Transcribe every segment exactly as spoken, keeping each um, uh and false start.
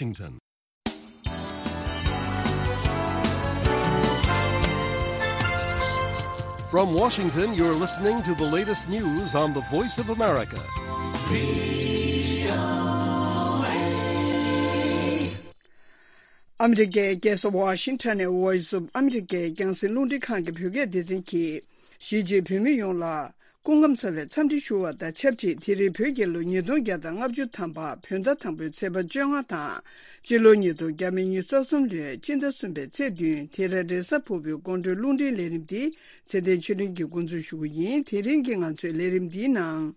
Washington. From Washington, you're listening to the latest news on the Voice of America. ཨ་མི་རི་ཀའི་རྒྱལ་ས་ཝ་ཤིང་ཊོན་ནས་Voice of America རྒྱང་སྲིང་རླུང་འཕྲིན་ཁང་གི་བོད་སྐད་སྡེ་ཚན་གྱིས། གཞིས་བྱེས་བོད་མི་ཡོངས་ལ་སྐུ་ཁམས་བཟང་བའི་འཚམས་འདྲི་ཞུ་བ་དང་ཆབས་ཅིག་དེ་རིང་བོད་རྒྱལ་ལོ་ཉིས་སྟོང་བརྒྱ་དང་ལྔ་བཅུ་ཐམ་པ་བོད་ཟླ་དང་པོའི་ཚེས་པ་བཅོ་ལྔ་དང་། སྤྱི་ལོ་ཉིས་སྟོང་ཉི་ཤུ་རྩ་གསུམ་ལོའི་སྤྱི་ཟླ་གསུམ་པའི་ཚེས་བདུན། དེ་རིང་རེས་གཟའ་ཕུར་བུའི་དགོང་དྲོའི་རླུང་འཕྲིན་ལས་རིམ་འདི་ཚེ་བརྟན་ཆོས་སྒྲོན་གྱིས་འགོ་འཛུགས་ཞུ་གི་ཡིན། དེ་རིང་གི་ང་ཚོའི་ལས་རིམ་འདིའི་ནང་།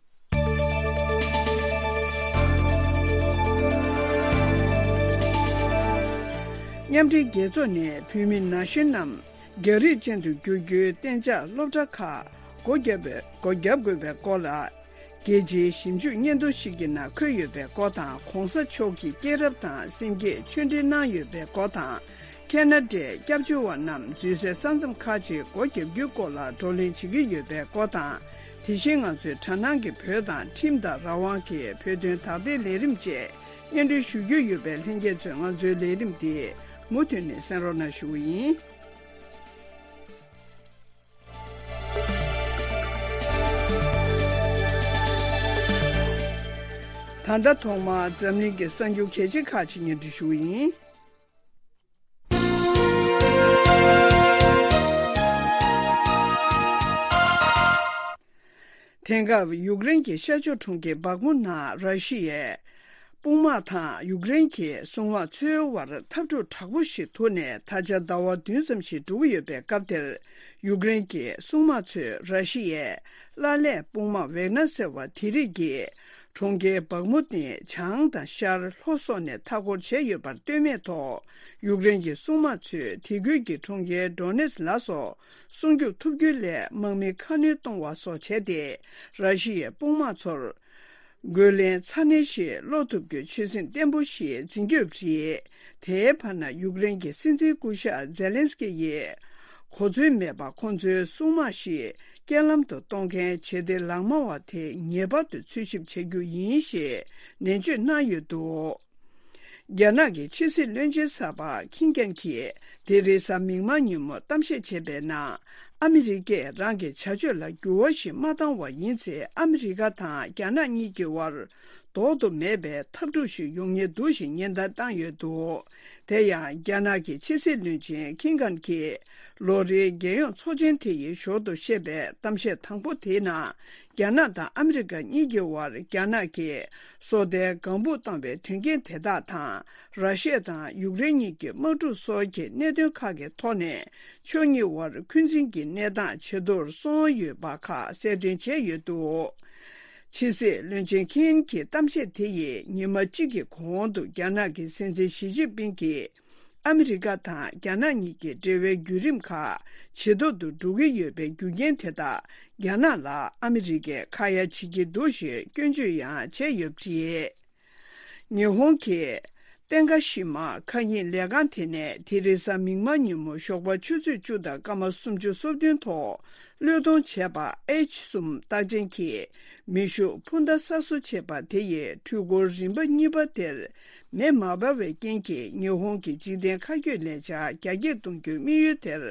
མཉམ་འབྲེལ་རྒྱལ་ཚོགས་ནས་བོད་མི་ན་གཞོན་རྣམས་རྒྱ་རིགས་ཅན་དུ་བསྒྱུར་རྒྱུའི་གཏན་འཇགས་སློབ་གྲྭ་ཁག་སྒོ་བརྒྱབ་པའི་སྒོ་བརྒྱབ་དགོས་པའི་སྐོར་ལ། རྒྱལ་སྤྱིའི་ཞིབ་འཇུག་སྙན་ཐོ་ཞིག་གི་ནང་འཁོད་ཡོད་པའི་སྐོར་དང་། གོང་ས་མཆོག་གི་སྐྱེས་རབས་དང་། སེམས་བསྐྱེད་ཆོས་འབྲེལ་གནང་ཡོད་པའི་སྐོར་དང་། ཁེ་ན་ཌའི་སྐྱབས་བཅོལ་བ་རྣམས་འཛུལ་སའི་ས་མཚམས་ཁག་ཅིག་སྒོ་བརྒྱབ་རྒྱུའི་སྐོར་ལ་བགྲོ་གླེང་བྱེད་ཀྱི་ཡོད་པའི་སྐོར་དང་། དེ་བཞིན་ང་ཚོའི་དྲ་སྣང་གི་བོད་དང་ཁྲིམས་དང་རང་དབང་གི་བོད་དོན་དག་ཐེར་ལས་རིམ་བཅས་སྙན་སྒྲོན་ཞུ་རྒྱུ་ཡོད་པས། ལྷན་རྒྱས་ཚོས་ང་ཚོའི་ལས་རིམ་འདི་མུ་མཐུད་ནས་གསན་རོགས་གནང་ཞུ་གི་ཡིན། ད་ལྟ་ཐོག་མར་འཛམ་གླིང་གི་གསར་འགྱུར་གལ་ཆེ་ཁག་ཅིག་སྙན་སྒྲོན་ཞུ་གི་ཡིན། དེང་སྐབས་ཡུཀ་རེན་གྱི་ཤར་ཕྱོགས་གྲོང་ཁྱེར་སྦག་མུ་ནང་ར་ཤི་ཡའི་དཔུང་དམག་དང་ཡུཀ་རེན་གྱི་སྲུང་དམག་ཚོའི་དབར་འཐབ་འཁྲུག་དྲག་པོ་ཞིག་ཐུག་ནས་ད་ཆ་ཟླ་བ་བདུན་ཙམ་ཞིག་འགྲོ་གི་ཡོད་པའི་སྐབས་དེར། ཡུཀ་རེན་གྱི་སྲུང་དམག་ཚོས་ར་ཤི་ཡའི་གླ་ལེན་དཔུང་དམག་ཝེག་ནར་ཟེར་བ་དེ་རིགས་ཀྱིས། གྲོང་ཁྱེར་སྦག་མུ་ནི་བྱང་དང་ཤར་ལྷོ་སོགས་ནས་མཐའ་འཁོར་བྱས་ཡོད་པར་ལྟོས་མེད་ཐོག་ཡུཀ་རེན་གྱི་སྲུང་དམག་ཚོས་དེ་ཁུལ་གྱི་གྲོང་ཁྱེར་ཌོ་ནེ་སི་ལ་སོགས་སྲུང་སྐྱོབ་ཐུབ་རྒྱུ་ལས་དམག་མི་ཁ་སྣོན་གཏོང་བ་སོགས་བྱས་ཏེ། ར་ཤི་ཡའི་དཔུང་དམག་ཚོར་རྒོལ་ལན་ཚ་ནན་ཞིག་སློག་ཐུབ་རྒྱུའི་ཆོད་སེམས་བརྟན་པོ་ཞིག་འཛིན་གྱི་ཡོད་པ་རེད། དེའི་བར་ན་ཡུཀ་རེན་གྱི་སྲིད་འཛིན་སྐུ་ཞབས་ཛེ་ལན་སི་ཀི་ཡིས། གོ་མཚོན་མེད་པར་ཁོང་ཚོའི་སྲུང་དམག་ཞིག་རྐྱེན་ལམ་དུ་གཏོང་མཁན་བྱེད་གཏེ་ལག་དམར་བ་དེ་ངེས་པར་དུ་འཚོལ་ཞིབ་བྱེད་རྒྱུ་ཡིན་ཞེས་ནན་བརྗོད་གནང་ཡོད་འདུག་རྒྱ་ནག་གི་ཕྱི་སྲིད་བློན་ཆེན་གསར་པ་ཁིན་གན་གྱིས་དེ་རིང་གཟའ་མིག་དམར་ཉིན་མོ་གཏམ་བཤད་བྱས་པའི་ནང་། ཨ་མི་རི་ཀས་རང་གི་བྱ་སྤྱོད་ལ་འགྱུར་བ་ཞིག་མ་བཏང་བ་ཡིན་ཚེ། ཨ་མི་རི་ཀ་དང་རྒྱ་ནག་གཉིས་ཀྱི་དབར་ལྡོག་ཏུ་མེད་པའི་འཐབ་འཁྲུག་ཞིག་ཡོང་ཉེན་འདུག་ཞེས་ཉེན་བརྡ་བཏང་ཡོད་འདུག་དེ་ཡང་རྒྱ་ནག་གི་ཕྱི་སྲིད་བློན་ཆེན་ཁིན་གན་གྱིས་ལོ་རེའི་རྒྱལ་ཡོངས་ཚོགས་ཆེན་དེ་ཡི་ཞོར་དུ་བཤད་པའི་གཏམ་བཤད་དང་པོ་དེའི་ནང་། རྒྱ་ནག་དང་ཨ་མི་རི་ཀ་གཉིས་ཀྱི་དབར་རྒྱ་ནག་གིས་སོ་ལྟའི་ལྒང་སྦུག་བཏང་བའི་དོན་རྐྱེན་དེ་དག་དང་། ར་ཤི་ཡ་དང་ཡུཀ་རེན་གཉིས་ཀྱི་དམག་འཁྲུག་སོགས་ཀྱི་གནད་དོན་ཁག་གི་ཐོག་ནས་ཕྱོགས་གཉིས་དབར་འཁོན་འཛིན་གྱི་གནས་སྟངས་ཇེ་མཐོར་སོང་ཡོད་པ་ཁག་གསལ་སྟོན་བྱས་ཡོད་འདུག་ཕྱི་སྲིད་བློན་ཆེན་ཁིན་གྱི་གཏམ་བཤད་དེ་ཡིས་ཉི་མ་གཅིག་གི་གོང་དུ་རྒྱ་ནག་གི་སྲིད་འཛིན་ཞི་ཅིན་ཕིང་གིས། ཨ་མི་རི་ཀ་དང་རྒྱ་ནག་གཉིས་ཀྱི་འབྲེལ་བའི་བརྒྱུད་རིམ་ཁག་ཇེ་སྡུག་ཏུ་འགྲོ་གི་ཡོད་པའི་རྒྱུ་རྐྱེན་དེ་དག་རྒྱ་ནག་ལ་ཨ་མི་རི་ཀས་ཁ་ཡ་བྱེད་ཀྱི་འདུག་ཞེས་སྐྱོན་བརྗོད་ཡང་བྱས་ཡོད་པ་རེད། ཉི་ཧོང་གི་ཏེན་ག་ཤི་མ་མཁའ་དབྱིངས་ལས་ཁང་དེ་ནས་དེ་རིང་གཟའ་མིག་དམར་ཉིན་མོ་ཞོགས་པ་ཆུ་ཚོད་བཅུ་དང་སྐར་མ་སུམ་ཅུ་སོ་བདུན་ཐོག་བློས་གཏོང་བྱས་པ་ཨེཆ་གསུམ་རྟགས་ཅན་གྱི་མེ་ཤུགས་འཕུར་མདའ་གསར་བཟོ་བྱས་པ་དེ་ཡིས་འཕྲུལ་འཁོར་རིམ་པ་གཉིས་པ་དེར་མེ་མ་འབར་བའི་རྐྱེན་གྱིས་ཉི་ཧོང་གི་འཇིག་རྟེན་མཁའ་སྐྱོད་ལས་འཆར་རྒྱ་སྐྱེད་གཏོང་རྒྱུའི་དམིགས་ཡུལ་དེར་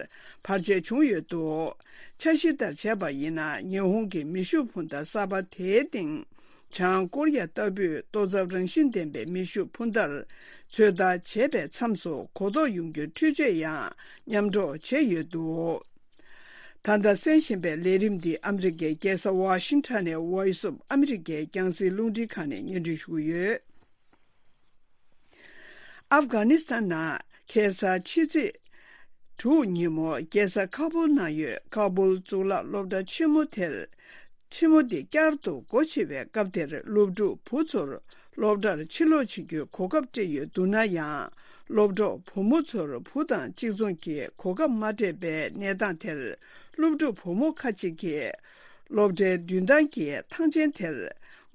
བར་ཆད་བྱུང་ཡོད་འདུག་འཆར་གཞི་ལྟར་བྱས་པ་ཡིན་ན། ཉི་ཧོང་གི་མེ་ཤུགས་འཕུར་མདའ་གསར་པ་དེའི་སྟེང་། བྱང་ཀོ་རི་ཡ་ལྟ་བུའི་ལྟོ་ཚབ་རང་བཞིན་ལྡན་པའི་མེ་ཤུགས་འཕུར་མདའ་ཚོད་ལྟ་བྱས་པའི་མཚམས་སུ་གོ་རྟོགས་ཡོང་རྒྱུའི་འཕྲུལ་ཆས་ཡང་མཉམ་སྒྲོག་བྱས་ཡོད་འདུག་ད་ལྟ་གསན་བཞིན་པའི་ལས་རིམ་འདི་ཨ་མི་རི་ཀའི་རྒྱལ་ས་ཝ་ཤིང་ཊོན་ནས་Voice of America རྒྱང་སྲིང་རླུང་འཕྲིན་ཁང་ནས་སྙན་སྒྲོན་ཞུ་གི་ཡོད། ཨབ་གྷ་ནི་སི་ཐན་ནང་ཁ་སང་ཕྱི་ཚེས་དྲུག་ཉིན་མོ་རྒྱལ་ས་ཁ་པུལ་ནང་ཡོད་ཁ་པུལ་གཙུག་ལག་སློབ་གྲྭ་ཆེན་མོ་དེར། ཆེན་མོ་འདི་བསྐྱར་དུ་སྒོ་ཕྱེ་བའི་སྐབས་དེར་སློབ་ཕྲུག་བུ་ཚོར་སློབ་གྲྭར་ཕྱིར་ལོག་བྱེད་རྒྱུའི་གོ་སྐབས་སྤྲད་ཡོད་འདུག་ན་ཡང་། སློབ་གྲོགས་བུ་མོ་ཚོར་བུ་དང་གཅིག་མཚུངས་ཀྱི་གོ་སྐབས་མ་སྤྲད་པའི་གནས་སྟངས་དེར། སློབ་ཕྲུག་བུ་མོ་ཁ་ཅིག་གིས་སློབ་གྲྭའི་མདུན་ཐང་གི་ཐང་ཆེན་དེར་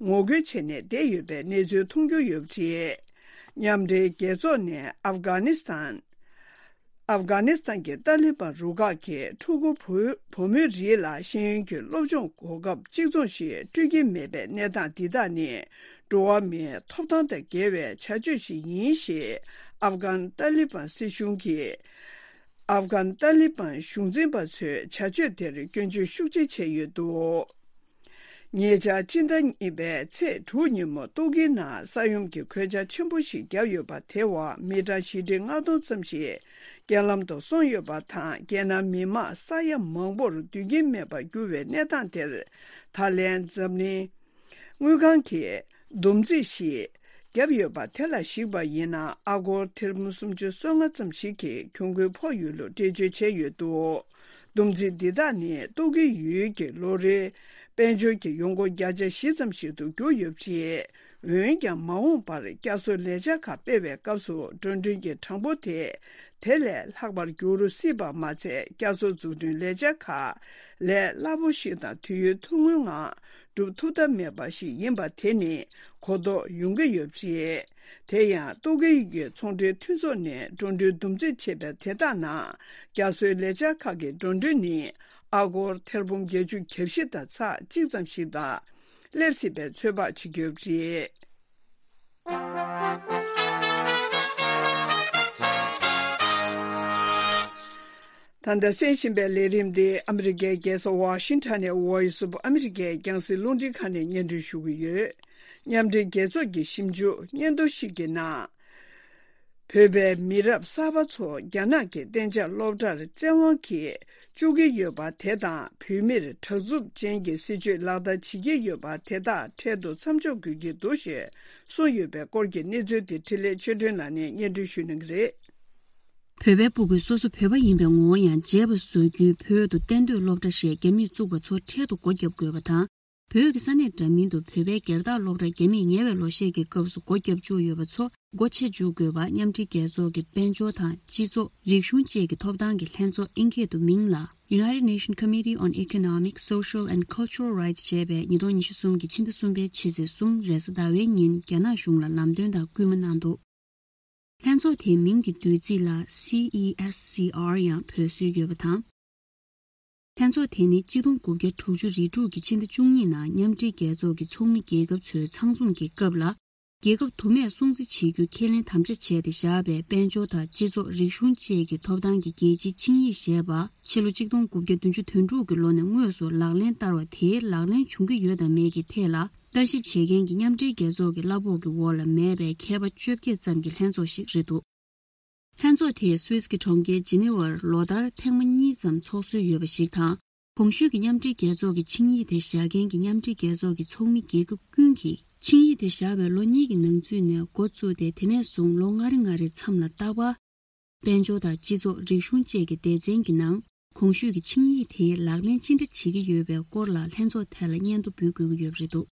ངོ་རྒོལ་བྱས་ནས་བསྡད་ཡོད་པའི་གནས་ཚུལ་མཐོང་རྒྱུ་ཡོད་པ་རེད། མཉམ་འབྲེལ་རྒྱལ་ཚོགས་ནས་ཨབ་གྷ་ནི་སི་ཐན། ཨབ་གྷ་ནི་སི་ཐན་གྱི་ཏཱ་ལི་བན་རུ་ཁག་གིས་ཕྲུ་གུ་བུ་བུ་མོའི་རིགས་ལ་ཤེས་ཡོན་གྱི་སློབ་སྦྱོང་གོ་སྐབས་གཅིག་མཚུངས་ཤིག་སྤྲོད་ཀྱི་མེད་པའི་གནས་སྟངས་འདི་དག་ནི། འགྲོ་བ་མིའི་ཐོབ་ཐང་དང་འགལ་བའི་བྱ་སྤྱོད་ཞིག་ཡིན་ཞེས་ཨབ་གྷན་ཏཱ་ལི་བན་སྲིད་གཞུང་གིས། ཨབ་གྷན་ཏཱ་ལི་བན་གཞུང་འཛིན་པ་ཚོས་བྱ་སྤྱོད་དེར་སྐྱོན་བརྗོད་ཤུགས་ཆེ་བྱས་ཡོད་འདུག་ཉེ་ཆར་སྤྱི་ཟླ་གཉིས་པའི་ཚེས་དྲུག་ཉིན་མོ་ཏོག་དཀྱིལ་ནང་ས་ཡོམ་གྱི་གོད་ཆག་ཆེན་པོ་ཞིག་བརྒྱབ་ཡོད་པ། དེའི་འོག་མི་གྲངས་བཞི་ཁྲི་ལྔ་སྟོང་ཙམ་ཞིག་རྐྱེན་ལམ་དུ་སོང་ཡོད་པ་དང་། རྒྱལ་ནང་མི་མང་ས་ཡ་མང་པོར་སྡོད་ཁྱིམ་མེད་པར་གྱུར་བའི་གནས་སྟངས་དེར། ད་ལན་འཛམ་གླིང་དངུལ་ཁང་གིས་བསྡོམས་རྩིས་ཤིག་བརྒྱབ་ཡོད་པ་དེ་ལ་གཞིགས་པ་ཡིན་ན། ཨ་སྒོར་ཐེར་འབུམ་སུམ་ཅུ་སོ་ལྔ་ཙམ་ཞིག་གི་གྱོང་གུན་ཕོག་ཡོད་ལུགས་འགྲེལ་བརྗོད་བྱས་ཡོད་འདུག་བསྡོམས་རྩིས་འདི་དག་ནི་ཏོག་དཀྱིལ་ཡུལ་གྱི་ལོ་རེའི་དཔལ་འབྱོར་གྱི་ཡོང་སྒོ་བརྒྱ་ཆ་བཞི་ཙམ་ཞིག་ཏུ་གྱུར་ཡོད་པ་རེད། འོན་ཀྱང་། མ་འོངས་པར་བསྐྱར་གསོ་ལས་འཆར་ཁག་སྤེལ་བའི་སྐབས་སུ་འགྲོ་གྲོན་གྱི་གྲངས་འབོར་དེ་དེ་ལས་ལྷག་པར་འགྱུར་སྲིད་པ་མ་ཚད། བསྐྱར་གསོ་འཛུགས་སྐྲུན་ལས་འཆར་ཁག་ལས་སླ་པོ་ཞིག་དང་དུས་ཡུན་ཐུང་ངུའི་ངང་སྒྲུབ་ཐུབ་ཐབས་མེད་པ་ཞིག་ཡིན་པ་དེ་ནི་གོ་རྟོགས་ཡོང་གི་ཡོད་པ་རེད། དེ་ཡང་ཏོག་དཀྱིལ་ཡུལ་གྱི་ཚོང་འབྲེལ་མཐུན་ཚོགས་ནས་འགྲོ་གྲོན་བསྡོམས་རྩིས་བྱས་པའི་དེ་དག་ནང་བསྐྱར་གསོའི་ལས་འཆར་ཁག་གི་འགྲོ་གྲོན་ནི་ཨ་སྒོར་ཐེར་འབུམ་བརྒྱད་ཅུ་གྱ་བཞི་དང་ཚེག་གཅིག་ཙམ་ཞིག་དང་སླེབས་སྲིད་པའི་ཚོད་དཔག་བྱེད་ཀྱི་ཡོད་པ་རེད། ད་ལྟ་གསན་བཞིན་པའི་ལས་རིམ་འདི་ཨ་མི་རི་ཀའི་རྒྱལ་ས་ཝ་ཤིང་ཊོན་ནས་Voice of America རྒྱང་སྲིང་རླུང་འཕྲིན་ཁང་ནས་སྙན་སྒྲོན་ཞུ་གི་ཡོད། མཉམ་འབྲེལ་རྒྱལ་ཚོགས་ཀྱི་ཞིབ་འཇུག་སྙན་ཐོ་ཞིག་གི་ནང་། བོད་པའི་མི་རབས་གསར་པ་ཚོ་རྒྱ་ནག་གི་གཏན་འཇགས་སློབ་གྲྭར་བཙན་དབང་གིས་བཅུག་གི་ཡོད་པ་དེ་དང་། བོད་མིར་དྲག་རྩུབ་ཅན་གྱི་སྲིད་བྱུས་ལག་བསྟར་བྱེད་ཀྱི་ཡོད་པ་དེ་དག་འཕྲལ་དུ་མཚམས་འཇོག་དགོས་ཀྱི་འདུག་ཞེས་གསུངས་ཡོད་པའི་སྐོར་གྱི་གནས་ཚུལ་དེ་འཕྲིན་ལས་ཆོས་སྒྲོན་ལགས་ནས་སྙན་སྒྲོན་ཞུ་གནང་གི་རེད། བོད་པའི་སྤུ་གུས་སོ་སོ་བོད་པ་ཡིན་པའི་ངོ་བོ་ཡང་བརྗེད་པ་བཟོ་རྒྱུའི་བོད་དུ་གཏན་སྡོད་སློབ་གྲྭ་ཞེས་རྒྱ་མིས་བཙུགས་པ་ཚོ་འཕྲལ་དུ་སྒོ་བརྒྱབ་དགོས་པ་དང་། བོད་ཀྱི་ས་གནས་འདྲ་མིན་དུ་བོད་པའི་སྒེར་བདག་སློབ་གྲྭ་རྒྱ་མིས་ཉེ་བའི་ལོ་ཤས་ཀྱི་སྐབས་སུ་སྒོ་བརྒྱབ་བཅུག་ཡོད་པ་ཚོ་སྒོ་ཕྱེ་འཇུག་དགོས་པ་མཉམ་འབྲེལ་རྒྱལ་ཚོགས་ཀྱི་དཔལ་འབྱོར་དང་སྤྱི་ཚོགས་རིག་གཞུང་བཅས་ཀྱི་ཐོབ་ཐང་གི་ལྷན་ཚོགས་ཨིན་སྐད་དུ་མིང་ལ་United Nations Committee on Economic, Social and Cultural Rights ཞེས་པས་ཉིས་སྟོང་ཉི་ཤུ་གསུམ་གྱི་ཕྱི་ཟླ་གསུམ་པའི་ཕྱི་ཚེས་གསུམ་རེས་གཟའ་ཟླ་བའི་ཉིན་རྒྱ་ནག་གཞུང་ལ་ལམ་སྟོན་དང་སྐུལ་མ་གནང་འདུག་ལྷན་ཚོགས་དེའི་མིང་གི་བསྡུས་ཚིག་ལ་སི་ཨི་ཨེས་སི་ཨར་ཡང་འབོད་སྲོལ་ཡོད་པ་དང་། ལྷན་ཚོགས་དེ་ནི་གཅིག་སྟོང་དགུ་བརྒྱ་དྲུག་ཅུ་རེ་དྲུག་གི་ཕྱི་ཟླ་བཅུ་གཉིས་ནང་མཉམ་འབྲེལ་རྒྱལ་ཚོགས་ཀྱི་ཚོགས་མི་རྒྱལ་ཁབ་ཚོའི་ཚང་འཛོམས་ཀྱི་སྐབས་ལ། རྒྱལ་ཁབ་དུ་མས་སྲུང་བརྩི་བྱེད་རྒྱུ་ཁས་ལེན་དམ་བཅའ་བྱས་ཏེ་བཞག་པའི་དཔལ་འབྱོར་དང་སྤྱི་ཚོགས་རིག་གཞུང་བཅས་ཀྱི་ཐོབ་ཐང་གི་རྒྱལ་སྤྱིའི་ཆིངས་ཡིག་ཞེས་པ་ཕྱི་ལོ་གཅིག་སྟོང་དགུ་བརྒྱ་བདུན་ཅུ་དོན་དྲུག་གི་ལོ་ནས་དངོས་སུ་ལག་ལེན་བསྟར་བ་དེའི་ལག་ལེན་བྱུང་གི་ཡོད་དམ་མེད་ཀྱི་ཐད་ལ་ལྟ་ཞིབ་བྱེད་མཁན་གྱི་མཉམ་འབྲེལ་རྒྱལ་ཚོགས་ཀྱི་གླ་ཕོགས་ཀྱི་འོག་ལ་མེད་པའི་མཁས་པ་བཅོ་བརྒྱད་ཙམ་གྱི་ལྷན་ཚོགས་ཤིག་རེད་འདུག་ལྷན་ཚོགས་དེས་སུད་སི་གི་གྲོང་ཁྱེར་ཇི་ནི་ཝར་ལོ་ལྟར་ཐེངས་མ་གཉིས་ཙམ་ཚོགས་སྲོལ་ཡོད་པ་ཞིག་དང་། གོང་ཞུས་ཀྱི་མཉམ་འབྲེལ་རྒྱལ་ཚོགས་ཀྱི་ཆིངས་ཡིག་དེ་བཞག་མཁན་གྱི་མཉམ་འབྲེལ་རྒྱལ་ཚོགས་ཀྱི་ཚོགས་མི་རྒྱལ་ཁབ་ཀུན་གྱིས་ཆིངས་ཡིག་དེ་བཞག་པའི་ལོ་གཉིས་ཀྱི་ནང་ཚུད་ནས་འགོ་བཙུགས་ཏེ། དེ་ནས་བཟུང་ལོ་ལྔ་རེ་ལྔ་རེའི་མཚམས་ལ་རྟག་པར་དཔལ་འབྱོར་དང་སྤྱི་ཚོགས་རིག་གཞུང་བཅས་ཀྱི་སྡེ་ཚན་གྱི་ནང་གོང་ཞུས་ཀྱི་ཆིངས་ཡིག་དེ་ལག་ལེན་ཅི་འདྲ་བྱེད་ཀྱི་ཡོད་པའི་སྐོར་ལ་ལྷན་ཚོགས་ཐད་ལ་སྙན་ཐོ་འབུལ་དགོས་ཀྱི་ཡོད་པ་རེད་འདུག་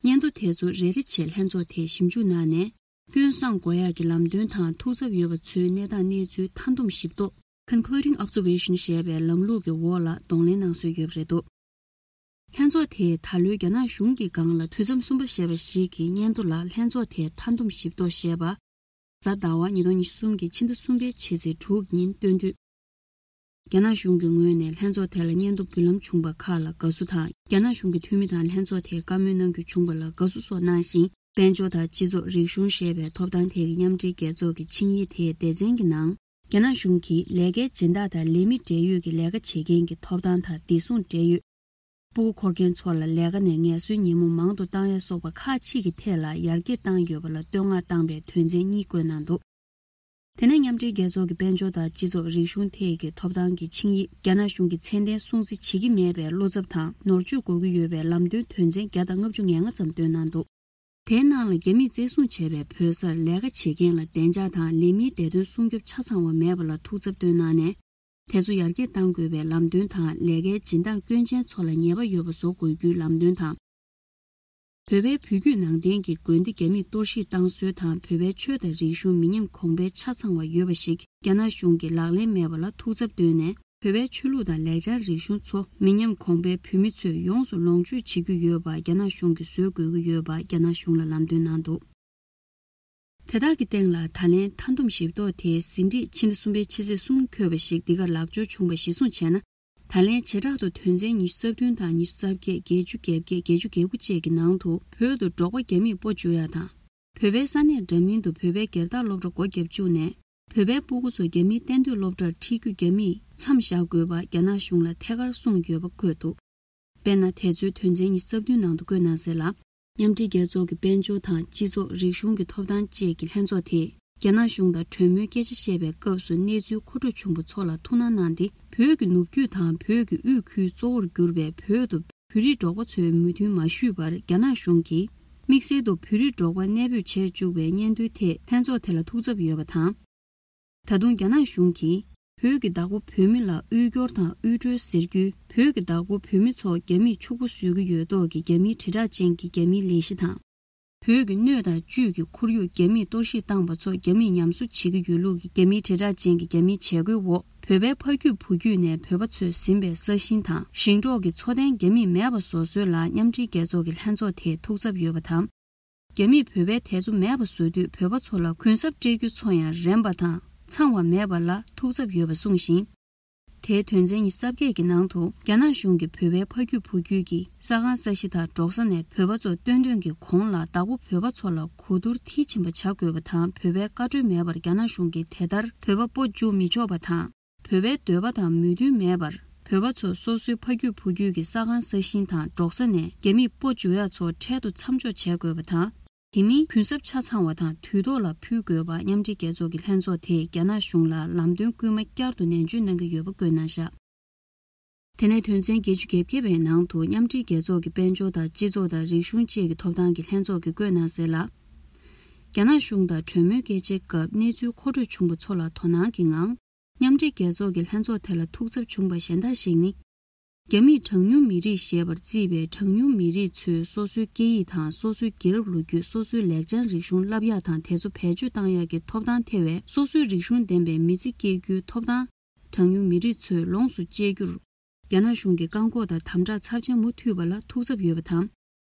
སྙན་ཐོ་དེ་ཚོ་རེ་རེ་བྱས་ལྷན་ཚོགས་དེས་ཞིབ་འཇུག་གནང་ནས། སྐྱོན་བསང་དགོས་ཡག་གི་ལམ་སྟོན་དང་ཐུགས་འཚབ་ཡོད་པ་ཚོའི་གནས་སྟངས་གནས་ཚུལ་མཐའ་བསྡོམས་ཞིབ་རྟོག Concluding Observation ཞེས་པའི་ལམ་ལུགས་ཀྱི་འོག་ལ་གདོང་ལེན་གནང་སྲོལ་ཡོད་པ་རེད་འདུག་ལྷན་ཚོགས་དེས་ད་ལོའི་རྒྱ་ནག་གཞུང་གི་སྒང་ལ་དུས་མཚམས་གསུམ་པ་ཞེས་པ་ཞིག་གི་སྙན་ཐོ་ལ་ལྷན་ཚོགས་དེའི་མཐའ་བསྡོམས་ཞིབ་རྟོག་ཞེས་པ། གཟའ་ཟླ་བ་ཉིས་སྟོང་ཉི་ཤུ་གསུམ་གྱི་ཕྱི་ཟླ་གསུམ་པའི་ཕྱི་ཚེས་དྲུག་ཉིན་བཏོན་དུས། རྒྱ་ནག་གཞུང་གི་ངོས་ནས་ལྷན་ཚོགས་དེ་ལ་སྙན་ཐོ་འབུལ་ལམ་བྱུང་བ་ཁག་ལ་དགའ་བསུ་དང་། རྒྱ་ནག་གཞུང་གི་འཐུས་མི་དང་ལྷན་ཚོགས་དེར་བཀའ་མོལ་གནང་རྒྱུ་བྱུང་བ་ལ་དགའ་བསུ་སོགས་གནང་ཞིང་། དཔལ་འབྱོར་དང་སྤྱི་ཚོགས་རིག་གཞུང་ཞེས་པའི་ཐོབ་ཐང་ཐད་ཀྱི་མཉམ་འབྲེལ་རྒྱལ་ཚོགས་ཀྱི་ཆིངས་ཡིག་དེའི་སྡེ་ཚན་གྱི་ནང་། རྒྱ་ནག་གཞུང་གིས་ལས་ཀའི་སྦྱིན་བདག་དང་ལས་མི་འབྲེལ་ཡོད་ཀྱི་ལས་ཀ་བྱེད་མཁན་གྱི་ཐོབ་ཐང་དང་བདེ་སྲུང་འབྲེལ་ཡོད། སྤུ་གུ་འཁོར་མཁན་ཚོ་ལ་ལས་ཀ་ནས་ངལ་གསོའི་ཉིན་མོ་མང་དུ་བཏང་ཡ་སོགས་པ་ཁག་ཅིག་གི་ཐད་ལ་ཡར་རྒྱས་བཏང་ཡོད་པ་ལ་བསྟོད་བསྔགས་བཏང་པའི་དོན་ཚན་གཉིས་བཀོད་གནང་འདུག་དེ་ནས་མཉམ་འབྲེལ་རྒྱལ་ཚོགས་ཀྱི་དཔལ་འབྱོར་དང་སྤྱི་ཚོགས་རིག་གཞུང་ཐད་ཀྱི་ཐོབ་ཐང་གི་ཆིངས་ཡིག་རྒྱ་ནག་གཞུང་གིས་ཚད་ལྡན་སྲུང་བརྩི་བྱེད་ཀྱི་མེད་པའི་བློ་འཚབ་དང་ནོར་བཅོས་དགོས་ཀྱི་ཡོད་པའི་ལམ་སྟོན་དོན་ཚན་བརྒྱ་དང་ལྔ་བཅུ་ང་ལྔ་ཙམ་བཏོན་གནང་འདུག་དེའི་ནང་ལ་རྒྱ་མིས་བཙན་བཟུང་བྱས་པའི་བོད་སར་ལས་ཀ་བྱེད་མཁན་ལ་བདེ་འཇགས་དང་ལས་མིའི་བདེ་དོན་སྲུང་སྐྱོབ་ཆ་ཚང་བ་མེད་པ་ལ་ཐུགས་འཚབ་བཏོན་གནང་ནས། དེ་ཚོ་ཡར་རྒྱས་གཏང་དགོས་པའི་ལམ་སྟོན་དང་། ལས་ཀའི་སྦྱིན་བདག་སྐྱོན་ཅན་ཚོ་ལ་ཉེས་པ་ཡོད་པ་བཟོ་དགོས་རྒྱུའི་ལམ་སྟོན་དང་། བོད་པའི་བོད་བརྒྱུད་ནང་བསྟན་གྱི་དགོན་སྡེ་རྒྱ་མིས་གཏོར་བཤིག་བཏང་སྲོལ་དང་། བོད་པའི་ཆོས་དང་རིག་གཞུང་མི་ཉམས་གོང་འཕེལ་ཆ་ཚང་བ་ཡོད་པ་ཞིག་རྒྱ་ནག་གཞུང་གིས་ལག་ལེན་མེད་པ་ལ་ཐུགས་འཚབ་བཏོན་ནས། བོད་པའི་ཆོས་ལུགས་དང་ལེགས་སྦྱར་རིག་གཞུང་ཚོ་མི་ཉམས་གོང་འཕེལ་བོད་མི་ཚོས་ཡོངས་སུ་ལོངས་སྤྱོད་བྱེད་ཀྱི་ཡོད་པ་རྒྱ་ནག་གཞུང་གིས་བཟོ་དགོས་ཀྱི་ཡོད་པ་རྒྱ་ནག་གཞུང་ལ་ལམ་སྟོན་གནང་འདུག་དེ་དག་གི་སྟེང་ལ་ད་ལན་མཐའ་བསྡོམས་ཞིབ་རྟོག་དེའི་ཟིན་བྲིས་ཕྱི་ཟླ་གསུམ་པའི་ཕྱི་ཚེས་གསུམ་འཁོད་པ་ཞིག་འདི་གར་ལག་འབྱོར་བྱུང་བ་གཞིར་བཟུང་བྱས་ན། ད་ ད་ལན་བྱེ་བྲག་ཏུ་དོན་ཚན་ཉི་ཤུ་རྩ་བདུན་དང་ཉི་ཤུ་རྩ་བརྒྱད། བརྒྱད་ཅུ་གྱ་བརྒྱད། བརྒྱད་ཅུ་གྱ་དགུ་བཅས་ཀྱི་ནང་དུ་བོད་དུ་འབྲོག་པ་རྒྱ་མིས་སྤོ་འཇུག་ཡ་དང་། བོད་པའི་ས་གནས་འདྲ་མིན་དུ་བོད་པའི་སྒེར་བདག་སློབ་གྲྭ་སྒོ་བརྒྱབ་བཅུག་ནས། བོད་པའི་སྤུ་གུ་ཚོ་རྒྱ་མིའི་གཏན་སྡོད་སློབ་གྲྭར་ཁྲིད་རྒྱུ་རྒྱ་མིས་མཚམས་བཞག་དགོས་པ་རྒྱ་ནག་གཞུང་ལ་ཐད་ཀར་གསུངས་ཡོད་པ་འཁོད་འདུག་དཔེར་ན། དེ་ཚོའི་དོན་ཚན་ཉི་ཤུ་རྩ་བདུན་ནང་དུ་བཀོད་གནང་གསལ་ལ། མཉམ་འབྲེལ་རྒྱལ་ཚོགས་ཀྱི་དཔལ་འབྱོར་དང་སྤྱི་ཚོགས། རིག་གཞུང་གི་ཐོབ་ཐང་བཅས་ཀྱི་ལྷན་ཚོགས་དེས། རྒྱ་ནག་གཞུང་དང་གྲོས་མོལ་སྐད་ཆ་བཤད་པའི་སྐབས་སུ་གནས་ཚུལ་མཁོ་སྤྲོད་བྱུང་བ་ཚོ་ལ་ཐུགས་སྣང་གནང་སྟེ། བོད་ཀྱི་ནུབ་རྒྱུད་དང་བོད་ཀྱི་དབུས་ཁུལ་གཙོ་བོར་གྱུར་པའི་བོད་དུ་བོད་རིགས་འབྲོག་པ་ཚོའི་མོས་མཐུན་མ་ཞུས་པར། རྒྱ་ནག་གཞུང་གིས་དམིགས་བསལ་དུ་བོད་རིགས་འབྲོག་པ་གནས་སྤོས་བྱས་བཅུག་པའི་སྙན་ཐོའི་ཐད་ལྷན་ཚོགས་དེ་ལ་ཐུགས་འཚབ་ཡོད་པ་དང་། ད་དུང་རྒྱ་ནག་གཞུང་གིས་བོད་ཀྱི་བདག་པོ་བོད་མི་ལ་དབུལ་སྐྱོར་དང་དབུལ་སྒྲོལ་ཟེར་རྒྱུའི། བོད་ཀྱི་བདག་པོ་བོད་མི་ཚོ་རྒྱ་མིས་ཕྱུག་པོ་བཟོ་གི་ཡོད་མདོག་གི་རྒྱ་མིའི་དྲིལ་བསྒྲགས་ཅན་གྱི་རྒྱ་མིའི་ལས་གཞི་དང་། བོད་ཀྱི་སྣོད་དང་བཅུད་ཀྱི་ཁོར་ཡུག་རྒྱ་མིས་གཏོར་བཤིག་བཏང་པ་ཚོ་རྒྱ་མིས་ཉམས་གསོ་བྱེད་ཀྱི་ཡོད་ལུགས་ཀྱི་རྒྱ་མིའི་དྲིལ་བསྒྲགས་ཅན་གྱི་རྒྱ་མིའི་བྱ་སྒོའི་འོག་བོད་པའི་ཕ་རྒྱུད་བུ་རྒྱུད་ནས་བོད་པ་ཚོས་ཟིན་པའི་ས་ཞིང་དང་ཞིང་འབྲོག་གི་འཚོ་རྟེན་རྒྱ་མིས་མེད་པ་བཟོ་སྲོལ་ལ་མཉམ་འབྲེལ་རྒྱལ་ཚོགས་ཀྱི་ལྷན་ཚོགས་དེས་ཐུགས་འཚབ་ཡོད་པ་དང་། རྒྱ་མིས་བོད་པའི་དེ་ཚོ་མེད་པ་བཟོ་དུས་བོད་པ་ཚོ་ལ་གུན་གསབ་སྤྲད་རྒྱུ་ཚོ་ཡང་རན་པ་དང་ཚང་བ་མེད་པ་ལ་ཐུགས་འཚབ་ཡོད་པ་གསུངས་ཤིང་། དེའི་དོན་ཚན་ཉི་ཤུ་རྩ་བརྒྱད་ཀྱི་ནང་དུ། རྒྱ་ནག་གཞུང་གིས་བོད་པའི་ཕ་རྒྱུད་བུ་རྒྱུད་ཀྱི་ས་ཁང་ས་གཞི་དང་འབྲོག་ས་ནས་བོད་པ་ཚོ་བཏོན་དོན་གྱི་གོང་ལ་བདག་པོ་བོད་པ་ཚོ་ལ་གོ་བསྡུར་མཐིལ་ཕྱིན་པ་བྱ་དགོས་པ་དང་། བོད་པའི་བཀའ་འཁྲོལ་མེད་པར་རྒྱ་ནག་གཞུང་གིས་དེ་ལྟར་བོད་པ་སྤོ་འཇུག་མི་ཆོག་པ་དང་། བོད་པའི་འདོད་པ་དང་མོས་མཐུན་མེད་པར་བོད་པ་ཚོ་སོ་སོའི་ཕ་རྒྱུད་བུ་རྒྱུད་ཀྱི་ས་ཁང་ས་ཞིང་དང་འབྲོག་ས་ནས་རྒྱ་མིས་སྤོ་འཇུག་ཡ་ཚོ་འཕྲལ་དུ་མཚམས་འཇོག་བྱ་དགོས་པ་དང་། དེ་མིན་གུན་གསབ་ཆ་ཚང་བ་དང་དུས་ཐོག་ལ་ཕུལ་དགོས་པ་མཉམ་འབྲེལ་རྒྱལ་ཚོགས་ཀྱི་ལྷན་ཚོགས་དེས་རྒྱ་ནག་གཞུང་ལ་ལམ་སྟོན་སྐུལ་མ་བསྐྱར་དུ་ནན་བརྗོད་གནང་གི་ཡོད་པ་བཀོད་གནང་བཞག་དེ་ནས་དོན་ཚན་བརྒྱད་ཅུ་གྱ་བརྒྱད་པའི་ནང་དུ་མཉམ་འབྲེལ་རྒྱལ་ཚོགས་ཀྱི་དཔལ་འབྱོར་དང་སྤྱི་ཚོགས་དང་རིག་གཞུང་བཅས་ཀྱི་ཐོབ་ཐང་གི་ལྷན་ཚོགས་ཀྱིས་བཀོད་གནང་གསལ་ལ། རྒྱ་ནག་གཞུང་དང་གྲོས་མོལ་སྐད་ཆའི་སྐབས་གནས་ཚུལ་མཁོ་སྤྲོད་བྱུང་བ་ཚོ་ལ་དོ་སྣང་གི་ངང་། མཉམ་འབྲེལ་རྒྱལ་ཚོགས་ཀྱི་ལྷན་ཚོགས་དེ་ལ་ཐུགས་འཚབ་བྱུང་བ་གཞན་དག་ཞིག་ནི། རྒྱ་མིས་གྲངས་ཉུང་མི་རིགས་ཞེས་པར་བརྩིས་པའི་གྲངས་ཉུང་མི་རིགས་ཚོས་སོ་སོའི་སྐད་ཡིག་དང་སོ་སོའི་རྒྱལ་རབས་ལོ་རྒྱུས། སོ་སོའི་ལེགས་བྱང་རིག་གཞུང་བསླབ་ཡག་དང་དེ་ཚོ་བེད་སྤྱོད་བཏང་ཡག་གི་ཐོབ་ཐང་ཐེ་བའི་སོ་སོའི་རིག་གཞུང་ལྡན་པའི་མི་ཚེ་སྐྱེལ་རྒྱུའི་ཐོབ་ཐང་། གྲངས་ཉུང་མི་རིགས་ཚོས་ལོངས་སུ་སྤྱད་རྒྱུར། རྒྱ་ནག་གཞུང་གི་བཀག་འགོག་དང་དམ་དྲག་ཚབས་ཆེན་མུ་མཐུད་པ་ལ་ཐུགས་འཚབ་ཡོད་པ་དང་།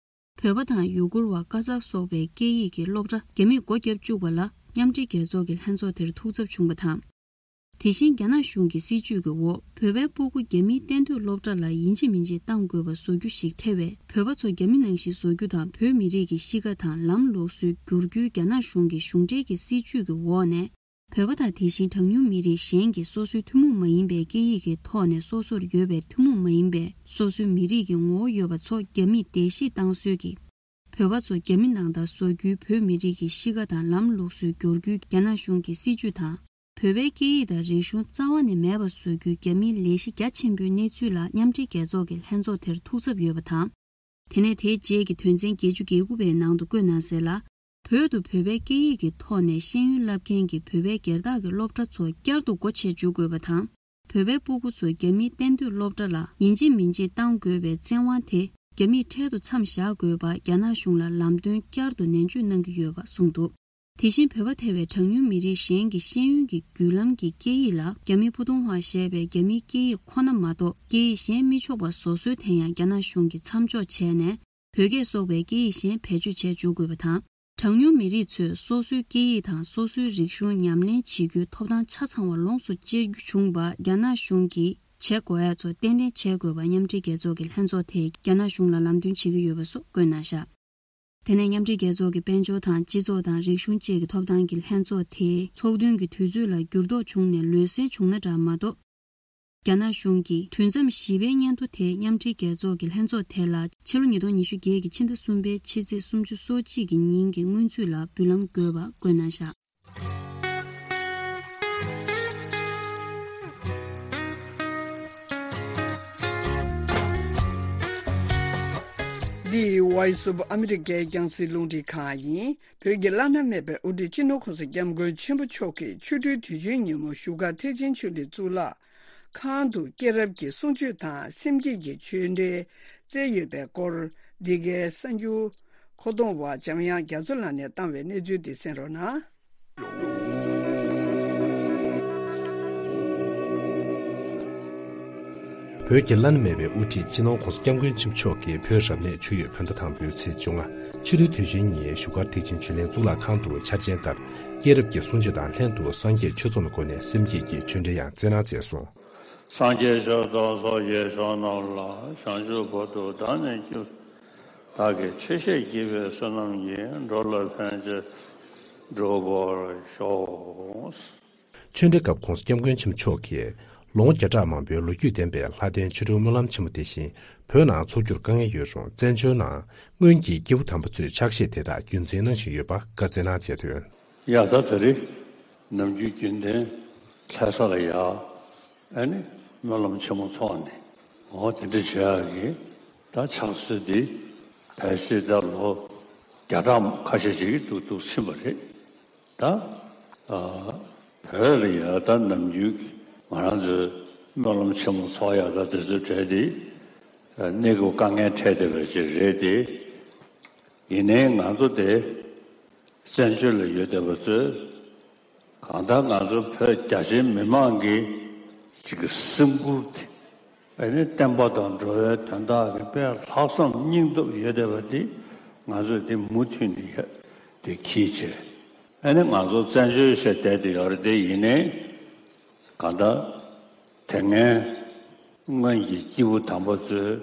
བོད་པ་དང་ཡུ་གུར་བ། ཀ་ཛག་སོགས་པའི་སྐད་ཡིག་གི་སློབ་གྲྭ་རྒྱ་མིས་སྒོ་བརྒྱབ་བཅུག་པ་ལ་མཉམ་འབྲེལ་རྒྱལ་ཚོགས་ཀྱི་ལྷན་ཚོགས་དེར་ཐུགས་འཚབ་བྱུང་བ་དང་། དེ་བཞིན་རྒྱ་ནག་གཞུང་གི་སྲིད་བྱུས་ཀྱི་འོག་བོད་པའི་སྤུ་གུ་རྒྱ་མིའི་གཏན་སྡོད་སློབ་གྲྭ་ལ་ཡིན་གཅིག་མིན་གཅིག་གཏང་དགོས་པ་བཟོ་རྒྱུ་ཞིག་ཐེ་བས། བོད་པ་ཚོ་རྒྱ་མི་ནང་བཞིན་བཟོ་རྒྱུ་དང་། བོད་མི་རིགས་ཀྱི་གཤིས་ཀ་དང་ལམ་ལུགས་སྲོལ་བསྒྱུར་རྒྱུའི་རྒྱ་ནག་གཞུང་གི་གཞུང་འབྲེལ་གྱི་སྲིད་བྱུས་ཀྱི་འོག་ནས། བོད་པ་དང་དེ་བཞིན་གྲངས་ཉུང་མི་རིགས་གཞན་གྱི་སོ་སོའི་ཐུན་མོང་མ་ཡིན་པའི་སྐད་ཡིག་གི་ཐོག་ནས་སོ་སོར་ཡོད་པའི་ཐུན་མོང་མ་ཡིན་པའི་སོ་སོའི་མི་རིགས་ཀྱི་ངོ་བོ་ཡོད་པ་ཚོ་རྒྱ་མིས་བརྡལ་བཤིག་བཏང་སྲོལ་གྱིས། བོད་པ་ཚོ་རྒྱ་མི་ནང་ལྟར་བཟོ་རྒྱུའི། བོད་མི་རིགས་ཀྱི་གཤིས་ཀ་དང་ལམ་ལུགས་སྲོལ་བསྒྱུར་རྒྱུའི་རྒྱ་ནག་གཞུང་གི་སྲིད་བྱུས་དང་། བོད་པའི་སྐད་ཡིག་དང་རིག་གཞུང་རྩ་བ་ནས་མེད་པ་བཟོ་རྒྱུའི་རྒྱ་མིའི་ལས་གཞི་རྒྱ་ཆེན་པོའི་གནས་ཚུལ་ལ་མཉམ་འབྲེལ་རྒྱལ་ཚོགས་ཀྱི་ལྷན་ཚོགས་དེར་ཐུགས་འཚབ་ཡོད་པ་དང་། དེ་ནས་དེའི་རྗེས་ཀྱི་དོན་ཚན་བརྒྱད་ཅུ་གྱ་དགུ་པའི་ནང་དུ་བཀོད་གནང་གསལ་ལ། བོད་དུ་བོད་པའི་སྐད་ཡིག་གི་ཐོག་ནས་ཤེས་ཡོན་བསླབ་མཁན་གྱི་བོད་པའི་སྒེར་བདག་གི་སློབ་གྲྭ་ཚོ་བསྐྱར་དུ་སྒོ་ཕྱེ་འཇུག་དགོས་པ་དང་། བོད་པའི་སྤུ་གུ་ཚོ་རྒྱ་མིའི་གཏན་སྡོད་སློབ་གྲྭ་ལ་ཡིན་གཅིག་མིན་གཅིག་གཏང་དགོས་པའི་བཙན་དབང་དེ་རྒྱ་མིས་འཕྲལ་དུ་མཚམས་བཞག་དགོས་པ་རྒྱ་ནག་གཞུང་ལ་ལམ་སྟོན་བསྐྱར་དུ་ནན་བརྗོད་གནང་གི་ཡོད་པ་གསུངས་འདུག་དེ་བཞིན་བོད་པ་ཐེ་བའི་གྲངས་ཉུང་མི་རིགས་གཞན་གྱི་ཤེས་ཡོན་གྱི་བརྒྱུད་ལམ་གྱི་སྐད་ཡིག་ལ་རྒྱ་མིའི་ཕུ་ཐུང་ཧྭ་ཞེས་པའི་རྒྱ་མིའི་སྐད་ཡིག་ཁོ་ན་མ་གཏོགས་སྐད་ཡིག་གཞན་མི་ཆོག་པ་བཟོ་སྲོལ་དེ་ཡང་རྒྱ་ནག་གཞུང་གིས་མཚམས་འཇོག་བྱས་ནས། བོད་སྐད་སོགས་པའི་སྐད་ཡིག་གཞན་བེད་སྤྱོད་བྱས་འཇུག་དགོས་པ་དང་། གྲངས་ཉུང་མི་རིགས་ཚོས་སོ་སོའི་སྐད་ཡིག་དང་སོ་སོའི་རིག་གཞུང་ཉམས་ལེན་བྱེད་རྒྱུའི་ཐོབ་ཐང་ཆ་ཚང་བ་ལོངས་སུ་སྤྱད་རྒྱུ་བྱུང་བ་རྒྱ་ནག་གཞུང་གིས་བྱེད་དགོས་ཡ་ཚོ་ཏན་ཏན་བྱེད་དགོས་པ་མཉམ་འབྲེལ་རྒྱལ་ཚོགས་ཀྱི་ལྷན་ཚོགས་དེས་རྒྱ་ནག་གཞུང་ལ་ལམ་སྟོན་བྱེད་ཀྱི་ཡོད་པ་སོགས་བཀོད་གནང་བཞག་དེ་ནས་མཉམ་འབྲེལ་རྒྱལ་ཚོགས་ཀྱི་དཔལ་འབྱོར་དང་སྤྱི་ཚོགས་དང་རིག་གཞུང་བཅས་ཀྱི་ཐོབ་ཐང་གི་ལྷན་ཚོགས་དེའི་ཚོགས་ཐུན་གྱི་དུས་ཚོད་ལ་འགྱུར་ལྡོག་བྱུང་ནས་ལོ་གསར་བྱུང་ན་འདྲ་མ་གཏོགས། རྒྱ་ནག་གཞུང་གིས་དུས་མཚམས་བཞི་པའི་སྙན་ཐོ་དེ་མཉམ་འབྲེལ་རྒྱལ་ཚོགས་ཀྱི་ལྷན་ཚོགས་དེ་ལ་ཕྱི་ལོ་ཉིས་སྟོང་ཉི་ཤུ་བརྒྱད་ཀྱི་ཕྱི་ཟླ་གསུམ་པའི་ཕྱི་ཚེས་སུམ་ཅུ་སོ་གཅིག་གི་ཉིན་གྱི་སྔོན་ཚུད་ལ་འབུལ་ལམ་དགོས་པ་བཀོད་གནང་བཞག་འདི་Voice of America རྒྱང་སྲིང་རླུང་འཕྲིན་ཁང་ཡིན། བོད་ཀྱི་བླ་ན་མེད་པའི་དབུ་ཁྲིད་སྤྱི་ནོར་༸གོང་ས་༸སྐྱབས་མགོན་ཆེན་པོ་མཆོག་གིས་ཆོ་འཕྲུལ་དུས་ཆེན་ཉིན་མོ་བཞུགས་སྒར་ཐེག་ཆེན་ཆོས་གླིང་གཙུག་ལག་ཁང་དུ་སྐྱེས་རབས་ཀྱི་གསུང་ཆོས་དང་སེམས་བསྐྱེད་ཀྱི་ཆོས་འབྲེལ་སྩལ་ཡོད་པའི་སྐོར། འདི་གའི་གསར་འགྱུར་མཁོ་གཏོང་བ་འཇམ་དབྱངས་རྒྱ་མཚོ་ལགས་ནས་བཏང་བའི་གནས་ཚུལ་འདི་གསན་རོགས་གནང་། བོད་ཀྱི་བླ་ན་མེད་པའི་དབུ་ཁྲིད་སྤྱི་ནོར་༸གོང་ས་༸སྐྱབས་མགོན་ཆེན་པོ་མཆོག་གིས་བོད་རབ་གནས་ཆུ་ཡོས་བོད་ཟླ་དང་པོའི་ཚེས་བཅོ་ལྔ་ཕྱི་དྲོའི་དུས་ཆེན་ཉིན་བཞུགས་སྒར་ཐེག་ཆེན་ཆོས་གླིང་གཙུག་ལག་ཁང་དུ་འཆར་ཅན་ལྟར་སྐྱེས་རབས་ཀྱི་གསུང་ཆོས་དང་ལྷན་དུ་སངས་རྒྱས་ཆོས་ཚོགས་ལ་བསྐོར་ནས་སེམས་བསྐྱེད་ཀྱི་ཆོས་འབྲེལ་ཡང་སྩལ་གནང་མཛད་སོང་། སངས་རྒྱས་ཆོས་དང་ཚོགས་ཀྱི་མཆོག་རྣམས་ལ། བྱང་ཆུབ་བར་དུ་བདག་ནི་སྐྱབས། བདག་གིས་ཆོས་བཤད་བགྱིས་པའི་བསོད་ནམས་ཀྱིས། འགྲོ་ལ་ཕན་ཕྱིར་འགྲུབ་པར་ཤོག། ཆོས་འབྲེལ་སྐབས་༸གོང་ས་༸སྐྱབས་མགོན་ཆེན་པོ་མཆོག་གིས་ལོ་ངོ་བརྒྱ་ཕྲག་མང་པོའི་ལོ་རྒྱུས་ལྡན་པའི་ལྷ་ལྡན་ཆོ་འཕྲུལ་སྨོན་ལམ་ཆེན་མོ་དེ་བཞིན་བོད་ནང་འཚོགས་རྒྱུར་དཀའ་ངལ་ཡོད་རུང་བཙན་བྱོལ་ནང་སྔོན་གྱི་སྐྱེས་བུ་དམ་པ་ཚོའི་ཕྱག་བཞེས་དེ་དག་རྒྱུན་འཛིན་གནང་བཞིན་ཡོད་པ་བཀའ་སྩལ་གནང་མཛད་དོན། ཡ་ད་ད་རེས་ནམ་རྒྱུན་རྒྱུན་ལྡན་ལྷ་ས་ལ་ཡ་ཨ་ནི་སྨོན་ལམ་ཆེན་མོ་ཚོགས་ནས་འོ་དེ་འདྲ་བྱེད་ཡག་གི་ད་ཕྱག་སྲོལ་འདི་ཕལ་ཆེར་ད་ལོ་བརྒྱ་ཕྲག་ཁ་ཤས་ཅིག་འདུག་འདུག་ཕྱིན་པ་རེད། ད་ཨ་བོད་ལ་ཡ་ད་ནམ་རྒྱུན་གྱི་ང་རང་ཚོའི་སྨོན་ལམ་ཆེན་མོ་ཚོགས་ཡ་ད་དེ་ཚོའི་གྲས་དེ་ཨ་གནས་སྐབས་དཀའ་ངལ་འཕྲད་བསྡད་པ་ཅིག་རེད་དེ། ཡིན་ནའི་ང་ཚོ་དེ་བཙན་བྱོལ་ལ་ཡོད་བསྡད་པ་ཚོས་གང་ལྟར་ང་ཚོ་བོད་རྒྱ་ཆེའི་མི་མང་གི་ཅིག་གི་སེམས་ཁུར་དེ། ཨ་ནི་བསྟན་པ་དང་འགྲོ་བའི་དོན་དག་གི་དཔེ་ལྷག་བསམ་སྙིང་སྟོབས་ཡོད་བསྡད་པ་དེ་ང་ཚོས་དེ་མུ་མཐུད་ནས་ཡ་དེ་གིས་བྱས། ཨ་ནི་ང་ཚོ་བཙན་བྱོལ་བྱས་བསྡད་དེ་ཡོད་རེད་དེ། ཡིན་ནའི་གང་ལྟར་དེ་སྔའི་སྔོན་གྱི་སྐྱེས་བུ་དམ་པ་ཚོའི་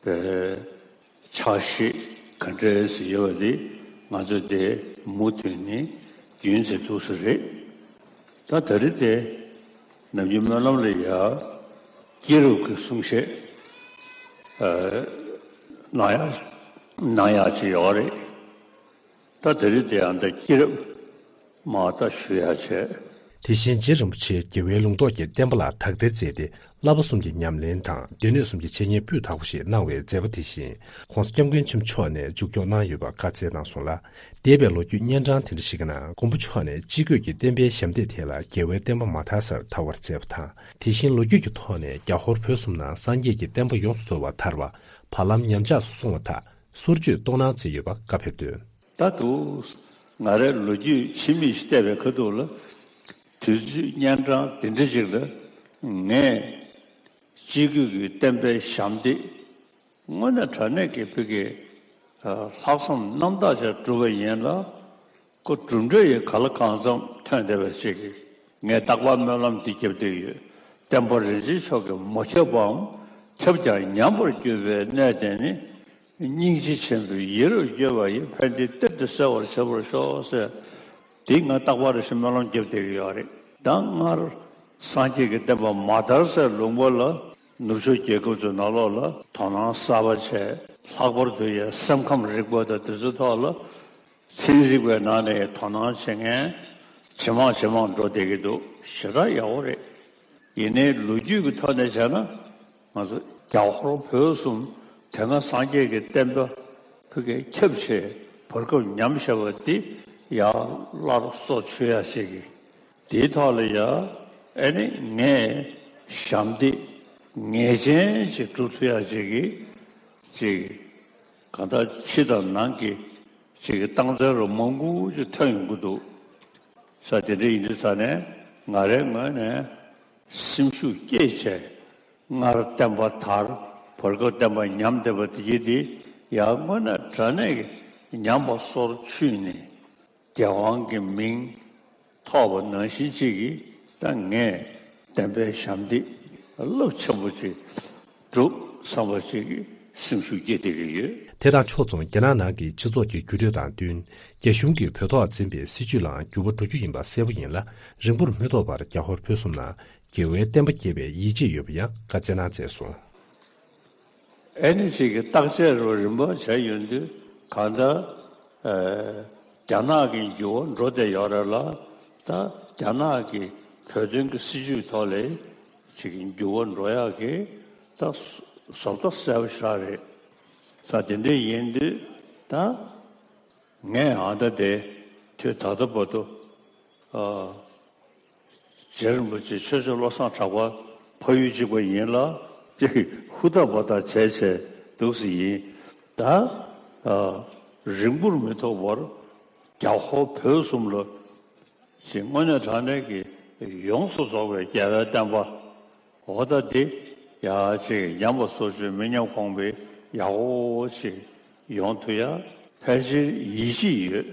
པའི་ཕྱག་བཞེས་ག་འདྲས་སེ་ཡོད་པ་དེ་ང་ཚོས་དེ་མུ་མཐུད་ནས་རྒྱུན་འཛིན་ཐུབ་ས་རེད། ད་ད་རེས་དེ་ནམ་རྒྱུན་སྨོན་ལམ་ལ་ཡ་སྐྱེས་རབས་ཀྱི་གསུང་བཤད་ཨ་གནང་ཡག་གནང་ཡག་ཅིག་ཡོད་རེད། ད་དེ་རིང་དེ་ཡང་འདི་སྐྱེས་རབས་མར་ད་ཞུ་ཡག་བྱས། དེ་བཞིན་རྗེ་རིན་པོ་ཆེས་རྒྱལ་བའི་ལུང་རྟོགས་ཀྱི་བསྟན་པ་ལ་དག་ཐེར་མཛད་དེ་བསླབ་པ་གསུམ་གྱི་ཉམས་ལེན་དང་སྡེ་སྣོད་གསུམ་གྱི་འཆད་ཉན་སྤུས་དག་པོ་ཞིག་གནང་བའི་མཛད་པ་དེ་བཞིན་༸གོང་ས་༸སྐྱབས་མགོན་ཆེན་པོ་མཆོག་ནས་མཇུག་སྐྱོང་གནང་ཡོད་པ་བཀའ་སྩལ་གནང་སོང་ལ། འདས་པའི་ལོ་རྒྱུས་སྙན་གྲགས་དེ་འདྲ་ཞིག་གི་ནང་མགོན་པོ་མཆོག་ནས་སྤྱི་སྒོས་ཀྱི་བསྟན་པའི་ཞབས་འདེགས་དེ་ལ་རྒྱལ་བའི་བསྟན་པ་མ་དར་སར་དར་བར་མཛད་པ་དང་། དེ་བཞིན་ལོ་རྒྱུས་ཀྱི་ཐོག་ནས་རྒྱ་ཧོར་བོད་གསུམ་ནང་སངས་རྒྱས་ཀྱི་བསྟན་པ་ཡོངས་སུ་རྫོགས་པ་དར་བ་བར་ལམ་ཉམས་ཆག་སུ་སོང་བ་དག་སོར་ཆུད་གཏོང་གནང་མཛད་ཡོད་པ་བཀའ་ཕེབས་དོན། ད་དུ་ང་རའི་ལོ་རྒྱུས་ཕྱི་མིག་ཅིག་བལྟས་པའི་ཁ་ཐུག་ལ། དུས་ཚོད་སྙན་གྲགས་འདི་འདྲ་ཅིག་ལ་ངས་སྤྱི་སྒོས་ཀྱི་བསྟན་པའི་ཞབས་འདེགས་དངོས་གནས་དྲང་གནས་ཀྱི་ཕ་གི་ལྷག་བསམ་རྣམ་དག་ཅིག་བསྒྲུབས་པ་ཡིན་ལ། ཁོ་གྲུབ་འབྲས་ཡི་ག་ལ་གང་འཚམ་ཐོན་བསྡད་པ་ཞིག་གིས་ངས་རྟག་པར་སྨོན་ལམ་འདི་བརྒྱབ་བསྡད་ཡོད། བསྟན་པ་རིན་ཆེན་མཆོག་གིས་མ་ཁྱབ་པའམ་ཁྱབ་ཀྱང་ཉམས་པར་གྱུར་པའི་གནས་དེ་ནི། སྙིང་རྗེ་ཆེན་པོས་ཡིད་རབ་བསྐྱོད་པ་ཡིས། ཕན་བདེའི་གཏེར་དེ་གསལ་བར་བྱེད་པར་ཤོག་ཟེར། དེ་ང་རྟག་པར་རེ་ཞིག་སྨོན་ལམ་བརྒྱབ་བསྡད་ཀྱི་ཡོད་རེད། ད་སྔར་སངས་རྒྱས་ཀྱི་བསྟན་པ་མ་དར་སའི་ལུང་པ་ལ་ནུབ་ཕྱོགས་རྒྱལ་ཁབ་ཚོའི་ནང་ལོགས་ལ་དོ་སྣང་གསར་པ་བྱས། ལྷག་པར་དུ་ཡང་སེམས་ཁམས་རིག་པ་དང་དེ་ཚོའི་ཐོག་ལ་ཚན་རིག་པའི་ནང་ནས་དོ་སྣང་བྱེད་མཁན་ཇེ་མང་ཇེ་མང་འགྲོ་བསྡད་ཀྱི་འདུག་ཞེ་དྲག་ཡག་པོ་རེད། ཡིན་ནའི་ལོ་རྒྱུས་ཀྱི་ཐོག་ནས་བྱས་ན། ང་ཚོ་རྒྱ་ཧོར་བོད་གསུམ་དེ་སྔ་སངས་རྒྱས་ཀྱི་བསྟན་པ་ཕ་གིར་ཁྱབ་བྱས་བར་སྐབས་ཉམས་བཞག་པ་འདི་ཡར་སླར་གསོ་བཅུག་ཡག་ཅིག་གི་དེའི་ཐོག་ལ་ཡ་ཨ་ནི་ངས་ཞབས་འདེགས་ངེས་ཅན་ཅིག་སྒྲུབ་ཐུབ་ཡག་ཅིག་གི་ཅིག་གང་ལྟར་ཕྱི་དང་ནང་གི་ཅིག་གི་རྟགས་མཚན་རུ་མང་པོ་ཅིག་ཐོན་ཡོང་གི་འདུག་ས་དེ་འདྲ་ཡིན་དུས་ཙ་ནས་ང་རའི་ངོས་ནས་སེམས་ཤུགས་བསྐྱེད་བྱས། སྔར་བསྟན་པ་དར་བར་སྐབས་བསྟན་པ་ཉམས་བསྡད་པ་དེ་གྱིས་དེ་ཡང་དངོས་གནས་དྲང་གནས་ཀྱི་ཉམས་པ་སོར་ཆུད་ནས་རྒྱལ་དབང་གི་མིང་ཐོབ་པ་ནང་བཞིན་ཅིག་གིས་ད་ངས་བསྟན་པའི་ཞབས་འདེགས་རླབས་ཆེན་པོ་ཅིག་སྒྲུབ་བསམ་པ་ཅིག་གིས་སེམས་ཤུགས་སྐྱེད་བསྡད་ཀྱི་ཡོད། དེ་དང་ཕྱོགས་མཚུངས་རྒྱ་ནག་ནང་གི་སྤྱི་ཚོགས་ཀྱི་འགྱུར་འགྲོས་དང་བསྟུན། རྒྱ་གཞུང་གིས་བོད་ཐོག་འཛིན་པའི་སྲིད་བྱུས་ལའང་འགྱུར་བ་འགྲོ་རྒྱུ་ཡིན་པ་གསལ་པོ་ཡིན་ལ། རིང་པོར་མི་ཐོགས་པར་རྒྱ་ཧོར་བོད་གསུམ་ན་རྒྱལ་བའི་བསྟན་པ་རྒྱས་པའི་ཡིད་ཆེས་ཡོད་པ་ཡང་བཀའ་སྩལ་གནང་མཛད་སོང་། ཨེ་ནི་ཅིག་གི་བརྟག་དཔྱད་རུ་རིམ་པ་བྱས་ཡོང་དུས་གང་ལྟར། ཨེ། རྒྱ་ནག་གི་འགྱུར་བ་འགྲོ་བསྡད་ཡོད་རེད་ལ། ད་རྒྱ་ནག་གི་བོད་དོན་གྱི་སྲིད་བྱུས་ཐོག་ལས་ཅིག་གི་འགྱུར་བ་འགྲོ་ཡག་གི་ད་བཟོ་ལྟ་གསལ་པོ་ཞིག་རེད། ད་དེ་འདྲ་ཡིན་དུས་ད་ངས་ཨ་ད་དེ་དུས་ད་ལྟ་བར་དུ། ཨ། རྗེ་རིན་པོ་ཆེ་ཆོས་རྗེ་བློ་བཟང་གྲགས་པ་ཕ་ཡུལ་གཅིག་པ་ཡིན་ལ། ཅིག་ཧུར་ཐག་འབད་ཐག་བྱས་བྱས་འདུག་སེ་ཡིན། ད་ཨ་རིང་པོར་མི་ཐོགས་པར་རྒྱ་ཧོར་བོད་གསུམ་ལ་ཅིག་དངོས་གནས་དྲང་གནས་ཀྱི་ཡོངས་སུ་རྫོགས་པའི་རྒྱལ་བའི་བསྟན་པ་འོ་ད་འདི་ཡ་ཅིག་ཉམས་པ་སོར་ཆུད་མི་ཉམས་གོང་འཕེལ་ཡག་པོ་ཅིག་ཡོང་ཐུབ་ཡ་ཕལ་ཆེར་ཡིད་ཆེས་ཡོད།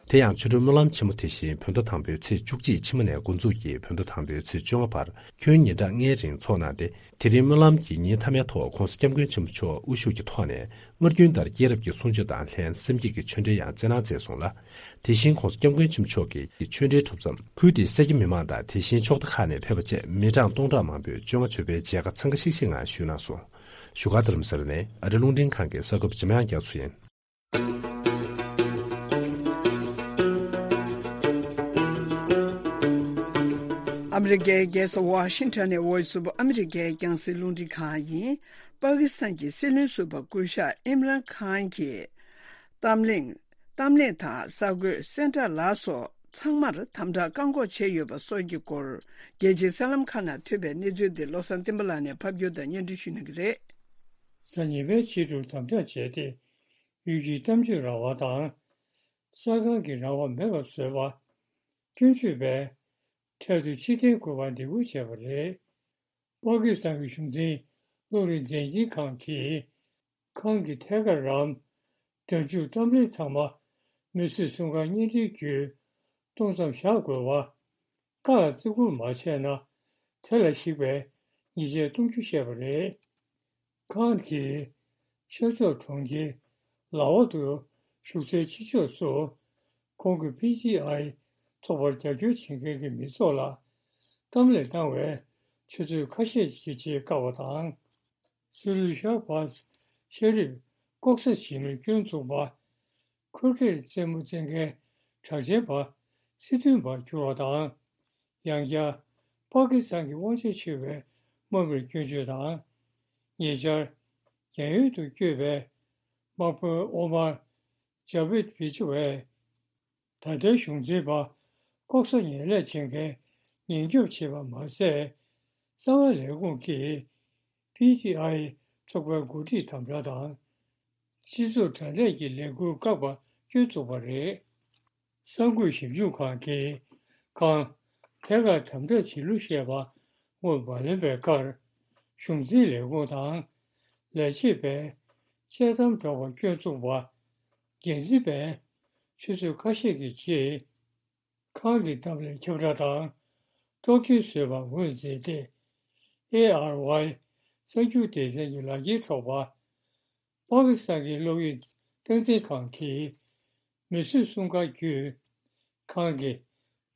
དེ་ཡང་ཆོ་འཕྲུལ་སྨོན་ལམ་ཆེན་མོ་དེ་བཞིན་བོད་ཟླ་དང་པོའི་ཚེས་བཅུ་གཅིག་ཕྱི་མ་ནས་འགོ་འཛུགས་ཀྱིས་བོད་ཟླ་དང་པོའི་ཚེས་བཅོ་ལྔ་བར་ཁྱོན་ཉིན་གྲངས་ལྔའི་རིང་འཚོགས་གནང་སྟེ། དེ་རིང་སྨོན་ལམ་གྱི་ཉིན་མཐའ་མའི་ཐོག་༧གོང་ས་༧སྐྱབས་མགོན་ཆེན་པོ་མཆོག་དབུ་བཞུགས་ཀྱི་ཐོག་ནས་སྔར་རྒྱུན་ལྟར་སྐྱེས་རབས་ཀྱི་གསུང་ཆོས་དང་ལྷན་སེམས་བསྐྱེད་ཀྱི་ཆོས་འབྲེལ་ཡང་སྩལ་གནང་མཛད་སོང་ལ། དེ་བཞིན་༧གོང་ས་༧སྐྱབས་མགོན་ཆེན་པོ་མཆོག་གི་ཆོས་འབྲེལ་གྲུབ་མཚམས་ཁུལ་དེའི་ས་སྐྱ་མི་མང་དང་དེ་བཞིན་ཕྱོགས་མཐའ་ཁག་ནས་ཕེབས་པ་བཅས་མི་གྲངས་སྟོང་ཕྲག་མང་པོས་བཅོ་ལྔ་མཆོད་པའི་མཇལ་ཁ་འཚང་ཁ་ཤིག་ཤིག་ངང་ཞུས་གནང་སོང་། བཞུགས་སྒར་རྡ་རམ་ས་ལ་ནས་ཨ་རི་རླུང་འཕྲིན་ཁང་གི་གསར་འགོད་པ་འཇམ་དབྱངས་རྒྱ་མཚོ་ཡིན། ཨ་མི་རི་ཀའི་རྒྱལ་ས་ཝ་ཤིང་ཊོན་ནས་Voice of America་རྒྱང་སྲིང་རླུང་འཕྲིན་ཁང་ཡིན། པ་ཀི་སི་ཐན་གྱི་སྲིད་བློན་ཟུར་པ་སྐུ་ཞབས་ཨིམ་རན་ཁཱན་གྱིས་གཏམ་གླེང་། གཏམ་གླེང་དང་གསར་འགོད་གསལ་བསྒྲགས་ལ་སོགས་ཚང་མར་དམ་དྲག་བཀག་འགོག་བྱས་ཡོད་པ་སོགས་ཀྱི་སྐོར། རྒྱལ་སྤྱིའི་གསར་ལམ་ཁག་ནང་ཐོན་པའི་གནས་ཚུལ་དེ་བློ་བཟང་བསྟན་པ་ལགས་ནས་ཕབ་སྒྱུར་དང་སྙན་སྒྲོན་ཞུ་གནང་གི་རེད། གཟའ་ཉི་མའི་ཕྱི་དྲོར་དམ་དྲག་བྱས་ཏེ། ཡུལ་གྱི་གཏམ་བརྗོད་རང་དབང་དང་། གསར་ཁང་གི་རང་དབང་མེད་པར་བཟོས་པ། སྐྱོན་བརྗོད་པས་འཕྲལ་དུ་ཕྱིར་འཐེན་དགོས་པར་འདེད་སྐུལ་བྱས་པ་རེད། པ་ཀི་སི་ཐན་གྱི་གཞུང་འཛིན་བློ་རིག་མཛད་འཕྲིན་ཁང་གིས། ཁང་གི་ཐད་ཀར་རམ། སྒྲ་འཇུག་གཏམ་དཔེ་ཚང་མ་མི་གསོད་སྲུང་སྐར་བརྙན་འཕྲིན་བརྒྱུད་གཏོང་མཚམས་བཞག་དགོས་པ། བཀའ་ལ་བརྩི་བཀུར་མ་བྱས་ན་དེ་ལ་གཞིགས་པའི་ཉེས་ཆད་གཏོང་རྒྱུ་བཤད་པ་རེད། ཁང་གིས་ཤར་ཕྱོགས་གྲོང་ཁྱེར་ལ་ཝ་དུ་བཞུགས་སའི་ཕྱི་ཕྱོགས་སུ་ཁོང་གི་པི་ཊི་ཨའི་ཚོགས་པར་རྒྱབ་སྐྱོར་བྱེད་མཁན་གྱི་མི་ཚོགས་ལ་གཏམ་གླེང་གནང་བའི་ཆུ་ཚོད་ཁ་ཤས་ཀྱི་རྗེས་བཀག་པ་དང་། སྲིད་བློན་ཤར་བྷཱས་ཤེ་རིབ་ལྐོག་ཟ་བྱེད་མིར་སྐྱོན་བཙུགས་པ། ཁུར་ཁེར་རྩེད་མོ་རྩེ་མཁན་གྲགས་ཅན་པ་སི་ཐུན་པར་གྱུར་བ་དང་། ཡང་བསྐྱར་པ་ཀི་སི་ཐན་གྱི་དབང་ཆ་ཕྱེ་བའི་དམག་མིར་སྐྱོན་བརྗོད་དང་། ཉེ་ཆར་རྒྱལ་ཡོངས་དུ་བསྐྱོད་པའི་དམག་དཔོན་ཨོ་མར་ཇ་བེད་བྷི་ཇི་བས། ད་ལྟའི་གཞུང་འཛིན་པ་ལྐོག་ཟ་ངན་ལས་བྱེད་མཁན་ཉེན་སྐྱོབ་བྱེད་པ་མ་ཟད། གསང་བའི་ལས་ཁུངས་ཀྱིས་པི་ཊི་ཨའི་ཚོགས་པའི་འགོ་ཁྲིད་དམ་དྲག་དང་། སྤྱི་ཚོགས་དྲ་གནས་ཀྱི་ལས་འགུལ་བཀག་པ་སྐྱོན་བཙུགས་པ་རེད། གསར་འགོད་ཞིབ་འཇུག་ཁང་གིས་ཁང་ཐད་ཀར་དམ་དྲག་བྱེད་ལུགས་བཤད་པ་སྔོན་མ་ལོན་པའི་ཁར། གཞུང་འཛིན་ལས་ཁུངས་དང་ལས་བྱེད་པས་དཔྱད་གཏམ་སྒྲོག་པར་སྐྱོན་བཙུགས་པ། འགན་འཛིན་པས་ཆུ་ཚོད་ཁ་ཤས་ཀྱི་རྗེས། ཁང་གི་གཏམ་གླེང་ཁྱབ་བསྒྲགས་དང་གཏོར་སྐྱོན་བཟོས་པར་ངོས་འཛིན་ཏེ། ཨེ་ཨར་ཝའི་གསར་འགྱུར་སྡེ་ཚན་གྱི་ལག་འཁྱེར་ཐོག་པ། པ་ཀི་སི་ཐན་གྱི་གློག་འོད་སྟངས་འཛིན་ཁང་གིས་མི་གསོད་སྲུང་སྐར་བརྒྱུད་ཁང་གི་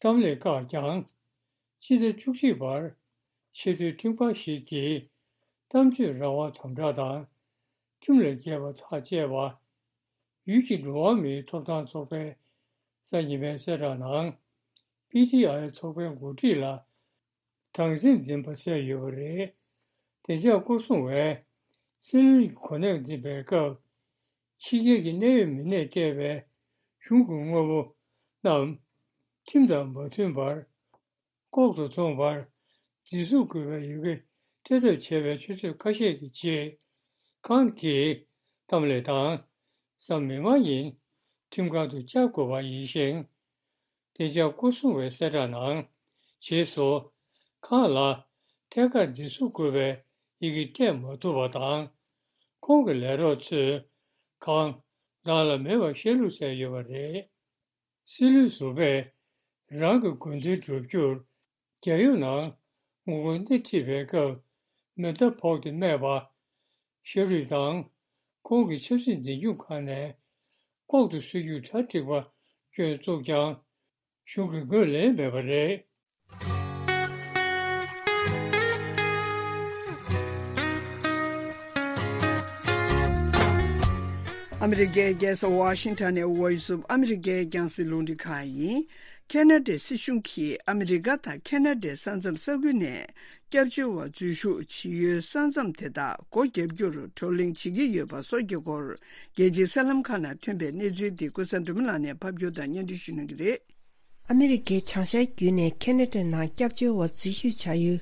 གཏམ་གླེང་བཀག་ཀྱང་། སྤྱི་ཟླ་བཅུ་གཅིག་པར་ཆེས་མཐོའི་ཁྲིམས་ཁང་ཞིག་གིས་གཏམ་བརྗོད་རང་དབང་དམ་དྲག་དང་། ཁྲིམས་ལ་འགལ་བ་ཐག་བཅད་པ། ཡུལ་གྱི་འགྲོ་བ་མིའི་ཐོབ་ཐང་ཚོགས་པའི་གཟའ་ཉི་མའི་གསལ་བསྒྲགས་ནང་། པི་ཊི་ཨའི་ཚོགས་པའི་འགོ་ཁྲིད་ལ་སྡང་སེམས་འཛིན་པ་བསལ་ཡོད་པ་རེད། བདེ་འཇགས་སྐོར་སྲུང་བས་སྲིད་བློན་གྱི་གོ་གནས་འཛིན་པའི་སྐབས། ཕྱི་རྒྱལ་གྱི་གནད་ཡོད་མི་སྣས་སྤྲད་པའི་གཞུང་གི་དངོས་པོ་རྣམས་ཁྲིམས་དང་མ་མཐུན་པར། ལྐོག་ཏུ་བཙོངས་པར་འཛིན་བཟུང་དགོས་པའི་ཡི་གེ་སྤྲད་ཐབས་བྱས་པའི་ཆུ་ཚོད་ཁ་ཤས་ཀྱི་རྗེས། ཁང་གིས་གཏམ་གླེང་དང་གཟའ་མིག་དམར་ཉིན་ཁྲིམས་ཁང་དུ་བཅར་དགོས་པ་ཡིན་ཞིང་། བདེ་འཇགས་སྐོར་སྲུང་བའི་གསལ་བསྒྲགས་ནང་། རྗེས་སུ་ཁང་ལ་ཐད་ཀར་འཛིན་བཟུང་དགོས་པའི་ཡི་གེ་སྤྲད་མ་ཐུབ་པ་དང་། ཁོང་གི་ལས་རོགས་ཚོས་ཁང་བདག་ལ་མེད་པར་བཤད་ལུགས་བཙལ་ཡོད་པ་རེད། སྲིད་བློན་ཟུར་པས་རང་གི་འགོ་འཛིན་བསྒྲུབ་རྒྱུར་རྒྱལ་ཡོངས་ནང་ངོ་རྒོལ་སྣེ་ཁྲིད་པའི་སྐབས་མེ་མདའ་ཕོག་སྟེ་རྨས་པ། ཤ་རུས་དང་ཁོང་གི་ཆབ་སྲིད་འཛིན་སྐྱོང་ཁང་ནས་ལྐོག་ཏུ་སྲིད་ཇུས་གྲ་སྒྲིག་པ་སྐྱོན་བཙུགས་ཀྱང་གཞུང་གིས་ངོས་ལེན་མེད་པ་རེད། ཨ་མི་རི་ཀའི་རྒྱལ་ས་ཝ་ཤིང་ཊོན་ནས་Voice of America་རྒྱང་སྲིང་རླུང་འཕྲིན་ཁང་ཡིན། ཁེ་ན་ཌའི་སྲིད་གཞུང་གིས་ཨ་མི་རི་ཀ་དང་ཁེ་ན་ཌའི་ས་མཚམས་ས་ཁུལ་ནས་སྐྱབས་བཅོལ་བ་འཛུལ་ཞུགས་བྱེད་ཡུལ་ས་མཚམས་དེ་དག་སྒོ་བརྒྱབ་རྒྱུར་བགྲོ་གླེང་བྱེད་ཀྱི་ཡོད་པ་སོགས་ཀྱི་སྐོར། རྒྱལ་སྤྱིའི་གསར་ལམ་ཁག་ནང་ཐོན་པའི་གནས་ཚུལ་འདི་ཀུན་བཟང་སྒྲོལ་མ་ལགས་ནས་ཕབ་སྒྱུར་དང་སྙན་སྒྲོན་ཞུ་གནང་གི་རེད། ཨ་མི་རི་ཀའི་བྱང་ཤར་བརྒྱུད་ནས་ཁེ་ན་ཌའི་ནང་སྐྱབས་བཅོལ་བ་འཛུལ་ཞུགས་བྱ་ཡུལ་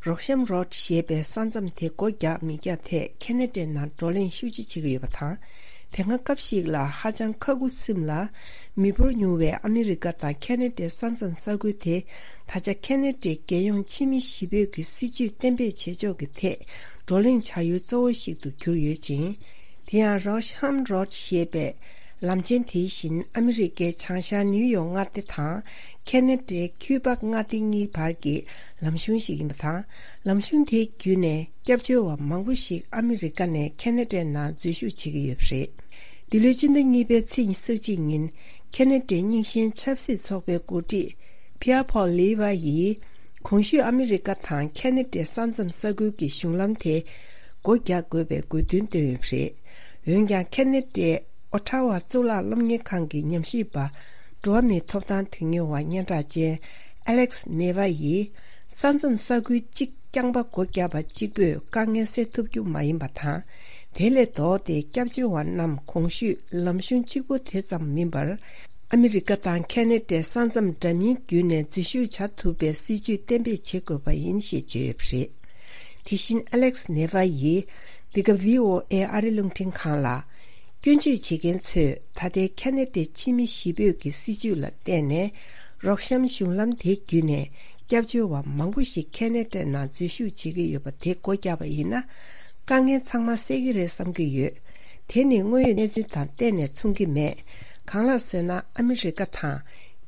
རོག་ཤམ་རོཌ་ཞེས་པའི་ས་མཚམས་དེ་སྒོ་རྒྱག་མི་རྒྱག་ཐད་ཁེ་ན་ཌའི་ནང་བགྲོ་གླེང་ཤུགས་ཆེ་བྱེད་ཀྱི་ཡོད་པ་དང་། དེ་སྔ་སྐབས་ཤིག་ལ་ཧ་ཅང་ཁ་ཁུ་སིམ་ལ་མི་འབོར་ཉུང་བའི་ཨ་མི་རི་ཀ་དང་ཁེ་ན་ཌའི་ས་མཚམས་ས་ཁུལ་དེ་ད་ཆ་ཁེ་ན་ཌའི་རྒྱལ་ཡོངས་ཕྱི་མི་གཞིས་སྤོས་ཀྱི་སྲིད་ཇུས་གཏན་འབེབས་བྱེད་ཕྱོགས་ཀྱི་ཐད་བགྲོ་གླེང་བྱ་ཡུལ་གཙོ་བོ་ཞིག་ཏུ་གྱུར་ཡོད་ཅིང་། དེ་ཡང་རོག་ཤམ་རོཌ་ཞེས་པའི་ ལམ་ཆེན་དེ་བཞིན་ཨ་མི་རི་ཀའི་བྱང་ཤར་ནིའུ་ཡོག་མངའ་སྡེ་དང་ཁེ་ན་ཌའི་ཁུའི་པག་མངའ་སྡེ་གཉིས་བར་གྱི་ལམ་གཞུང་ཞིག་ཡིན་པ་དང་། ལམ་གཞུང་དེ་བརྒྱུད་ནས་སྐྱབས་བཅོལ་བ་མང་པོ་ཞིག་ཨ་མི་རི་ཀ་ནས་ཁེ་ན་ཌའི་ནང་འཛུལ་ཞུགས་བྱེད་ཀྱི་ཡོད་པ་རེད། འདི་ལོའི་སྤྱི་ཟླ་གཉིས་པའི་ཚེས་ཉི་ཤུ་རྩ་གཅིག་ཉིན་ཁེ་ན་ཌའི་རྙིང་ཞེན་ཆབ་སྲིད་ཚོགས་པའི་འགོ་ཁྲིད་ཕི་ཡ་ཕོལ་ལི་ཝ་ཡིས་གོང་ཞུས་ཨ་མི་རི་ཀ་དང་ཁེ་ན་ཌའི་ས་མཚམས་ས་ཁུལ་གྱི་གཞུང་ལམ་དེ་སྒོ་རྒྱག་དགོས་པའི་དགོས་འདུན་བཏོན་ཡོད་པ་རེད། འོན་ཀྱང་ཁེ་ན་ཌའི་ཨོ་ཊ་ཝ་གཙུག་ལག་སློབ་གཉེར་ཁང་གི་ཉམས་ཞིབ་པ་འགྲོ་བ་མིའི་ཐོབ་ཐང་དོན་གཉེར་བ་སྙན་གྲགས་ཅན་ཨ་ལེག་སི་ནེ་ཝ་ཡིས། ས་མཚམས་ས་ཁུལ་གཅིག་རྐྱང་པ་སྒོ་བརྒྱབ་པ་གཅིག་པོས་དཀའ་ངལ་སེལ་ཐུབ་རྒྱུ་མ་ཡིན་པ་དང་། དེ་ལས་ལྡོག་སྟེ་སྐྱབས་བཅོལ་བ་རྣམས་གོང་ཞུས་ལམ་གཞུང་གཅིག་པོ་དེ་ཙམ་མིན་པར། ཨ་མི་རི་ཀ་དང་ཁེ་ན་ཌའི་ས་མཚམས་འདྲ་མིན་བརྒྱུད་ནས་འཛུལ་ཞུགས་བྱ་ཐུབ་པའི་སྲིད་ཇུས་གཏན་འབེབས་བྱེད་དགོས་པ་ཡིན་ཞེས་བརྗོད་ཡོད་པ་རེད། དེ་བཞིན་ཨ་ལེག་སི་ནེ་ཝ་ཡིས་འདི་ག་བྷི་ཨོ་ཨེ་ཨ་རི་རླུང་འཕྲིན་ཁང་ལ། སྐྱོན་བརྗོད་བྱེད་མཁན་ཚོས་ད་ལྟའི་ཁེ་ན་ཌའི་ཕྱི་མི་གཞིས་སྤོས་ཀྱི་སྲིད་ཇུས་ལ་བརྟེན་ནས། རོགས་གཤམ་གཞུང་ལམ་དེ་བརྒྱུད་ནས་སྐྱབས་བཅོལ་བ་མང་པོ་ཞིག་ཁེ་ན་ཌའི་ནང་འཛུལ་ཞུགས་བྱེད་ཀྱི་ཡོད་པ་དེ་སྒོ་བརྒྱབ་པ་ཡིན་ན། དཀའ་ངལ་ཚང་མ་སེལ་གྱི་རེད་བསམ་གྱི་ཡོད། དེ་ནི་དངོས་ཡོད་གནས་ཚུལ་དང་གཏན་ནས་མཚུངས་ཀྱི་མེད། གང་ལགས་ཟེར་ན། ཨ་མི་རི་ཀ་དང་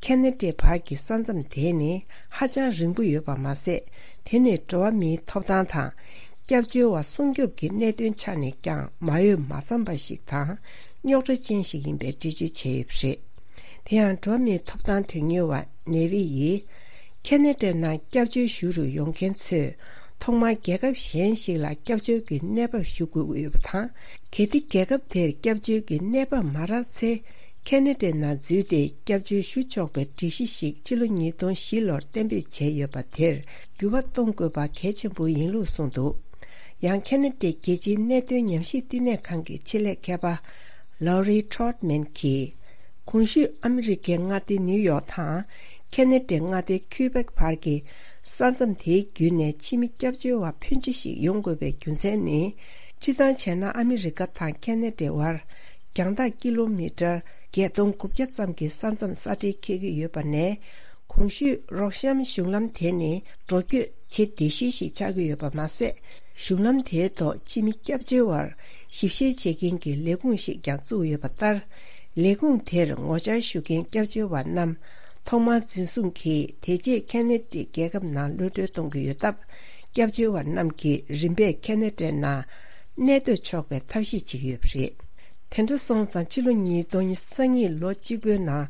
ཁེ་ན་ཌའི་བར་གྱི་ས་མཚམས་དེ་ནི་ཧ་ཅང་རིང་པོ་ཡོད་པ་མ་ཟད། དེ་ནི་འགྲོ་བ་མིའི་ཐོབ་ཐང་དང་། སྐྱབས་བཅོལ་བ་སྲུང་སྐྱོབ་ཀྱི་གནད་དོན་ཆ་ནས་ཀྱང་མ་འོས་མ་འཚམས་པ་ཞིག་དང་། རྙོག་དྲ་ཅན་ཞིག་ཡིན་པའི་འགྲེལ་བརྗོད་བྱས་ཡོད་པ་རེད། དེ་ཡང་འགྲོ་བ་མིའི་ཐོབ་ཐང་དོན་གཉེར་བ་ནེ་ཝི་ཡིས། ཁེ་ན་ཌའི་ནང་སྐྱབས་བཅོལ་ཞུ་རུ་ཡོང་མཁན་ཚོས་ཐོག་མར་རྒྱལ་ཁབ་གཞན་ཞིག་ལ་སྐྱབས་བཅོལ་གྱི་གནས་བབ་ཞུ་དགོས་ཀྱི་ཡོད་པ་དང་། གལ་ཏེ་རྒྱལ་ཁབ་དེར་སྐྱབས་བཅོལ་གྱི་གནས་བབ་མ་རག་ཚེ། ཁེ་ན་ཌའི་ནང་འཛུལ་ཏེ་སྐྱབས་བཅོལ་ཞུ་ཆོག་པའི་སྒྲིག་གཞི་ཞིག་ཕྱི་ལོ་ཉིས་སྟོང་བཞི་ལོར་གཏན་འབེབས་བྱས་ཡོད་པ་དེར་འགྱུར་བ་གཏོང་དགོས་པ་གལ་ཆེན་པོ་ཡིན་ལུགས་གསུངས་འདུག། ཡང་ཁེ་ན་ཌའི་རྒྱལ་སྤྱིའི་གནད་དོན་ཉམས་ཞིབ་བསྟི་གནས་ཁང་གི་ཆེད་ལས་མཁས་པ་ལའོ་རི་ཊོར་མན་གྱིས། གོང་ཞུས་ཨ་མི་རི་ཀའི་མངའ་སྡེ་ནིའུ་ཡོག་དང་ཁེ་ན་ཌའི་མངའ་སྡེ་ཁུའི་པེག་བར་གྱི་ས་མཚམས་དེའི་བརྒྱུད་ནས་ཕྱི་མི་སྐྱབས་བཅོལ་བ་ཕོན་ཆེ་ཞིག་ཡོང་དགོས་པའི་རྒྱུ་མཚན་ནི། སྤྱིར་བཏང་བྱས་ན་ཨ་མི་རི་ཀ་དང་ཁེ་ན་ཌའི་བར་རྒྱང་ཐག་ཀི་ལོ་མི་ཊར་བརྒྱད་སྟོང་དགུ་བརྒྱ་ཙམ་གྱི་ས་མཚམས་ས་འབྲེལ་འཁེལ་གྱི་ཡོད་པ་ནས། གོང་ཞུས་རོགས་གཤམ་གཞུང་ལམ་དེ་ནི་འགྲོ་སྐྱོད་བྱེད་བདེ་ཤོས་ཤིག་ཆགས་ཀྱི་ཡོད་པ་མ་ཟད། གཞུང་ལམ་དེའི་ཐོག་ཕྱི་མི་སྐྱབས་བཅོལ་བར་ཞིབ་བཤེར་བྱེད་མཁན་གྱི་ལས་ཁུངས་ཤིག་ཀྱང་བཙུགས་ཡོད་པ་ལྟར། ལས་ཁུངས་དེར་ངོ་བཅར་ཞུ་མཁན་སྐྱབས་བཅོལ་བ་རྣམས་ཐོག་མར་འཛིན་བཟུང་གིས་དེ་རྗེས་ཁེ་ན་ཌའི་རྒྱལ་ཁབ་ནང་གློད་གྲོལ་གཏོང་གི་ཡོད་སྟབས། སྐྱབས་བཅོལ་བ་རྣམས་ཀྱིས་རིམ་པས་ཁེ་ན་ཌའི་ནང་གནས་སྡོད་ཆོག་པའི་ཐབས་ཤེས་བྱེད་ཀྱི་ཡོད་པ་རེད། དེ་འདྲ་སོང་ཙང་ཕྱི་ལོ་ཉིས་སྟོང་ཉི་ཤུ་རྩ་གཉིས་ལོ་གཅིག་པོའི་ནང་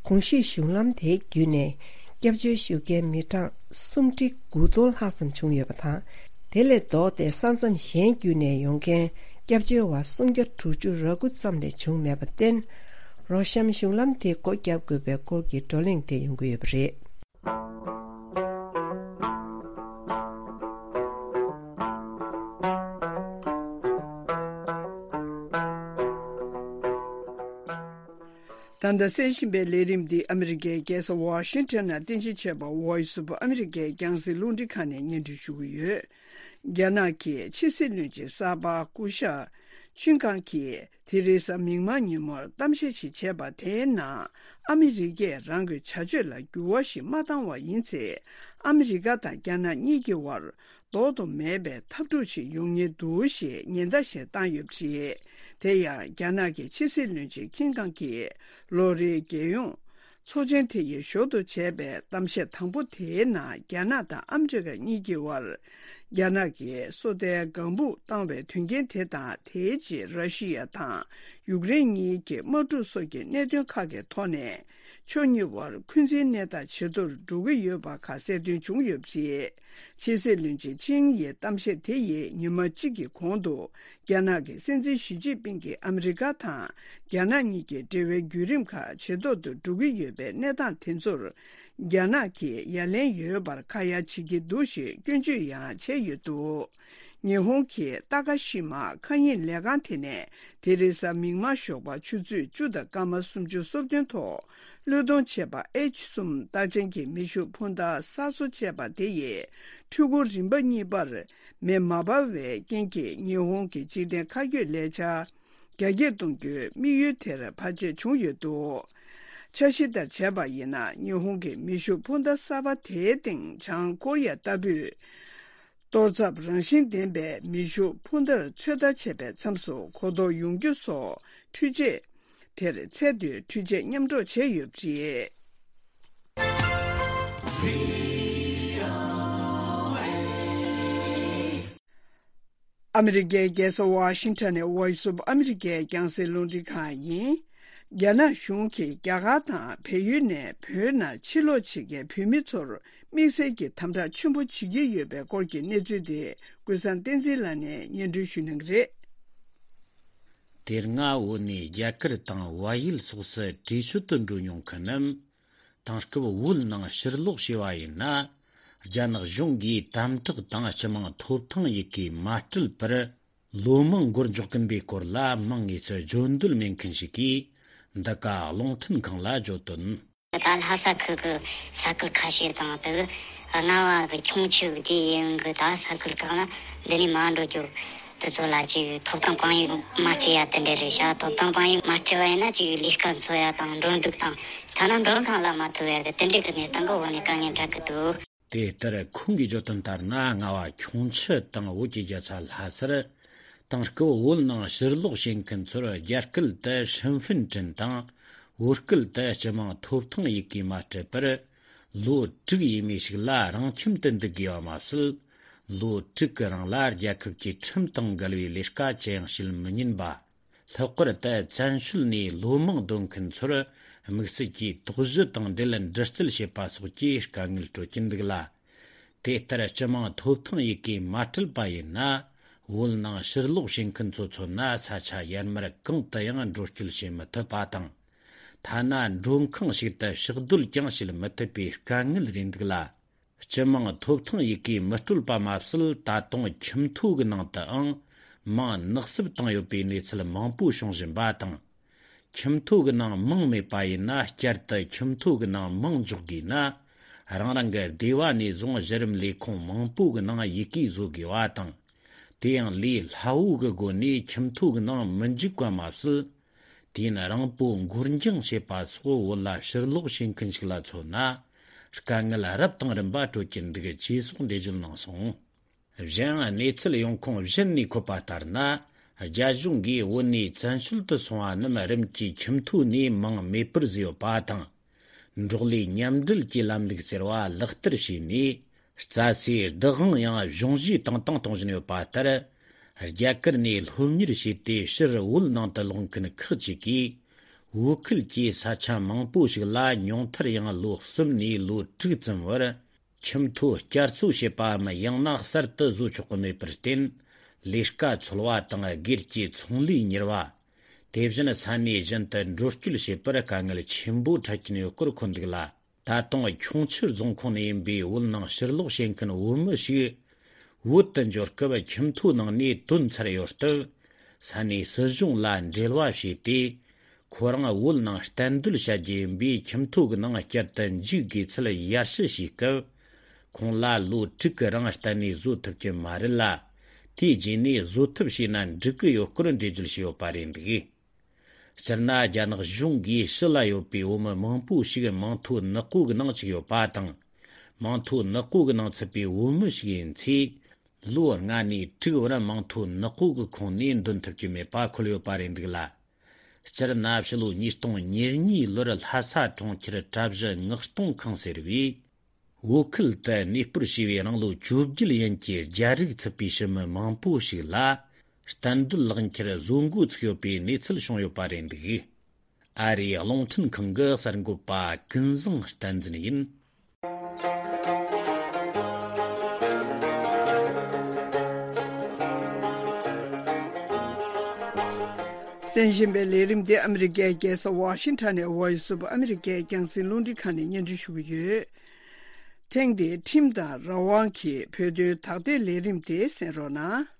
གོང་ཞུས་གཞུང་ལམ་དེའི་བརྒྱུད་ནས་སྐྱབས་བཅོལ་ཞུ་མཁན་མི་གྲངས་སུམ་ཁྲི་དགུ་སྟོང་ལྷག་ཙམ་བྱུང་ཡོད་པ་དང་། དེ་ལས་ལྡོག་སྟེ་ས་མཚམས་གཞན་བརྒྱུད་ནས་ཡོང་མཁན་སྐྱབས་བཅོལ་བ་སུམ་བརྒྱ་དྲུག་ཅུ་རེ་དགུ་ཙམ་ལས་བྱུང་མེད་པར་བརྟེན། རོགས་གཤམ་གཞུང་ལམ་དེ་སྒོ་བརྒྱབ་དགོས་པའི་སྐོར་གྱི་བགྲོ་གླེང་དེ་ཡོང་གི་ཡོད་པ་རེད། ད་ལྟ་གསན་བཞིན་པའི་ལས་རིམ་འདི་ཨ་མི་རི་ཀའི་རྒྱལ་ས་ཝ་ཤིང་ཊོན་ནང་རྟེན་གཞི་བྱས་པ་Voice of America རྒྱང་སྲིང་རླུང་འཕྲིན་ཁང་ནས་སྙན་སྒྲོན་ཞུ་གི་ཡོད། རྒྱ་ནག་གི་ཕྱི་སྲིད་བློན་ཆེན་གསར་པ་སྐུ་ཞབས་ཆིན་ཀང་གིས་དེ་རིང་གཟའ་མིག་དམར་ཉིན་མོར་གཏམ་བཤད་ཞིག་བྱས་པ་དེའི་ནང་ཨ་མི་རི་ཀས་རང་གི་བྱ་སྤྱོད་ལ་འགྱུར་བ་ཞིག་མ་བཏང་བ་ཡིན་ཚེ། ཨ་མི་རི་ཀ་དང་རྒྱ་ནག་གཉིས་ཀྱི་བར་ལྡོག་ཏུ་མེད་པའི་འཐབ་འཁྲུག་ཞིག་ཡོང་ཉེན་འདུག་ཞེས་ཉེན་བརྡ་ཞིག་བཏང་ཡོད་པ་རེད། དེ་ཡང་རྒྱ་ནག་གི་ཕྱི་སྲིད་བློན་ཆེན་ཁིན་ཀང་གིས་ལོ་རེའི་རྒྱལ་ཡོངས་ཚོགས་ཆེན་དེ་ཡི་ཞོར་དུ་བྱས་པའི་གཏམ་བཤད་དང་པོ་དེའི་ནང་རྒྱ་ནག་དང་ཨ་མི་རི་ཀ་གཉིས་ཀྱི་བར། རྒྱ་ནག་གིས་སོ་ལྟའི་ལྒང་བུ་བཏང་བའི་དོན་རྐྱེན་དེ་དང་། དེའི་རྗེས་ར་ཤི་ཡ་དང་ཡུཀ་རེན་གཉིས་ཀྱི་དམག་འཁྲུག་སོགས་ཀྱི་གནད་དོན་ཁག་གི་ཐོག་ནས། ཕྱོགས་གཉིས་བར་འཁོན་འཛིན་གནས་སྟངས་ཇེ་མཐོར་འགྲོ་གི་ཡོད་པ་ཁ་གསལ་སྟོན་བྱུང་ཡོད་པ་རེད། ཕྱི་སྲིད་བློན་ཆེན་ཆིང་ཡི་གཏམ་བཤད་དེ་ཡིས་ཉི་མ་གཅིག་གི་གོང་དུ། རྒྱ་ནག་གི་སྲིད་འཛིན་ཞི་ཅིན་ཕིང་གིས་ཨ་མི་རི་ཀ་དང་རྒྱ་ནག་གཉིས་ཀྱི་འབྲེལ་བའི་བརྒྱུད་རིམ་ཁག་ཇེ་མཐོར་དུ་འགྲོ་གི་ཡོད་པའི་གནས་སྟངས་དེ་ཚོར། རྒྱ་ནག་གིས་ཡ་ལན་ཡོད་པར་ཁ་ཡ་བྱེད་ཀྱི་འདུག་ཞེས་སྐྱོན་བརྗོད་ཡང་བྱས་ཡོད་འདུག། ཉི་ཧོང་གི་ཏཱ་ཀ་ཤི་མ་མཁའ་དབྱིངས་ལས་ཁང་དེ་ནས་དེ་རིང་གཟའ་མིག་དམར་ཞོགས་པ་ཆུ་ཚོད་བཅུ་དང་སྐར་མ་སུམ་ཅུ་སོ་བདུན་ཐོག་བློས་གཏོང་བྱས་པ་ཨེཆ་གསུམ་རྟགས་ཅན་གྱི་མེ་ཤུགས་འཕུར་མདའ་གསར་བཟོ་བྱས་པ་དེ་ཡིས་འཕྲུལ་འཁོར་རིམ་པ་གཉིས་པར་མེ་མ་འབར་བའི་རྐྱེན་གྱིས་ཉི་ཧོང་གི་འཇིག་རྟེན་མཁའ་སྐྱོད་ལས་འཆར་རྒྱ་སྐྱེད་གཏོང་རྒྱུའི་དམིགས་ཡུལ་དེར་བར་ཆད་བྱུང་ཡོད་འདུག། འཆར་གཞི་ལྟར་བྱས་པ་ཡིན་ན། ཉི་ཧོང་གི་མེ་ཤུགས་འཕུར་མདའ་གསར་པ་དེའི་སྟེང་བྱང་ཀོ་རི་ཡ་ལྟ་བུས། གཏོར་ཚབ་རང་བཞིན་ལྡན་པའི་མེ་ཤུགས་འཕུར་མདའ་ཚོད་ལྟ་བྱེད་པའི་མཚམས་སུ་གོ་རྟོགས་ཡོང་རྒྱུ་སོགས་འཕྲུལ་ཆས་ དེར་ཚད་མཐོའི་འཕྲུལ་ཆས་མཉམ་འགྲོགས་བྱས་ཡོད་པ་རེད། ཨ་མི་རི་ཀའི་རྒྱལ་ས་ཝ་ཤིང་ཊོན་ནས་Voice of America རྒྱང་སྲིང་རླུང་འཕྲིན་ཁང་ཡིན། རྒྱ་ནག་གཞུང་གིས་རྒྱ་གར་དང་བལ་ཡུལ་ནས་བོད་ནང་ཕྱིར་ལོག་བྱེད་མཁན་བོད་མི་ཚོར་དམིགས་བསལ་གྱི་དམ་དྲག་ཆེན་པོ་བྱེད་ཀྱི་ཡོད་པའི་སྐོར་གྱི་གནས་ཚུལ་དེ་ཀུན་བཟང་བསྟན་འཛིན་ལགས་ནས་སྙན་སྒྲོན་ཞུ་གནང་གི་རེད། དེ་སྔ་བོད་ནས་རྒྱ་གར་དང་བལ་ཡུལ་སོགས་སུ་བྲོས་བྱོལ་དུ་འགྲོ་མྱོང་མཁན་རྣམས། དེང་སྐབས་བོད་ནང་ཕྱིར་ལོག་བྱས་པ་ཡིན་ན། རྒྱ་ནག་གཞུང་གིས་དམ་དྲག་དང་སྤྱི་དམངས་ཐོབ་ཐང་ཡི་གེ་མ་སྤྲད་པར། ལོ་མང་འགོར་འཇོག་གིན་པའི་སྐོར་ལ་མང་ངེས་སུ་བརྗོད་འདོད་མེད་མཁན་ཞིག་གིས་འདི་ག་རླུང་འཕྲིན་ཁང་ལ་བརྗོད་དོན། ད་ལྷ་ས་ཁུལ་གྱི་ས་ཁུལ་ཁ་ཤས་དང་དེ་གི་རྔ་བ་གི་ཁྱུང་ཆུ་གི་དེ་ཡིན་གི་ད་ས་ཁུལ་ཁག་ལ་འདི་ནས་མ་འགྲོ་རྒྱུ་དེ་ཚོ་ལ་ཅིག་ཐོབ་ཐང་དཔང་ཡིག་མ་སྤྲད་ཡ་དེ་འདྲ་རེད་ཤག་ཐོབ་ཐང་དཔང་ཡིག་མ་སྤྲད་པ་ཡིན་ན་ཅིག་ལས་ཀ་འཚོལ་ཡ་དང་འགྲོ་འདུག་དང་ཐ་ན་མགྲོན་ཁང་ལ་མ་ཐུག་ཡ་གི་དེ་འདྲ་གི་གནས་སྟངས་གི་འོག་ནས་དཀའ་ངལ་འཕྲད་གི་འདུག་དེ་ལྟར་ཁོང་གིས་བརྗོད་དོན་ལྟར་ན། རྔ་བ་ཁྱུང་ཆུ་དང་བོད་ཀྱི་རྒྱལ་ས་ལྷ་སར། དེང་སྐབས་བོད་ནང་ཕྱིར་ལོག་བྱེད་མཁན་ཚོར་རྒྱ་སྐད་དུ་ཧྲིན་ཧྥིན་ཀྲིན་དང་། བོད་སྐད་དུ་སྤྱི་དམངས་ཐོབ་ཐང་ཡི་གེ་མ་སྤྲད་པར། ལོ་དྲུག་ཡས་མས་ཤིག་ལ་རང་ཁྱིམ་དུ་འདུག་དགོས་པ་མ་ཟད། ལོ་དྲུག་གི་རིང་ལ་རྒྱལ་ཁབ་ཀྱི་ཁྲིམས་དང་འགལ་བའི་ལས་ཀ་ཅི་ཡང་བྱེད་མི་ཉན་པ། ལྷག་པར་དུ་བཙན་བྱོལ་ནས་ལོ་མང་སྡོད་མཁན་ཚོར་དམིགས་བསལ་གྱིས་དོགས་གཞི་དང་འབྲེལ་འདྲི་རྩད་བྱེད་པ་སོགས་ཀྱི་དཀའ་ངལ་སྤྲོད་ཀྱིན་འདུག་ལ། དེ་ལྟར་སྤྱི་དམངས་ཐོབ་ཐང་ཡི་གེ་མ་སྤྲད་པ་ཡིན་ན། བོད་ནང་ཕྱིར་ལོག་བྱེད་མཁན་ཚོ་མཚོན་ན་ས་ཆ་ཡར་མར་གང་དུ་ཡང་འགྲོ་སྐྱོད་བྱེད་མི་ཐུབ་པ་དང་། ཐ་ན་མགྲོན་ཁང་ཞིག་ཏུ་ཕྱག་སྡོད་ཀྱང་བྱེད་མི་ཐུབ་པའི་དཀའ་ངལ་རེད་འདུག་ལ། སྤྱི་དམངས་ཐོབ་ཐང་ཡི་གེ་མི་སྤྲོད་པ་མ་ཟད། ད་དུང་ཁྱིམ་ཐོ་གི་ནང་དུའང་མིང་ནག་བསུབ་བཏང་ཡོད་པའི་གནས་ཚུལ་མང་པོ་བྱུང་བཞིན་པ་དང་། ཁྱིམ་ཐོ་གི་ནང་མིང་མེད་པ་ཡིན་ན། བསྐྱར་དུ་ཁྱིམ་ཐོ་གི་ནང་མིང་འཇོག་དགོས་ན། རང་རང་གི་སྡེ་བ་ནས་བཟུང་གཞི་རིམ་ལས་ཁུངས་མང་པོ་གི་ནང་ཡི་གེ་བཟོ་དགོས་པ་དང་། དེ་ཡང་ལས་སླ་བོ་གི་སྒོ་ནས་ཁྱིམ་ཐོ་གི་ནང་མི་འཇུག་པ་མ་ཟད། དུས་ཡུན་རིང་པོ་འགོར་འགྱངས་བྱེད་པ་སོགས་བོད་ལ་ཕྱིར་ལོག་བྱེད་མཁན་ཞིག་ལ་མཚོན་ན། དཀའ་ངལ་རབ་དང་རིམ་པ་སྤྲོད་ཀྱིན་འདུག་ཅེས་སོགས་འགྲེལ་བརྗོད་གནང་སོང་། གཞན་ཡང་གནས་ཚུལ་ཡོང་ཁུངས་གཞན་ནས་འཁོད་པ་ལྟར་ན། རྒྱ་གཞུང་གིས་བོད་ནས་བཙན་བྱོལ་དུ་སོང་བ་རྣམས་རིམ་གྱིས་ཁྱིམ་ཐོ་ནས་མིང་མེད་པར་བཟོས་ཡོད་པ་དང་། འབྲོག་ལས་མཉམ་འབྲེལ་གྱི་ལམ་ལུགས་ཟེར་བ་ལག་བསྟར་བྱས་ནས། རྩྭ་སའི་བདག་དབང་ཡང་གཞུང་བཞེས་བཏང་སྟངས་གཏོང་བཞིན་ཡོད་པ་ལྟར། རྒྱ་གར་ནས་སློབ་གཉེར་བྱས་ཏེ་ཕྱིར་བོད་ནང་དུ་ལོག་མཁན་ཁག་ཅིག་གིས། བོད་ཁུལ་གྱི་ས་ཆ་མང་པོ་ཞིག་ལ་ཉུང་མཐར་ཡང་ལོ་གསུམ་ནས་ལོ་དྲུག་ཙམ་བར། ཁྱིམ་ཐོ་བསྐྱར་གསོ་བྱེད་པའམ་ཡང་ན་གསར་དུ་བཟོ་ཆོག་གི་མེད་པར་བརྟེན། ལས་ཀ་འཚོལ་བ་དང་སྒེར་གྱི་ཚོང་ལས་གཉེར་བ། དེ་བཞིན་ས་གནས་གཞན་དུ་འགྲོ་སྐྱོད་བྱེད་པར་དཀའ་ངལ་ཆེན་པོ་འཕྲད་ཀྱིན་ཡོད་སྐོར་འཁོད་འདུག་ལ། ད་དུང་ཁྱུང་ཆུ་རྫོང་ཁོངས་ནས་ཡིན་པའི་བོད་ནང་ཕྱིར་ལོག་བྱེད་མཁན་བོད་མི་ཞིག་བོད་དུ་འབྱོར་སྐབས་ཁྱིམ་ཐོའི་ནང་ནས་ཐོན་ཚར་ཡོད་སྟབས། ས་གནས་སྲིད་གཞུང་ལ་འབྲེལ་བ་བྱས་ཏེ། ཁོ་རང་བོད་ནང་གཏན་སྡོད་བྱ་རྒྱུ་ཡིན་པས་ཁྱིམ་ཐོ་གི་ནང་བསྐྱར་དུ་འཇུག་དགོས་ཚུལ་ཡར་ཞུ་བྱས་སྐབས། ཁོང་ལ་ལོ་དྲུག་གི་རིང་གཏན་ནས་བཟོ་ཐུབ་ཀྱི་མ་རེད་ལ། དེའི་རྗེས་ནས་བཟོ་ཐབས་བྱས་ན་འགྲིག་གི་ཡོད་སྐོར་འགྲེལ་བརྗོད་བྱས་ཡོད་པ་རེད་འདུག་སྤྱིར་ན་རྒྱ་ནག་གཞུང་གིས་ཕྱི་ལ་ཡོད་པའི་བོད་མི་མང་པོ་ཞིག་མིང་ཐོ་ནག་པོ་གི་ནང་བཅུག་ཡོད་པ་དང་། མིང་ཐོ་ནག་པོ་གི་ནང་ཚུད་པའི་བོད་མི་ཞིག་ཡིན་ཚེ། ལོ་ལྔ་ནས་དྲུག་བར་མིང་ཐོ་ནག་པོ་གི་ཁོངས་ནས་འདོན་ཐུབ་ཀྱི་མེད་པ་འཁོད་ཡོད་པ་རེད་འདུག་ལ། སྤྱིར་ན་ཕྱི་ལོ་ཉིས་སྟོང་ཉེར་གཉིས་ལོར་ལྷ་ས་གྲོང་ཁྱེར་གྲྭ་བཞི་མངགས་གཏོང་ཁང་ཟེར་བས། བོད་ཁུལ་དུ་གནས་སྤོར་བྱས་པའི་རང་ལོ་བཅོ་བརྒྱད་ཡན་གྱི་རྒྱ་རིགས་ཚུད་པའི་ཕྱི་མི་མང་པོ་ཞིག་ལ། གཏན་སྡོད་ལག་འཁྱེར་བཟོ་འགོ་ཚུགས་ཡོད་པའི་གནས་ཚུལ་བྱུང་ཡོད་པ་རེད་འདུག་ཨ་རིའི་རླུང་འཕྲིན་ཁང་གི་གསར་འགོད་པ་ཀུན་བཟང་བསྟན་འཛིན་ཡིན། གསན་བཞིན་པའི་ལས་རིམ་འདི་ཨ་མི་རི་ཀའི་རྒྱལ་ས་ཝ་ཤིང་ཊོན་ནས་Voice of America རྒྱང་སྲིང་རླུང་འཕྲིན་ཁང་ནས་སྙན་སྒྲོན་ཞུ་གི་ཡོད། ཐེངས་འདིའི་ཁྲིམས་དང་རང་དབང་གི་བོད་དོན་དག་ཐེར་ལས་རིམ་དེ་གསན་རོགས་གནང་།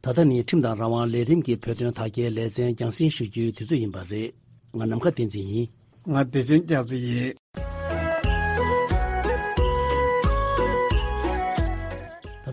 ད་ལྟ་ནི་ཁྲིམས་དང་རང་དབང་ལས་རིམ་གྱི་བོད་དོན་དག་ཐེར་ལེ་ཚན་རྒྱང་སྲིང་ཞུ་རྒྱུའི་དུས་ཚོད་ཡིན་པ་རེད། ང་ནམ་མཁའ་བསྟན་འཛིན་ཡིན། ང་བདེ་ཆེན་རྒྱ་མཚོ་ཡིན།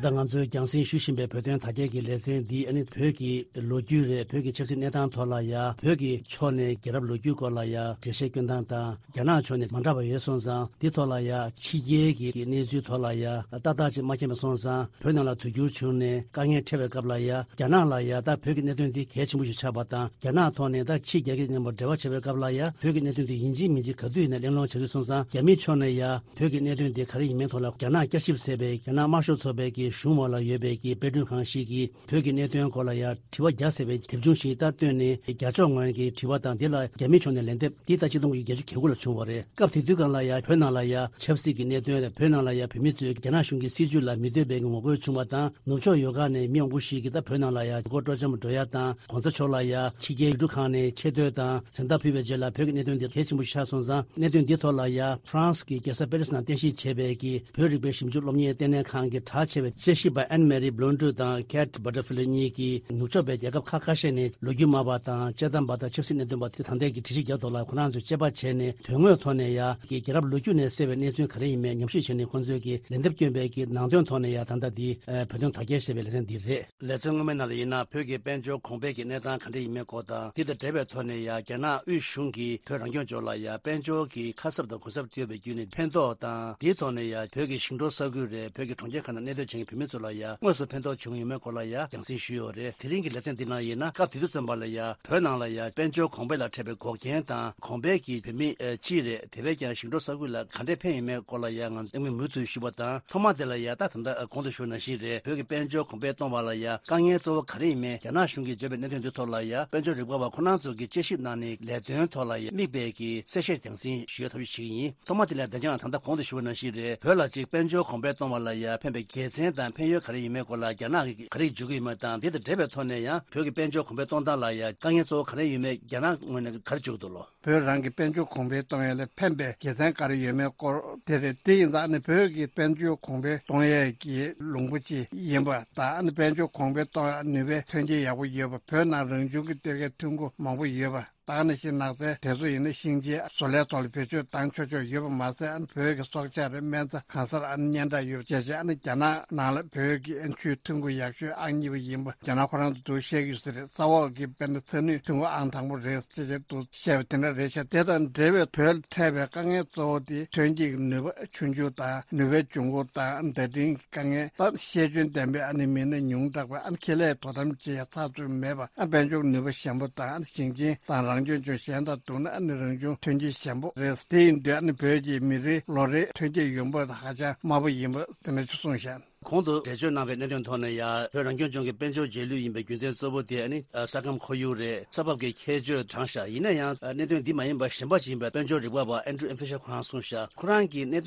ད་ ད་ང་ཚོས་རྒྱང་སྲིང་ཞུ་བཞིན་པའི་བོད་དོན་དར་རྒྱས་ཀྱི་ལེ་ཚན་འདི་ཨ་ནི་བོད་ཀྱི་ལོ་རྒྱུས་རེད། བོད་ཀྱི་ཆབ་སྲིད་གནས་སྟངས་ཐོག་ལ་ཡ་བོད་ཀྱི་ཕྱོགས་ནས་རྒྱལ་རབས་ལོ་རྒྱུས་སྐོར་ལ་ཡ་འགྲེལ་བཤད་སྐྱོན་སྟངས་དང་། རྒྱ་ནག་ཕྱོགས་ནས་མ་འདྲ་བ་ཡོད་སོང་ཙང་། འདི་ཐོག་ལ་ཡ་ཕྱི་རྒྱལ་གྱི་གནས་ཚུལ་ཐོག་ལ་ཡ་ཏག་ཏག་ཅིག་མ་མཁྱེན་པ་སོང་ཙང་། བོད་ནང་ལ་དུས་འགྱུར་བྱུང་ནས་དཀའ་ངལ་འཕྲད་པའི་སྐབས་ལ་ཡ་རྒྱ་ནག་ལ་ཡ་ད་བོད་ཀྱི་གནད་དོན་འདི་གལ་ཆེན་པོ་ཞིག་ཆགས་པ་དང་། རྒྱ་ནག་ཐོག་ནས་ད་ཕྱི་རྒྱལ་ཁབ་མཉམ་པོ་འབྲེལ་བ་བྱེད་པའི་སྐབས་ལ་ཡ་བོད་ཀྱི་གནད་དོན་འདི་ཡིན་གཅིག་མིན་གཅིག་ག་དུས་ཡིན་ན་གླེང་སློང་བྱ་རྒྱུ་སོང་ཙང་། རྒྱ་མིའི་ཕྱོགས་ནས་ཡ་བོད་ཀྱི་གནད་དོན་འདི་ག་རེ་ཡིན་མིན་ཐོག་ལ་རྒྱ་ནག་བསྐྱར་ཞིབ་ཟེར་བའི་རྒྱ་ནག་དམར་ཤོག་ཚོགས་པའི་གི་གཞུང་འོག་ལ་ཡོད་པའི་གི་དཔེ་སྐྲུན་ཁང་ཞིག་གིས་བོད་ཀྱི་གནད་དོན་སྐོར་ལ་ཡ་དྲི་བ་བརྒྱ་ཟེར་བའི་དེབ་ཆུང་ཞིག་ད་བཏོན་ནས། རྒྱ་ཕྱོགས་ངོས་ཀྱི་དྲི་བ་དང་། འདི་ལ་རྒྱ་མིའི་ཕྱོགས་ནས་ལན་འདེབས། འདི་ད་ཆིག་སྟོང་དགུ་བརྒྱ་བརྒྱད་ཅུ་གྱ་དགུ་ལ་བྱུང་བ་རེད། སྐབས་དེ་དུས་སྒང་ལ་ཡ་བོད་ནང་ལ་ཡ་ཆབ་སྲིད་ཀྱི་གནད་དོན་རེད། བོད་ནང་ལ་ཡ་བོད་མི་ཚོས་རྒྱ་ནག་གཞུང་གི་སྲིད་བྱུས་ལ་མི་འདོད་པའི་ངོ་རྒོལ་བྱུང་བ་དང་། ནུབ་ཕྱོགས་ཡོད་ཁག་ནས་མི་མང་པོ་ཞིག་གིས་ད་བོད་ནང་ལ་ཡ་ཡུལ་སྐོར་སྤྲོ་འཆམ་འགྲོ་ཡ་དང་། གོང་ས་མཆོག་ལ་ཡ་ཕྱི་རྒྱལ་ཡུལ་གྲུ་ཁག་ནས་ཆེ་བསྟོད་དང་མཚན་རྟགས་ཕུལ་བའི་རྗེས་ལ། བོད་ཀྱི་གནད་དོན་འདི་གལ་ཆེན་པོ་ཞིག་ཆགས་སོང་ཙང་། གནད་དོན་འདིའི་ཐོག་ལ་ཡ་ཧྥ་རན་སི་གི་རྒྱལ་ས་པེ་རི་སི་ནང་རྟེན་གཞི་བྱས་པའི་གི་བོད་རིག་པའི་ཞིབ་འཇུག་སློབ་གཉེར་ལྟེ་གནས་ཁང་གི་གྲགས་ཆེ་བའི་དཔྱད་ཞིབ་པ་ཨན་མེ་རི་བྷི་ལོན་ཌུ་དང་ཁེ་ཊི་བྷ་ཊར་ཕི་ལི་གཉིས་ཀྱིས་ནུབ་ཕྱོགས་པའི་རྒྱལ་ཁབ་ཁག་ཁ་ཤས་ནས་ལོ་རྒྱུས་སྨྲ་བ་དང་དཔྱད་གཏམ་པ་དང་ཆབ་སྲིད་གནད་དོན་པ་དེ་ད་ལྟའི་གི་དྲི་ཞིབ་རྒྱག་ཐོག་ལ་ཁོ་རང་ཚོས་དཔྱད་པ་བྱས་ནས། དོན་དངོས་ཐོག་ནས་ཡ་གི་རྒྱལ་རབས་ལོ་རྒྱུས་ནས་གསལ་བའི་གནས་ཚུལ་ག་རེ་ཡིན་མིན་ཉམས་ཞིབ་བྱས་ནས། ཁོང་ཚོས་ཀྱི་ལན་འདེབས་བསྐྱོན་པའི་གི་ནང་དོན་ཐོག་ནས་ཡ་ད་ལྟ་འདི་ཨ་བོད་དོན་དར་རྒྱས་ཞེས་པའི་ལེ་ཚན་འདི་རེད། ལེ་ཚན་སྔོན་མའི་ནང་ལ་ཡིན་ན། བོད་ཀྱི་དཔལ་འབྱོར་གོང་འཕེལ་གྱི་གནས་སྟངས་ག་འདྲ་ཡིན་མིན་སྐོར་དང་། འདི་དང་འབྲེལ་བའི་ཐོག་ནས་ཡ་རྒྱ་ནག་དབུས་གཞུང་གིས་བོད་རང་སྐྱོང་ལྗོངས་ལ་ཡ་དཔལ་འབྱོར་གྱི་ཁ་གསབ་དང་གོ་གསབ་སྤྲོད་པ་བརྒྱུད་ནས་ཕན་ཐོགས་དང་། འདིའི་ཐོག་ནས་ཡ་བོད་ཀྱི་ཞིང་འབྲོག་ས་ཁུལ་རེད། བོད་ཀྱི་གྲོང་ཁྱེར་ཁག་ནང་གནས་སྡོད་བྱེད་མཁན་བོད་མི་ཚོ་ལ་ཡ་དངོས་སུ་ཕན་ཐོགས་བྱུང་ཡོད་མེད་སྐོར་ལ་ཡ་རྒྱང་སྲིང་ཞུས་ཡོད་རེད། དེ་རིང་གི་ལེ་ཚན་འདི་ནང་ཡིན་ན། སྐབས་དེ་དུས་ཙམ་པ་ལ་ཡ་བོད་ནང་ལ་ཡ་དཔལ་འབྱོར་གོང་འཕེལ་ལ་འཕྲད་པའི་འགོག་རྐྱེན་དང་། གོང་འཕེལ་གྱི་བོད་མི་ཨ་སྤྱི་རེད། དེ་བས་ཀྱང་ཞིང་འབྲོག་ས་ཁུལ་ལ་ག་འདྲས་ཕན་ཡོད་མེད་སྐོར་ལ་ཡ་ང་ཚོས་མུ་མཐུད་ཞུས་པ་དང་། ཐོག་མ་དེ་ལ་ཡ་ད་ད་ལྟ་གོང་དུ་ཞུས་པ་ནང་བཞིན་རེད། བོད་ཀྱི་དཔལ་འབྱོར་གོང་འཕེལ་གཏོང་བ་ལ་ཡ་དཀའ་ངལ་གཙོ་བོ་ག་རེ་ཡིན་མིན། རྒྱ་ནག་གཞུང་གིས་བརྗོད་པའི་གནད་དོན་འདི་ཐོག་ལ་ཡ་དཔལ་འབྱོར་རིག་པ་བ་ཁོ་རང་ཚོ་གིས་དཔྱད་ཞིབ་གནང་ནས། ལས་དོན་ཐོག་ལ་ཡ་དམིགས་པའི་གི་གསལ་བཤད་རྒྱང་སྲིང་ཞུ་ཡ་ཐབས་ཤེས་བྱེད་ཀྱི་ཡིན། ཐོག་མ་དེ་ལ་ཡ་བདེ་འཇགས་ད་ལྟ་གོང་དུ་ཞུས་པ་ནང་བཞིན་རེད། བོད་ལ་ཅིག་དཔལ་འབྱོར་གོང་འཕེལ་གཏོང་བ་ལ་ཡ་ཕན་པའི་དགེ་མཚན་དང་ཕན་ཡོན་ག་རེ་ཡོད་མེད་སྐོར་ལ་རྒྱ་ནག་གིས་ག་རེ་བརྗོད་ཀྱི་ཡོད་མེད་དང་། དེ་དང་འབྲེལ་བའི་ཐོག་ནས་ཡང་བོད་ཀྱི་དཔལ་འབྱོར་གོང་འཕེལ་གཏོང་སྟངས་ལ་ཡ་དཀའ་ངལ་གཙོ་བོ་ག་རེ་ཡོད་མེད་རྒྱ་ནག་ངོས་ནས་ག་རེ་བརྗོད་ཀྱི་འདུག་ལོ། བོད་རང་གི་དཔལ་འབྱོར་གོང་འཕེལ་གཏོང་ཡ་ལ་ཕན་པའི་དགེ་མཚན་ག་རེ་ཡོད་མེད་སྐོར་དེ་རེད། དེ་ཡིན་ཙང་ཨ་ནི་བོད་ཀྱི་དཔལ་འབྱོར་གོང་འཕེལ་གཏོང་ཡས་ཀྱི་ལུང་པ་ཅིག་ཡིན་པ་དང་། ཨ་ནི་དཔལ་འབྱོར་གོང་འཕེལ་གཏོང་ཡ་ནུས་པའི་ཐོན་སྐྱེད་ཡག་པོ་ཡོད་པ། བོད་ནང་རང་བྱུང་གི་གཏེར་ཁའི་ཐོན་ཁུངས་མང་པོ་ཡོད་པ། ད་ནང་བཞིན་ནགས་ཚལ་དེ་ཚོ་ཡིན་ན་ཤིང་ཆེན་བཟོ་ལས་ཐོག་ལ་བེད་སྤྱོད་བཏང་ཆོག་ཆོག་ཡོད་པ་མ་ཟད། ཨ་ནི་བོད་ཀྱི་སྲོག་ཆགས་རེད། སྨན་རྩྭ་གང་སར་ཨ་ནི་སྙན་གྲགས་ཡོད་པ་བྱས་བྱས། ཨ་ནི་རྒྱ་ནག་ནང་ལ་བོད་ཀྱི་ཨ་ནི་ཆུའི་ཐོན་ཁུངས་ཡག་ཤོས་ཨང་གཉིས་པ་ཡིན་པ་རྒྱ་ནག་ཁོ་རང་ཚོ་འདུག་བཤད་ཀྱི་ཡོད་ས་རེད། ས་འོག་གི་དཔེར་ན་ཚ་ནུས་ཐོན་ཁུངས་ཨང་དང་པོ་རེད་ཅེས་བྱས་འདུག་བཤད་པ་དེ་འདྲ་རེད་ཤག་དེ་དང་འབྲེལ་བའི་བོད་ལ་འཕྲད་པའི་དཀའ་ངལ་གཙོ་བོ་དེ་ཐོན་སྐྱེད་ཀྱི་ནུས་པ་ཆུང་ཆུང་དང་། ནུས་པའི་འབྱུང་ཁུངས་དང་བརྡ་འཕྲིན་དཀའ་ངལ་དང་། ཤེས་འཇོན་ལྡན་པའི་ཨ་ནི་མི་སྣ་ཉུང་དྲགས་པ། ཨ་ནི་ཁེ་ལས་དོ་དམ་བྱེད་ཡ་ཚགས་ཚུད་མེད་པ། ཨ་དཔལ་འབྱོར་ནུས་པ་ཞན་པོ་དང་། ཨ་ནི་ཞིང་ཆེན་དང་རང་སྐྱོང་ལྗོངས་གཞན་དང་བསྡུར་ན་ཨ་ནི་རང་བྱུང་ཐོན་སྐྱེད་ཞན་པོ་རེད། དེ་ཡིན་དུས་ཨ་ནི་བོད་ཀྱི་མི་རེའི་ལོ་རེའི་ཐོན་སྐྱེད་ཡོང་འབབ་ཧ་ཅང་དམའ་པོ་ཡིན་པ་དེ་འདྲ་ཞིག་གསུངས་ཤག་གོང་དུ་འགྲེལ་བརྗོད་གནང་བའི་གནད་དོན་ཐོག་ནས་ཡང་བོད་རང་སྐྱོང་ལྗོངས་ཀྱི་དཔལ་འབྱོར་རྗེས་ལུས་ཡིན་པའི་རྒྱུ་མཚན་གཙོ་བོ་དེ་ཨ་ནི་ས་ཁམས་ཁོར་ཡུག་རེད། ས་བབ་ཀྱི་ཁྱད་ཆོས་དྲངས་ཤག་ཡིན་ན་ཡང་གནད་དོན་འདི་མ་ཡིན་པ་གཞན་པ་ཞིག་ཡིན་པའི་དཔལ་འབྱོར་རིག་པ་བ་ཨན་ཌྲུ་ཨེམ་ཕི་ཤར་ཁོ་རང་གསུངས་ཤག་ཁོ་རང་གིས་གནད་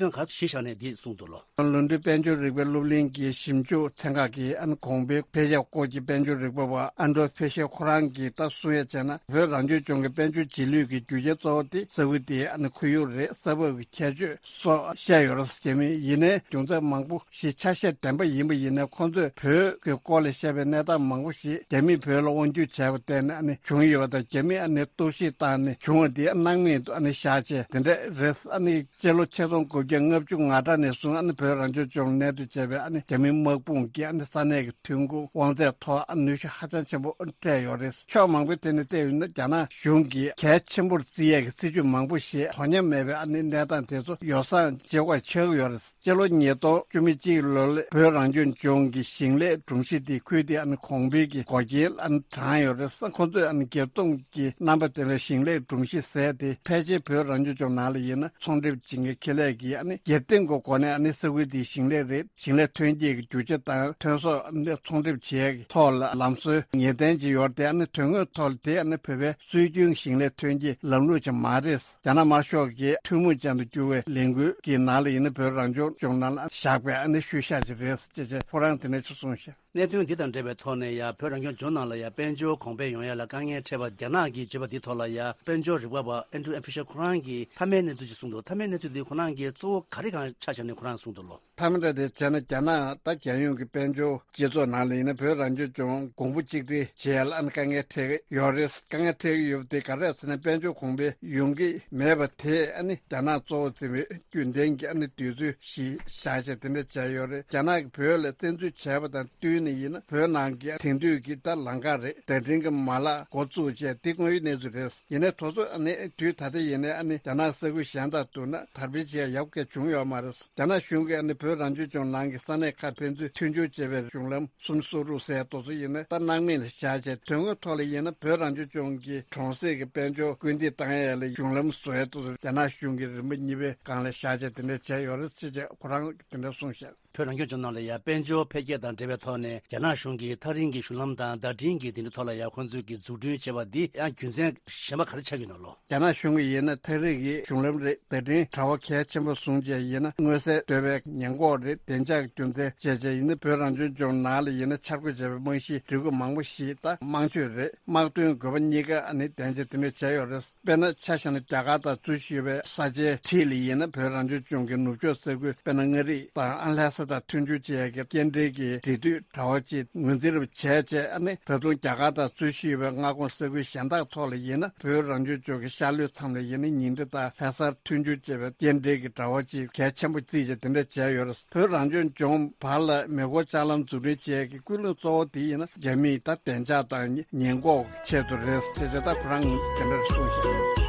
དོན་ག་གཞི་བཞག་ནས་འདི་གསུངས་འདུག་ལོ། ལོན་ཌོན་དཔལ་འབྱོར་རིག་པའི་སློབ་གླིང་གི་ཞིབ་འཇུག་ཚན་ཁག་གི་ཨ་ནི་གོང་འཕེལ་འཕེལ་ཆགས་སྐོར་གྱི་དཔལ་འབྱོར་རིག་པ་བ་ཨན་ཌྲོ་ཕེ་ཤེ་ཁོ་རང་གིས་ད་གསུང་ཡ་བྱས་ན། བོད་རང་སྐྱོང་ལྗོངས་ཀྱི་དཔལ་འབྱོར་རྗེས་ལུས་ཀྱི་རྒྱུ་རྐྱེན་གཙོ་བོ་དེ་ས་ཁུལ་དེའི་ཨ་ནི་ཁོར་ཡུག་རེད། ས་བབ་ཀྱི་ཁྱད་ཆོས་སོགས་བཤད་ཡོད་རེད། རྒྱ་མི་ཡིན་ནའི་རྒྱུ་མཚན་མང་པོ་ཞིག་ཆ་ཤས་བདེན་པ་ཡིན་པ་ཡིན་ནའི། ཁོང་ཚོས་བོད་ཀྱི་སྐོར་ལ་བཤད་པའི་གནས་སྟངས་མང་པོ་ཞིག་རྒྱ་མིས་བོད་ལ་དབང་སྒྱུར་བྱས་པ་བརྟེན་ནས་ཨ་ནི་བྱུང་ཡོད་པ་དང་། རྒྱ་མིས་ཨ་ནི་གཏོར་བཤིག་བཏང་ནས་བྱུང་བ་དེ་སྣང་མེད་དུ་ཨ་ནི་བཞག་བྱས་དེ་འདྲ་རེད། ཨ་ནི་སྤྱི་ལོ་ཆིག་སྟོང་དགུ་བརྒྱ་ལྔ་བཅུ་ང་གྲངས་ནས་བཟུང་ཨ་ནི་བོད་རང་སྐྱོང་ལྗོངས་གནས་སྡོད་བྱས་པའི་ཨ་ནི་རྒྱ་མི་དམག་དཔུང་གིས་ཨ་ནི་ས་གནས་ཀྱི་ཐོན་ཁུངས་དབང་ཚད་ཐོག་ཨ་ནི་ནུས་ཤུགས་ཧ་ཅང་ཆེན་པོ་སྤྲད་ཡོད་རེད། ཕྱོགས་མང་པོའི་ཐད་ནས་བལྟས་ཡོད་ན། རྒྱ་ནག་གཞུང་གིས་གལ་ཆེན་པོར་བརྩི་ཡས་ཀྱི་སྲིད་ཇུས་མང་པོ་ཞིག་དོ་མཉམ་མེད་པའི་ཨ་ནི་གནས་སྟངས་དེ་ཚོ་ཡོ་བསྲང་བྱེད་དགོས་ཆགས་ཀྱི་ཡོད་རེད། སྤྱི་ལོ་ཉིས་སྟོང་བཅུ་མེད་གཅིག་ལོ་ལ་བོད་རང་སྐྱོང་ལྗོངས་ཀྱི་ཞིང་ལས་སྒྲོམ་གཞི་དེ་ཁུལ་དེ་ཨ་ནི་གོང་འཕེལ་གྱི་འགོག་རྐྱེན་ཨ་ནི་དྲངས་ཡོད་རེད། ཁོ་ཚོས་ཨ་ནི་སྒེར་བཙོང་གི་རྣམ་པ་ལྡན་པའི་ཞིང་ལས་སྒྲོམ་གཞི་ཟེར་དེ་ཕལ་ཆེར་བོད་རང་སྐྱོང་ལྗོངས་ནང་ལ་ཡིན་ན་ཚོང་སྒྲིག་བྱེད་མཁན་ཁེ་ལས་ཀྱིས་ཨ་ནི་སྒེར་སྟེང་གི་སྒོ་ནས་ཨ་ནི་ས་ཁུལ་དེའི་ཞིང་ལས་རེད། ཞིང་ལས་ཐོན་སྐྱེད་ཀྱི་རྒྱུ་ཆ་དང་ཐོན་ཟོག་ཨ་ནི་ཚོང་སྒྲིག་བྱེད་ཡག་གི་ཐོག་ལ་ལམ་སྲོལ་ངེས་གཏན་ཅིག་ཡོད་རེད་དེ། ཨ་ནི་དོན་དངོས་ཐོག་ལ་དེ་ཨ་ནི་བོད་པའི་སྲོལ་རྒྱུན་ཞིང་ལས་ཐོན་སྐྱེད་ལམ་ལུགས་ཅིག་མ་རེད། རྒྱ་ནག་དམར་ཤོག་གི་ཐུན་མོང་ཅན་དུ་གྱུར་བའི་ལས་འགུལ་གྱི་ནང་ལ་ཡིན་ན་བོད་རང་སྐྱོང་ལྗོངས་ནང་ལ་བཞག་པའི་ཨ་ནི་ཤུལ་བཞག་ཅིག་རེད་ཅེས་ཁོ་རང་དེ་ནས་ཅིག་གསུངས་ཤག་གནད་དོན་འདི་དང་འབྲེལ་བའི་ཐོག་ནས་ཡང་བོད་རང་སྐྱོང་ལྗོངས་ནང་ལ་ཡང་དཔལ་འབྱོར་གོང་འཕེལ་ཡོང་ཡ་ལ་དཀའ་ངལ་འཕྲད་པ་རྒྱ་ནག་གིས་བརྗོད་པ་འདིའི་ཐོག་ལ་ཡང་དཔལ་འབྱོར་རིག་པ་བ་ཨན་ཌྲུ་ཨེན་ཕི་ཤར་ཁོ་རང་གིས་མཐའ་མའི་གནས་ཚུལ་ཅིག་གསུངས་འདུག་མཐའ་མའི་གནས་ཚུལ་འདི་ཁོ་རང་གིས་གཙོ་བོ་ག་རེ་གང་ཆ་བཞག་ནས་ཁོ་རང་གསུངས་འདུག་ལོ། མཐའ་མ་འདྲ་དེ་བྱས་ན་རྒྱ་ནག་ད་རྒྱལ་ཡོངས་ཀྱི་དཔལ་འབྱོར་སྤྱི་ཚོགས་ནང་ལ་ཡིན་ན་བོད་རང་སྐྱོང་ལྗོངས་གོང་བུ་གཅིག་སྒྲིལ་བྱེད་ཡ་ལ་ཨ་ནི་དཀའ་ངལ་འཕྲད་ཀྱི་ཡོད་རེད། དཀའ་ངལ་འཕྲད་ཀྱི་ཡོད་པ་དེ་ག་རེ་རེད་ཟེར་ན་དཔལ་འབྱོར་གོང་འཕེལ་ཡོང་གི་མེད་པ་དེ་ཨ་ནི་རྒྱ་ནག་གཙོ་བོ་བརྩིས་པའི་རྒྱུན་ལྡན་གྱི་ཨ་ནི་དུས་ཚོད་ཞིག་བཞག་བྱས་དེ་འདྲ་བྱས་ཡོད་རེད། རྒྱ་ནག་གིས་བོད་ལ་བཙན་འཛུལ་བྱས་པ་དང་བསྟུན་ནས་ཡིན་ན་བོད་ནང་གི་དེང་དུས་ཀྱི་ད་ལམ་ཁ་རེད། བརྡ་འཕྲིན་གྱི་མ་ལག་འགོ་བཙུགས་བྱས་དེ་དངོས་ཡོད་གནས་ཚུལ་རེད། ཡིན་ནའི་དེ་ཚོ་ཨ་ནི་དུས་ད་ལྟ་ཡིན་ནའི་ཨ་ནི་རྒྱ་ནག་ས་ཁུལ་གཞན་དང་བསྡུར་ན་དར་འཕེལ་བྱེད་ཡག་གི་བྱུང་ཡོད་མ་རེད། རྒྱ་ནག་གཞུང་གིས་ཨ་ནི་བོད་རང་སྐྱོང་ལྗོངས་ནང་གི་ས་གནས་ཁག་ཕན་ཚུན་མཐུན་སྦྱོར་བྱེད་པའི་གཞུང་ལམ་སུམ་སོ་རུ་ཟེར་དེ་ཚོ་ཡིན་ན་ད་སྣང་མེད་ལ་བཞག་བྱས་དོན་དངོས་ཐོག་ལ་ཡིན་ན་བོད་རང་སྐྱོང་ལྗོངས་ཀྱི་གྲོང་གསེབ་ཀྱི་དཔལ་འབྱོར་སྐུལ་འདེད་བཏང་ཡས་ལ་གཞུང་ལམ་བཟོ་ཡས་དེ་ཚོ་རྒྱ་ནག་གཞུང་གིས་རིམ་པ་གཉིས་པའི་སྒང་ལ་བཞག་བྱས་དེ་འདྲ་བྱས་ཡོད་རེད་ཅེས་བྱས་ཁོ་རང་གིས་དེ་འདྲ་གསུངས་བཞག་བོད་རང་སྐྱོང་ལྗོངས་ནང་ལ་ཡང་དཔལ་འབྱོར་འཕེལ་རྒྱས་དང་འབྲེལ་བའི་ཐོག་ནས་རྒྱ་ནག་གཞུང་གིས་ཐག་རིང་གི་གཞུང་ལམ་དང་བརྡ་འཕྲིན་གྱི་དེ་འདྲའི་ཐོག་ལ་ཡང་ཁོང་ཚོས་ཀྱི་འཛུགས་སྐྲུན་བྱས་པ་འདི་ཡང་རྒྱུ་མཚན་གཞན་པ་ག་རེ་ཆགས་ཀྱི་ཡོད་ན་ལོ། རྒྱ་ནག་གཞུང་གིས་ཡིན་ན་ཐག་རིང་གི་གཞུང་ལམ་རེད། བརྡ་འཕྲིན་དྲ་བ་གལ་ཆེན་པོ་བཟུང་བྱས་ཡིན་ན་མངོན་གསལ་དོད་པའི་ཉེན་འགོག་རེད། བདེ་འཇགས་རྒྱུ་མཚན་བྱས་བྱས་ཡིན་ན་བོད་རང་སྐྱོང་ལྗོངས་ནང་ལ་ཡིན་ན་འཆར་འགོད་བྱས་པའི་རྨང་གཞིའི་སྒྲིག་བཀོད་མང་པོ་ཞིག་ད་དམངས་སྤྱོད་རེད། དམག་དོན་དགོས་པ་གཉིས་ཀ་ཨ་ནི་ལྡན་བྱས་དེ་འདྲ་བྱས་ཡོད་རེད། དཔེར་ན་ཆ་བཞག་ན་རྒྱ་གར་དང་འཛུལ་བཞུགས་པའི་ས་ཆའི་འཁྲིས་ལ་ཡིན་ན་བོད་རང་སྐྱོང་ལྗོངས་ཀྱི་ནུབ་ཕྱོགས་ས་ཁུལ་དཔེར་ན་མངའ་རིས་དང་ཨ་ལྷ་ས་དང་མཐུན་སྦྱོར་བྱེད་ཡག་གི་སྐྱེལ་འདྲེན་གྱི་འབྲེལ་མཐུད་དྲ་བ་ཅིག་ངོས་འཛིན་རུ་བྱས་བྱས་ཨ་ནི་ད་དུང་རྒྱ་གར་དང་འཛུལ་བཞུགས་པའི་མངའ་ཁོངས་ས་ཁུལ་གཞན་དག་ཐོག་ལ་ཡིན་ན་བོད་རང་སྐྱོང་ལྗོངས་ཀྱི་ཤར་ལྷོའི་མཚམས་ལ་ཡིན་ན་ཉིང་ཁྲི་དང་ལྷ་སར་མཐུན་སྦྱོར་བྱེད་པའི་སྐྱེལ་འདྲེན་གྱི་དྲ་བ་ཅིག་གལ་ཆེན་པོ་བརྩིས་བྱས་དེ་འདྲ་བྱས་ཡོད་རེད། བོད་རང་སྐྱོང་ལྗོངས་བར་ལ་མེ་འཁོར་ལྕགས་ལམ་འཛུགས་སྐྲུན་བྱེད་ཡག་གི་ཀུན་སློང་གཙོ་བོ་དེ་ཡིན་ན་རྒྱ་མིའི་ད་བདེ་འཇགས་དང་ཉེན་འགོག་ཆེད་དུ་རེད་ཅེས་བྱས་ད་ཁོ་རང་དེ་འདྲར་གསུངས་ཤག་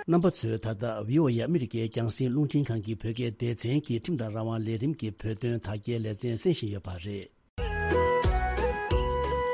རྣམ་པ་ཚོས་ད་ལྟ་བྷི་ཨོ་ཨེ་ཨ་མི་རི་ཀའི་རྒྱང་སྲིང་རླུང་འཕྲིན་ཁང་གི་བོད་སྐད་སྡེ་ཚན་གྱི་ཁྲིམས་དང་རང་དབང་ལས་རིམ་གྱི་བོད་དོན་དར་རྒྱས་ལེ་ཚན་གསན་བཞིན་ཡོད་པ་རེད།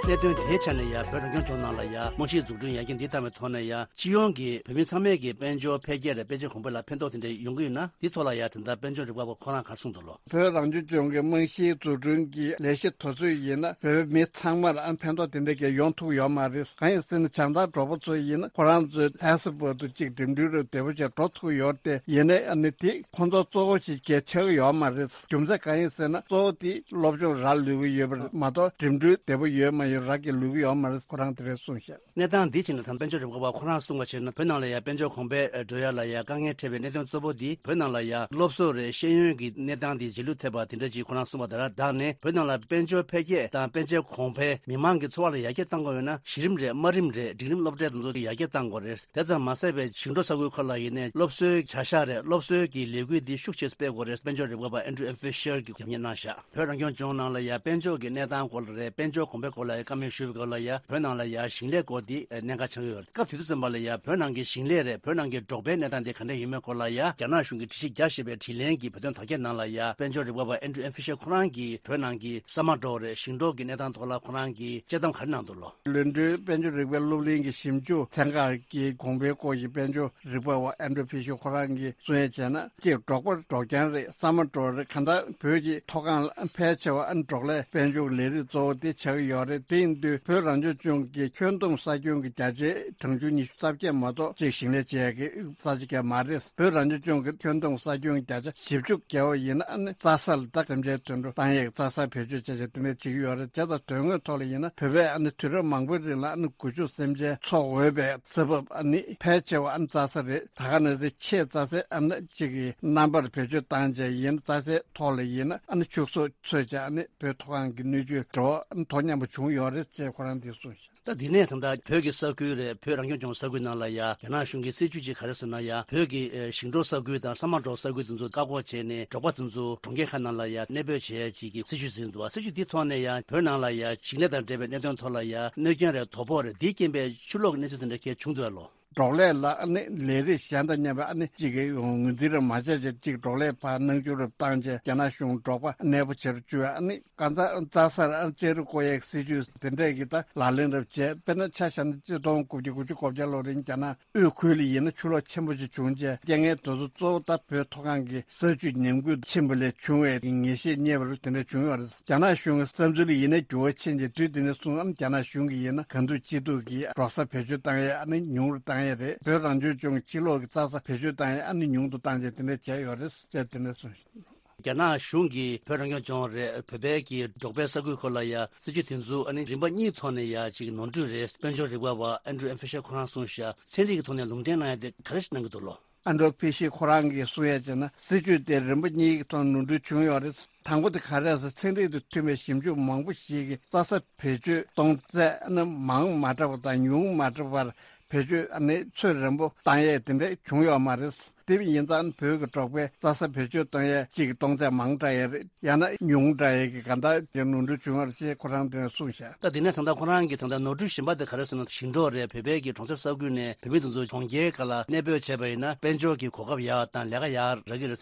གནད་དོན་དེའི་ཆ་ནས་ཡང་བོད་རང་སྐྱོང་ལྗོངས་ནང་ལ་ཡང་རྨང་གཞིའི་འཛུགས་སྐྲུན་ཡར་རྒྱས་འདི་བཏང་བའི་ཐོག་ནས་ཡང་སྤྱི་ཡོངས་ཀྱི་བོད་མི་ཚང་མས་ཀྱི་དཔལ་འབྱོར་འཕེལ་རྒྱས་དང་དཔལ་འབྱོར་གོང་འཕེལ་ལ་ཕན་ཐོགས་དེ་འདྲ་ཡོང་གི་ཡོད་ན་འདི་ཐོག་ལ་ཡང་དེ་འདྲ་དཔལ་འབྱོར་རིག་པ་བ་ཁོ་རང་ག་རེ་གསུངས་འདུག་ལོ། བོད་རང་སྐྱོང་ལྗོངས་ཀྱི་རྨང་གཞིའི་འཛུགས་སྐྲུན་གྱི་ལས་གཞི་དེ་ཚོ་ཡིན་ན་བོད་མི་ཚང་མར་ཨ་ཕན་ཐོགས་དེ་འདྲ་གི་ཡོང་ཐུབ་ཡོད་མ་རེད། གང་ཡིན་ཟེར་ན་བྱང་ཐང་འབྲོག་པ་ཚོ་ཡིན་ན་ཁོ་རང་ཚོའི་ལྷ་ས་བར་དུ་གཅིག་འགྲིམ་འགྲུལ་རུ་བདེ་པོ་བྱས་འགྲོ་ཐུབ་ཡོད་དེ་ཡིན་ནའི་ཨ་ནི་དེ་ཁོང་ཚོ་གཙོ་བོ་ཞིག་གལ་ཆགས་ཡོད་མ་རེད། རྒྱུ་མཚན་གང་ཡིན་ཟེར་ན་གཙོ་བོ་དེ་སློབ་སྦྱོང་རག་ལུས་ཀྱི་ཡོད་པ་མ་གཏོགས་འགྲིམ་འགྲུལ་བདེ་པོ་ཡོད་མ་ཡོད་རག་གི་ལུས་ཀྱི་ཡོད་མ་རེད། ཁོ་རང་དེ་འདྲ་གསུངས་ཤག་གནས་སྟངས་འདི་བྱས་ན་ད་དཔལ་འབྱོར་རིག་པ་བ་ཁོ་རང་གསུངས་པ་བྱས་ན་བོད་ནང་ལ་ཡང་དཔལ་འབྱོར་གོང་འཕེལ་འགྲོ་ཡ་ལ་ཡང་དཀའ་ངལ་འཕྲད་པའི་གནད་དོན་གཙོ་བོ་འདི་བོད་ནང་ལ་ཡང་སློབ་གསོ་རེད། ཤེས་ཡོན་གྱི་གནས་སྟངས་འདི་རྗེས་ལུས་ཐེབས་པ་དེ་འདྲ་ཅིག་ཁོ་རང་གསུངས་པ་དེ་ལ་བདག་ནས་བོད་ནང་ལ་དཔལ་འབྱོར་འཕེལ་རྒྱས་དང་དཔལ་འབྱོར་གོང་འཕེལ་མི་མང་གི་འཚོ་བ་ལ་ཡར་རྒྱས་གཏང་དགོས་ཡོད་ན་གཞི་རིམ་རེད། དམའ་རིམ་རེད། འབྲིང་རིམ་སློབ་གྲྭའི་དེ་ཚོ་ཡར་རྒྱས་གཏང་དགོས་རེད། དེ་ཙམ་མ་ཟད་པའི་ཞིང་འབྲོག་ས་ཁུལ་ཁག་ལ་ཡིན་ནའི་སློབ་གསོའི་བྱ་གཞག་རེད། སློབ་གསོའི་གི་ལས་འགུལ་འདི་ཤུགས་ཆེ་སྤེལ་དགོས་རེད། དཔལ་འབྱོར་རིག་པ་བ་ཨན་ཌྲུ་ཨེམ་ཕི་ཤར་གྱིས་རྒྱབ་གཉེར་གནང་བཞག་བོད་རང་སྐྱོང་ལྗོངས་ནང་ལ་ཡང་དཔལ་འབྱོར་གྱི་གནས་སྟངས་སྐོར་ལ་རེད། དཔལ་འབྱོར་གོང་འཕེལ་སྐོར་ལ་ཡང་བཀའ་མོལ་ཞུས་པའི་སྐོར་ལ་ཡང་བོད་ནང་ལ་ཡང་ཞིང་ལས་སྐོར་འདི་གནད་འགག་ཆགས་ཀྱི་ཡོད་རེད། སྐབས་དེ་དུས་ཙམ་པ་ལ་ཡང་བོད་ནང་གི་ཞིང་ལས་རེད། བོད་ནང་གི་འབྲོག་པའི་གནས་སྟངས་འདི་ག་འདྲ་ཡིན་མིན་སྐོར་ལ་ཡང་རྒྱ་ནག་གཞུང་གིས་དྲི་ཞིབ་རྒྱ་ཞེས་པའི་དྲིས་ལན་གྱི་བོད་དོན་དར་རྒྱས་ནང་ལ་ཡང་དཔལ་འབྱོར་རིག་པ་བ་ཨན་ཌྲུ་ཨེམ་ཕི་ཤར་ཁོ་རང་གིས་བོད་ནང་གི་ས་མ་འབྲོག་རེད། ཞིང་འབྲོག་གི་གནས་སྟངས་ཐོག་ལ་ཁོ་རང་གིས་དཔྱད་གཏམ་ག་རེ་གནང་འདུག་ལོ། ལོ་འདིའི་དཔལ་འབྱོར་རིག་པའི་སློབ་གླིང་གི་ཞིབ་འཇུག་ཚན་ཁག་གི་གོང་འཕེལ་སྐོར་གྱི་དཔལ་འབྱོར་རིག་པ་བ་ཨན་ཌྲུ་ཕི་ཤར་ཁོ་རང་གིས་གསུང་ཡ་བྱས་ན། གཅིག་འབྲོག་པ་འབྲོག་རྐྱང་རེད། ས་མ་འབྲོག་རེད། གང་ལྟར་བོད་ཀྱི་མཐོ་སྒང་ལ་ཕལ་ཆེ་བ་ཨ་ནི་འབྲོག་ལས་དཔལ་འབྱོར་གྱི་ལས་རིགས་གཙོ་བོ་དེ་ཆགས་ཀྱི་ཡོད་རེད། དེ་ཡིན་དུས་བོད་རང་སྐྱོང་ལྗོངས་ཀྱི་ཁྱོན་བསྡོམས་ས་ཁྱོན་གྱི་བརྒྱ་ཆའི་གྲངས་ཆུང་ཉི་ཤུ་རྩ་བརྒྱད་མ་གཏོགས་གཅིག་ཞིང་ལས་བྱེད་ཡག་གི་ས་ཆ་གང་མ་རེད། བོད་རང་སྐྱོང་ལྗོངས་ཀྱི་ཁྱོན་བསྡོམས་ས་ཁྱོན་བརྒྱ་ཆ་བཞི་བཅུ་བརྒལ་བ་ཡིན་ན་ཨ་ནི་རྩྭ་ས་ལ་ད་གྲུབ་ཆའི་དུད་འགྲོ་བཏང་ཡག་རྩྭ་ས་བེད་སྤྱོད་བྱས་བྱས་དེ་འདྲ་བྱེད་ཀྱི་ཡོད་རེད། བྱས་ཙང་དོན་དངོས་ཐོག་ལ་ཡིན་ན་བོད་པས་ཨ་ནི་དུས་རབས་མང་པོའི་རིང་ལ་ཨ་ནི་སྒུལ་ཤུགས་སེམས་ཅན་འཚོ་འོས་པའི་ས་བབ་ཨ་ནི་ཕལ་ཆེ་བ་ཨ་ནི་རྩྭ་ས་རེད། ད་ག་ནང་བཞིན་ཆེས་རྩྭ་སའི་ཨ་ནི་གཅིག་གི་རྣམ་པར་བེད་སྤྱོད་བཏང་བྱས་ཡིན། རྩྭ་སའི་ཐོག་ལ་ཡིན་ན་ཨ་ནི་ཕྱུགས་ཟོག་འཚོས་བྱས་ཨ་ནི་བོད་མཐོ་སྒང་གི་སྣོད་བཅུད་འགྲོ་བ་ཨ་ནི་དོ་མཉམ་པོ་བྱུང་ཡོད་རེད་ཅེས་ཁོ་རང་འདིས་གསུངས་ཤག་ད་འདི་ནས་ད་ལྟ་བོད་ཀྱི་ས་ཁུལ་རེད། བོད་རང་སྐྱོང་ལྗོངས་ས་ཁུལ་ནང་ལ་ཡ་རྒྱ་ནག་གཞུང་གི་སྲིད་ཇུས་ཅིག་ག་རེ་ཟེར་ན་ཡ་བོད་ཀྱི་ཨེ་ཞིང་འབྲོག་ས་ཁུལ་དང་ས་མ་འབྲོག་ས་ཁུལ་དེ་ཚོ་བཀག་འགོག་བྱས་ནས་འབྲོག་པ་དེ་ཚོ་གྲོང་ཁྱེར་ཁག་ནང་ལ་ཡ་གནས་སྤོས་བྱེད་ཡ་ཅིག་གི་སྲིད་ཇུས་ཟིན་འདུག་སྲིད་ཇུས་འདི་ཐོག་ནས་ཡ་བོད་ནང་ལ་ཡ་ཞིང་ལས་དང་འབྲེལ་བའི་གནད་དོན་ཐོག་ལ་ཡ་གནོད་སྐྱོན་རེད། དོ་ཕོག་རེད། འདིའི་རྐྱེན་པས་ཕྱི་ལོགས་ཀྱི་གནས་ཚུལ་དེ་འདྲ་ཁྱེད་བྱུང་འདུག་ལོ། འབྲོག་ལས་ལ་ཨ་ནི་ལས་རིགས་གཞན་དང་མཉམ་པའི་ཨ་ནི་གཅིག་གི་ངོས་འཛིན་རེ་མ་བྱས་བྱས་གཅིག་འབྲོག་ལས་ཕར་སྣང་ཆུང་རུ་བཏང་བྱས་རྒྱ་ནག་གཞུང་འབྲོག་པ་གནས་སྤོ་བྱེད་རུ་བཅུག་ཨ་ནི་གང་ཟག་རྩྭ་སར་ཨ་ནི་ཅ་རི་བརྐོ་ཡག་སྲིད་ཇུས་དེ་འདྲས་ཀྱི་ད་ལག་ལེན་རུ་བྱས། དཔེར་ན་ཆ་བཞག་ན་གཅིག་སྟོང་དགུ་བརྒྱ་དགུ་བཅུ་གོ་བརྒྱད་ལོ་རིང་རྒྱ་ནག་དབུས་ཁུལ་ལ་ཡིན་ན་ཆུ་ལོག་ཆེན་པོ་ཞིག་བྱུང་རྗེས་རྐྱེན་ངན་དེ་ཚོ་གཙོ་བོ་ད་བོད་མཐོ་སྒང་གི་ས་ཆུ་ཉམས་རྒུད་ཕྱིན་པ་ལས་བྱུང་བའི་ངེས་ཤེས་རྙེད་པ་རུ་དེ་འདྲ་བྱུང་ཡོད་རེད། རྒྱ་ནག་གཞུང་གི་བསམ་ཚུལ་ཡིན་ནའི་འགྱུར་བ་ཕྱིན་རྗེས་དུས་དེ་ནས་བཟུང་ཨ་ནི་རྒྱ་ནག་གཞུང་གིས་ཡིན་ན་གང་ཐུབ་ཅི་ཐུབ་ཀྱིས་འབྲོག་ས་བེད་སྤྱོད་བཏང་ཡས་ཨ་ནི་ཉུང་རུ་བཏང་ཡས་རེད། བོད་རང་སྐྱོང་ལྗོངས་ཀྱི་ཕྱི་ལོགས་ཀྱི་རྩྭ་ས་བེད་སྤྱོད་བཏང་ཡས་ཨ་ནི་ཉུང་དུ་བཏང་རྗེས་དེ་འདྲ་བྱས་ཡོད་རེད་ཅེས་དེ་འདྲ་གསུངས། རྒྱ་ནག་གཞུང་གིས་བོད་རང་སྐྱོང་ལྗོངས་རེད། བོད་པའི་གི་འབྲོག་པའི་ས་ཁུལ་ཁག་ལ་ཡ་སྲིད་ཇུས་དེ་ཚོ་ཨ་ནི་རིམ་པ་གཉིས་ཐོག་ནས་ཡ་ཅིག་ནོར་འཁྲུལ་རེད། དཔལ་འབྱོར་རིག་པ་བ་ཨན་ཌྲུ་ཨེམ་ཕི་ཤར་ཁོ་རང་གསུངས་ཤག་ཚན་རིག་གི་ཐོག་ནས་ལུང་འདྲེན་གནང་ཡ་དེ་ག་རེ་ཞིག་གནང་གི་འདུག་ལོ། ཨན་ཌྲུ་ཨེམ་ཕི་ཤར་ཁོ་རང་གིས་གསུང་ཡ་བྱས་ན། སྲིད་ཇུས་དེ་རིམ་པ་གཉིས་ཀྱི་ཐོག་ནོར་འཁྲུལ་བྱུང་ཡོད་རེད། དང་པོ་དེ་ག་རེ་རེད་ཟེར། ཚན་རིག་དང་མཐུན་པའི་ཞིབ་འཇུག་མང་པོ་ཞིག་གིས་རྩྭ་ས་བེད་སྤྱོད་གཏོང་ཚད་ནི་མང་མ་དྲགས་པ་དང་ཉུང་མ་དྲགས་པར་བེད་སྤྱོད་ཨ་ནི་ཚོད་རན་པོ་བཏང་ཡས་དེ་འདྲ་བྱུང་ཡོད་མ་རེད། དེ་ཡིན་ཙང་བོད་ཀྱི་འབྲོག་པས་རྩྭ་ས་བེད་སྤྱོད་གཏོང་ཡས་གཅིག་གི་གཏོང་ཚད་མང་དྲགས་ཡས་རེད། ཡང་ན་ཉུང་དྲགས་ཡས་ཀྱི་ག་འདྲ་ཀྱི་ནོར་འཁྲུལ་བྱུང་བ་རེད་ཅེས་ཁོ་རང་དེ་ནས་གསུངས་ཤག་ད་དེ་ནས་ད་ལྟ་ཁོ་རང་གིས་ད་ལྟ་ནོར་འཁྲུལ་གཞན་པ་དེ་ག་རེ་ཟེར་ན། ཞིང་འབྲོག་རེད། བོད་པའི་གི་གྲོང་གསེབ་ས་ཁུལ་ནས་བོད་མི་དེ་ཚོ་གྲོང་ཁྱེར་ཁག་ལ་གནས་སྤོས་བྱས་པ་ཡིན་ན་དཔལ་འབྱོར་གྱི་གོ་སྐབས་ཡག་དང་ལས་ཀ་ཡག་རག་གི་རེད་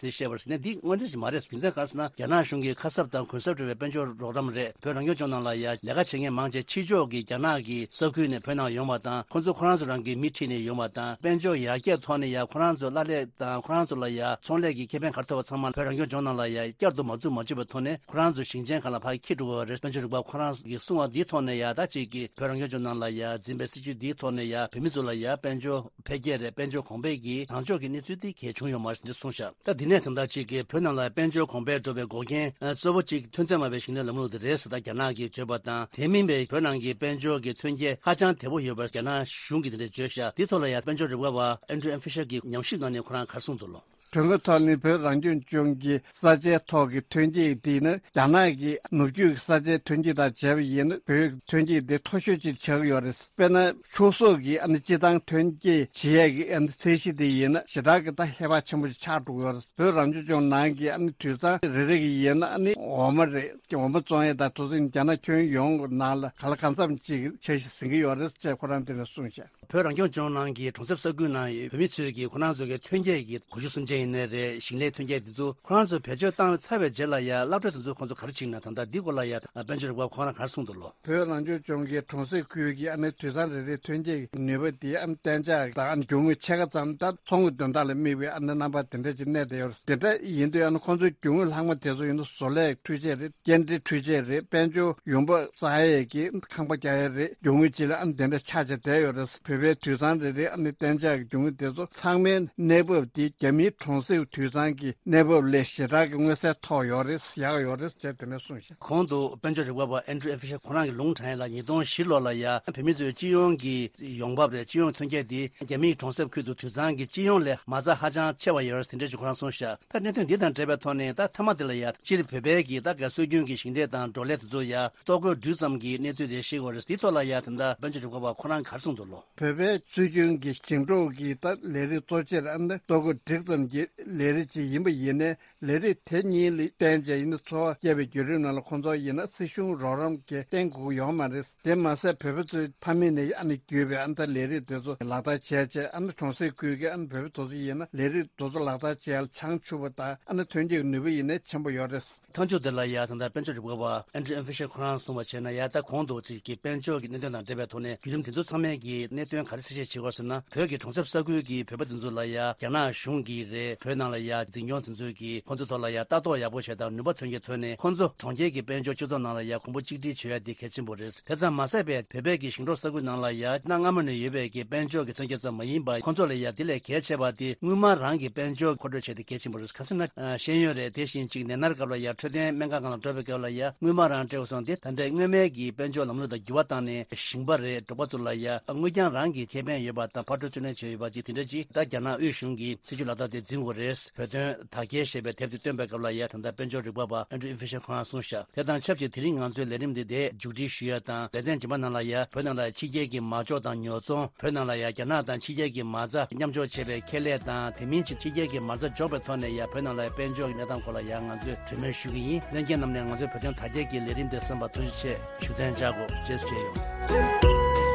ཟེར་བཤད་པ་རེད། ནས་འདི་དངོས་འབྲེལ་ཞིག་མ་རེད། རྒྱུ་མཚན་ག་རེ་ཟེར་ན། རྒྱ་ནག་གཞུང་གིས་ཁ་གསབ་དང་གུན་གསབ་སྤྲད་པའི་དཔལ་འབྱོར་རོགས་རམ་རེད། བོད་རང་སྐྱོང་ལྗོངས་ནང་ལ་ཡ་ལས་ཀ་བྱེད་མཁན་མང་ཆེ་ཕྱི་ཕྱོགས་ཀྱི་རྒྱ་ནག་གི་ས་ཁུལ་ནས་བོད་ནང་ཡོང་བ་དང་། ཁོང་ཚོ་ཁོ་རང་ཚོ་རང་གི་མི་ཁྲིད་ནས་ཡོང་བ་དང་། དཔལ་འབྱོར་ཡར་རྒྱས་ཐོག་ནས་ཡ་ཁོ་རང་ཚོ་གླ་ལས་དང་ཁོ་རང་ཚོ་ལ་ཡ་ཚོང་ལས་ཀྱི་ཁེ་ཕན་ག་རེ་ཐོབ་པ་ཚང་མ་བོད་རང་སྐྱོང་ལྗོངས་ནང་ལ་ཡ་བསྐྱར་དུ་མ་འཛུགས་མ་བཅུག་པའི་ཐོག་ནས་ཁོ་རང་ཚོ་ཞིང་ཆེན་ཁག་ལ་ཕར་འཁྱེར་འགྲོ་དགོས་པ་རེད། དཔལ་འབྱོར་རིག་པ་ཁོ་རང་གིས་གསུངས་པ་འདིའི་ཐོག་ནས་ཡ་ད་ཅིག་གི་བོད་རང་སྐྱོང་ལྗོངས་ནང་ལ་ཡ་འཛིན་པའི་སྲིད་ཇུས་འདིའི་ཐོག་ནས་ཡ་བོད་མི་ཚོ་ལ་ཡ་དཔལ་འབྱོར་འཕེལ་རྒྱས་རེད། དཔལ་འབྱོར་གོང་འཕེལ་གྱི་དྲང་ཕྱོགས་ཀྱི་གནས་ཚུལ་དེ་གལ་བྱུང་ཡོད་མ་རེད་ཅེས་གསུངས་ཤག་ད་དེ་ནས་ད་ལྟ་ཅིག་གི་བོད་ནང་ལ་དཔལ་འབྱོར་གོང་འཕེལ་འགྲོ་བའི་འགོག་རྐྱེན་གཙོ་བོ་གཅིག་ཐོན་རྫས་མ་དཔེ་ཞིང་ལས་ལམ་ལུགས་དེ་རེད་ཟེར། ད་རྒྱ་ནག་གིས་བརྗོད་པ་དང་། དེ་མིན་པའི་བོད་ནང་གི་དཔལ་འབྱོར་གྱི་ཐོན་སྐྱེད་ཧ་ཅང་དལ་པོ་ཡོད་པར་རྒྱ་ནག་གཞུང་གིས་དེ་འདྲ་བརྗོད་ཤག་འདི་ཐོག་ལ་ཡང་དཔལ་འབྱོར་རིག་པ་བ་ཨན་ཌྲུ་ཨེམ་ཕི་ཤར་གྱིས་ཉམས་ཞིབ་གནང་ནས་ཁོ་རང་ག་རེ་གསུངས་འདུག་ལོ། གྲོས་འགོ་ཐོག་ནས་བོད་རང་སྐྱོང་ལྗོངས་ཀྱི་ས་ཆའི་ཐོག་གི་ཐོན་སྐྱེད་དེ་ནི་རྒྱ་ནག་གི་ནུབ་རྒྱུད་ཀྱི་ས་ཆའི་ཐོན་སྐྱེད་དང་བྱས་པ་ཡིན་ན་བོད་ཀྱི་ཐོན་སྐྱེད་དེ་མཐོ་ཤོས་ཅིག་ཆགས་ཀྱི་ཡོད་རེད། དཔེར་ན་ཕྱུགས་ཟོག་གི་ཨ་ནི་སྤྱིར་བཏང་ཐོན་སྐྱེད་བྱེད་ཡས་ཀྱི་ཨ་ནི་ཚད་གཞི་དེ་ཡིན་ན་ཞེ་དྲག་གི་ད་ཧེ་བག་ཆེན་པོ་ཞིག་ཆགས་འགྲོ་གི་ཡོད་རེད། བོད་རང་སྐྱོང་ལྗོངས་ནང་གི་ཨ་ནི་དུད་ཚང་རེ་རེ་གི་ཡིན་ན་ཨ་ནི་འོ་མ་རེད། འོ་མ་བཙོང་ཡས་དང་དེ་ཚོ་རྒྱ་ནག་ཁྱོན་ཡོངས་ཀྱི་ནང་ལ་ག་ལ་གང་འཚམ་ཅིག་འཆར་གཞི་ཟིན་གྱི་ཡོད་རེད་ཅེས་ཁོ་རང་དེ་ནས་གསུངས་ཤག་བོད་རང་སྐྱོང་ལྗོངས་ནང་གི་གྲོང་གསེབ་ས་ཁུལ་ནང་ཡོད་བོད་མི་ཚོས་ཀྱིས་ཁོ་རང་ཚོ་གི་ཐོན་སྐྱེད་ཀྱི་གོ་ཤུ་གསུམ་ཆ་ཡིན་ནའི་རེད། ཞིང་ལས་ཐོན་སྐྱེད་དེ་ཚོ་ཁོ་རང་ཚོ་བེད་སྤྱོད་བཏང་ཚར་བའི་རྗེས་ལ་ཡ་སློབ་གྲྭ་དེ་ཚོ་ཁོང་ཚོ་ག་རེ་བྱེད་ན། ད་ལྟ་འདི་སྐོར་ལ་ཡ་དཔལ་འབྱོར་རིག་པ་ཁོང་རང་ག་རེ་གསུངས་འདུག་ལོ། བོད་རང་སྐྱོང་ལྗོངས་ཀྱི་གྲོང་གསེབ་ཁུལ་གྱི་ཨ་ནི་དུད་ཚང་རེ་རེའི་ཐོན་སྐྱེད་ཀྱི་ནུས་པ་དེ་ཨ་ནི་གཏན་འཇགས་དང་ཨ་ནི་རྒྱུ་དངོས་ཕྱེད་ཀ་ཙམ་ད་ཚོང་གི་དོན་དག་ལ་དམིགས་པའི་ཨ་ནི་རྣམ་པ་དེ་འདྲ་ཅིག་གནས་བསྡད་ཡོད་རེད། དེ་འདྲ་ཡིན་དུས་ཨ་ནི་ཁོང་ཚོའི་རྒྱུ་དངོས་ལྷག་མ་དེ་ཚོ་ཡིན་ན་བཟོ་ལས་འཕྲུལ་ཆས་རེད། སྐྱེལ་འདྲེན་འཕྲུལ་ཆས་རེད། དཔལ་འབྱོར་ཡོང་འབབ་བསགས་ཡས་ཀྱི་ཁང་པ་རྒྱག་ཡས་རེད། རྒྱུ་དངོས་ཅིག་ལ་ཨ་ནི་དེ་འདྲ་ཆགས་བྱས་བསྡད་ཡོད་རེད། བོད་པའི་དུད་ཚང་རེ་རེ་ཨ་ནི་གཏན་འཇགས་ཀྱི་རྒྱུ་དངོས་དེ་ཚོ་ཚང་མའི་གནས་བབ་དེ་རྒྱ་མིའི་གྲོང་གསེབ་དུད་ཚང་གི་གནས་བབ་ལས་ཞེ་དྲག་གི་མངོན་གསལ་ཐོག་ཡོད་རེད། ཡག་ཡོད་རེད་ཅེས་དེ་འདྲ་གསུངས་ཤག་གོང་དུ་དཔལ་འབྱོར་རིག་པ་བ་ཨན་ཌྲུ་ཨེམ་ཕི་ཤར་ཁོ་རང་གིས་ལུང་དྲངས་ཡས་ལ་ཉིས་སྟོང་བཞི་ལོ་ལ་ཡ་བོད་མི་ཚོའི་སྤྱི་ཡོངས་ཀྱི་ཡོང་འབབ་རེད། སྤྱི་ཡོངས་ཐོན་སྐྱེད་དེ་རྒྱ་མིའི་གྲོང་གསེབ་ཁུལ་དུ་དུད་ཚང་གི་སྤྱི་ཡོངས་ལས་མ་རྩ་ཧ་ཅང་ཆེ་བ་ཡོད་རེད་ཟེར་འདྲ་ཅིག་ཁོ་རང་གསུངས་ཤག་ད་གནད་དོན་འདི་དང་འབྲེལ་བའི་ཐོག་ནས་ད་མཐའ་མ་དེ་ལ་ཡ་སྤྱིར་བོད་པའི་གི་ད་ག་སྲོལ་རྒྱུན་གྱི་ཞིང་འབྲས་དང་འབྲོག་ལས་དེ་ཚོ་ཡ་ལྟོ་གོས་འབྲུ་ཙམ་གྱི་གནས་ཚུལ་དེ་ཤེས་དགོས་རེད། འདིའི་ཐོག་ལ་ཡ་ད་ལྟ་དཔལ་འབྱོར་རིག་པ་བ་ཁོ་རང་ག་རེ་གསུངས་འདུག་ལོ། བོད་པའི་སྲོལ་རྒྱུན་གྱི་ཞིང་འབྲོག་གི་ད་ལས་རིགས་གཙོ་ཆེར་ཨ་ནི་ལྟོ་གོས་འབྲུ་ཙམ་གྱི་ལས་རིགས་ཅིག་ཡིན་པ་ཡིན་ནའི་ལས་རིགས་དེ་གཉིས་ལ་བརྟེན་བྱས་ཡིན་ན་འཚོ་བ་སྐྱེལ་བའི་བརྒྱུད་རིམ་ནང་ལ་ཁོང་ཚོ་ཡིན་ན་སྲིད་གཞུང་རོགས་རམ་གྱི་བརྟེན་དགོས་ཀྱི་ཡོད་མ་རེད། དེ་མ་ཟད་བོད་པ་ཚོའི་ཕ་མེས་ནས་ཨ་ནི་བརྒྱུད་པའི་ཨ་ནི་ད་ལས་རིགས་དེ་ཚོ་ལག་བསྟར་བྱས་བྱས་ཨ་ནི་གྲོང་གསེབ་ཁུལ་གྱི་ཨ་ནི་བོད་པ་དེ་ཚོ་ཡིན་ན་ལས་རིགས་དེ་ཚོ་ལག་བསྟར་བྱས་ལ་བྱང་ཆུབ་པ་དང་ཨ་ནི་ཐོན་སྐྱེད་ནུས་པ་ཡིན་ནའི་ཆེན་པོ་ཡོད་རེད། མཐའ་མཇུག་དེ་ལ་ཡ་ད་ལྟ་དཔལ་འབྱོར་རིག་པ་བ་ཨན་ཌྲུ་ཨེམ་ཕི་ཤར་ཁོ་རང་གསུངས་པ་བྱས་ན་ཡ་ད་གོང་དུ་ཅིག་གི་དཔལ་འབྱོར་གྱི་གནད་དོན་དང་འབྲེལ་བའི་ཐོག་ནས་བརྒྱུད་རིམ་དེ་ཚོ་ཚང་མས་ཀྱི་གནད་དོན་ག་རེ་གསལ་བཤད་བྱེད་དགོས་ཟེར་ན། བོད་ཀྱི་གྲོང་གསེབ་ས་ཁུལ་གྱི་བོད་པ་དེ་ཚོ་ལ་ཡ་རྒྱ་ནག་གཞུང་གིས་རེད། བོད་ནང་ལ་ཡ་འཛིན་སྐྱོང་དེ་ཚོས་ཀྱི་ཁོང་ཚོའི་ཐོག་ལ་ཡ་ལྟ་རྟོག་ཡག་པོ་བྱས་དང་ནུས་པ་ཐོན་སྐྱེད་ཐོན་ནས་ཁོང་ཚོ་གྲོང་ཁྱེར་གྱི་དཔལ་འབྱོར་སྤྱི་ཚོགས་ནང་ལ་ཡ་གོང་བུ་གཅིག་སྒྲིལ་བྱེད་ཡ་དེ་གལ་ཆེན་པོ་རེད། དེ་ཙམ་མ་ཟད་པའི་བོད་པའི་གི་ཞིང་འབྲོག་ས་ཁུལ་ནང་ལ་ཡ་གནའ་སྔ་མོ་ནས་ཡོད་པའི་གི་དཔལ་འབྱོར་གྱི་ཐོན་སྐྱེད་ཙམ་མ་ཡིན་པར་ཁོང་ཚོ་ལ་ཡ་དེ་ལས་གལ་ཆེ་བ་དེ་དངུལ་སྨར་རང་གི་དཔལ་འབྱོར་མཁོ་སྤྲོད་བྱས་ཏེ་གལ་ཆེན་པོ་རེད། ག་ཟེར་ན་ཨ་ཤེས་ཡོན་རེད། དེ་བཞིན་ཅིག་ནད་མནར་སྐབས་ལ་ཡ་འཕྲོད་བསྟེན་སྨན་ཁང་སྒང་ལ་འགྲོ་བའི་སྐབས་ལ་ཡ་དངུལ་སྨར་རང་སྤྲད་དགོས་སོང་། དེ་ད་ལྟའི་སྔོན་མའི་གི་དཔལ་འབྱོར་ལམ་ལུགས་དང་འགྱུར་བ་བཏང་ནས་ཞིང་པ་རེད། འབྲོག་པ་ཚོ་ལ་ཡ་དངུལ་རྐྱང་རང་གི་ཁེ་ཕན་ཡོད་པ་དང་ཕར་འགྲོ་ཚུར་ལེན་བྱས་ཡོད་པ་ཅིག་དེ་འདྲ་ཅིག་ད་རྒྱ་ནག་དབུས་གཞུང་གིས་སྲིད་ཇུས་ལག་བསྟར་དེ་འཛིན་དགོས་རེད། བོད་དོན་དར་རྒྱས་ཞེས་པའི་དེབ་དེ་བཏོན་པའི་སྐབས་ལ་ཡ་ད་ལྟ་དཔལ་འབྱོར་རིག་པ་བ་ཨན་ཌྲུ་ཨིན་ཕི་ཤར་ཁོ་རང་གསུངས་ཤག་དེ་དང་ཆབས་ཅིག་དེ་རིང་ང་ཚོའི་ལས་རིམ་འདི་འདིར་མཇུག་སྒྲིལ་ཞུ་ཡ་དང་། ལེ་ཚན་རྗེས་མ་ནང་ལ་ཡ་བོད་ནང་ལ་ཕྱི་རྒྱལ་གྱི་མ་འཇོག་དང་ཉོ་ཚོང་། བོད་ནང་ལ་ཡ་རྒྱ་ནག་དང་ཕྱི་རྒྱལ་གྱི་མ་རྩ་མཉམ་འཇོག་བྱེད་པའི་ཁེ་ལས་དང་། དེ་མིན་གྱི་ཕྱི་རྒྱལ་གྱི་མ་རྩ་འཇོག་པའི་ཐོག་ནས་ཡ་བོད་ནང་ལ་ཡ་དཔལ་འབྱོར་གྱི་གནས་སྟངས་སྐོར་ལ་ཡ་ང་ཚོས་གྲོས་མོལ་ཞུ་གི་ཡིན། ལྷན་རྒྱས་རྣམས་ནས་ང་ཚོའི་བོད་དོན་དར་རྒྱས་ཀྱི་ལས་རིམ་འདི་གསན་པར་ཐུགས་རྗེ་ཆེ་ཞུ་དོན་བྱ་དགོས། རྗེས་སུ་མཇལ་ཡོང་།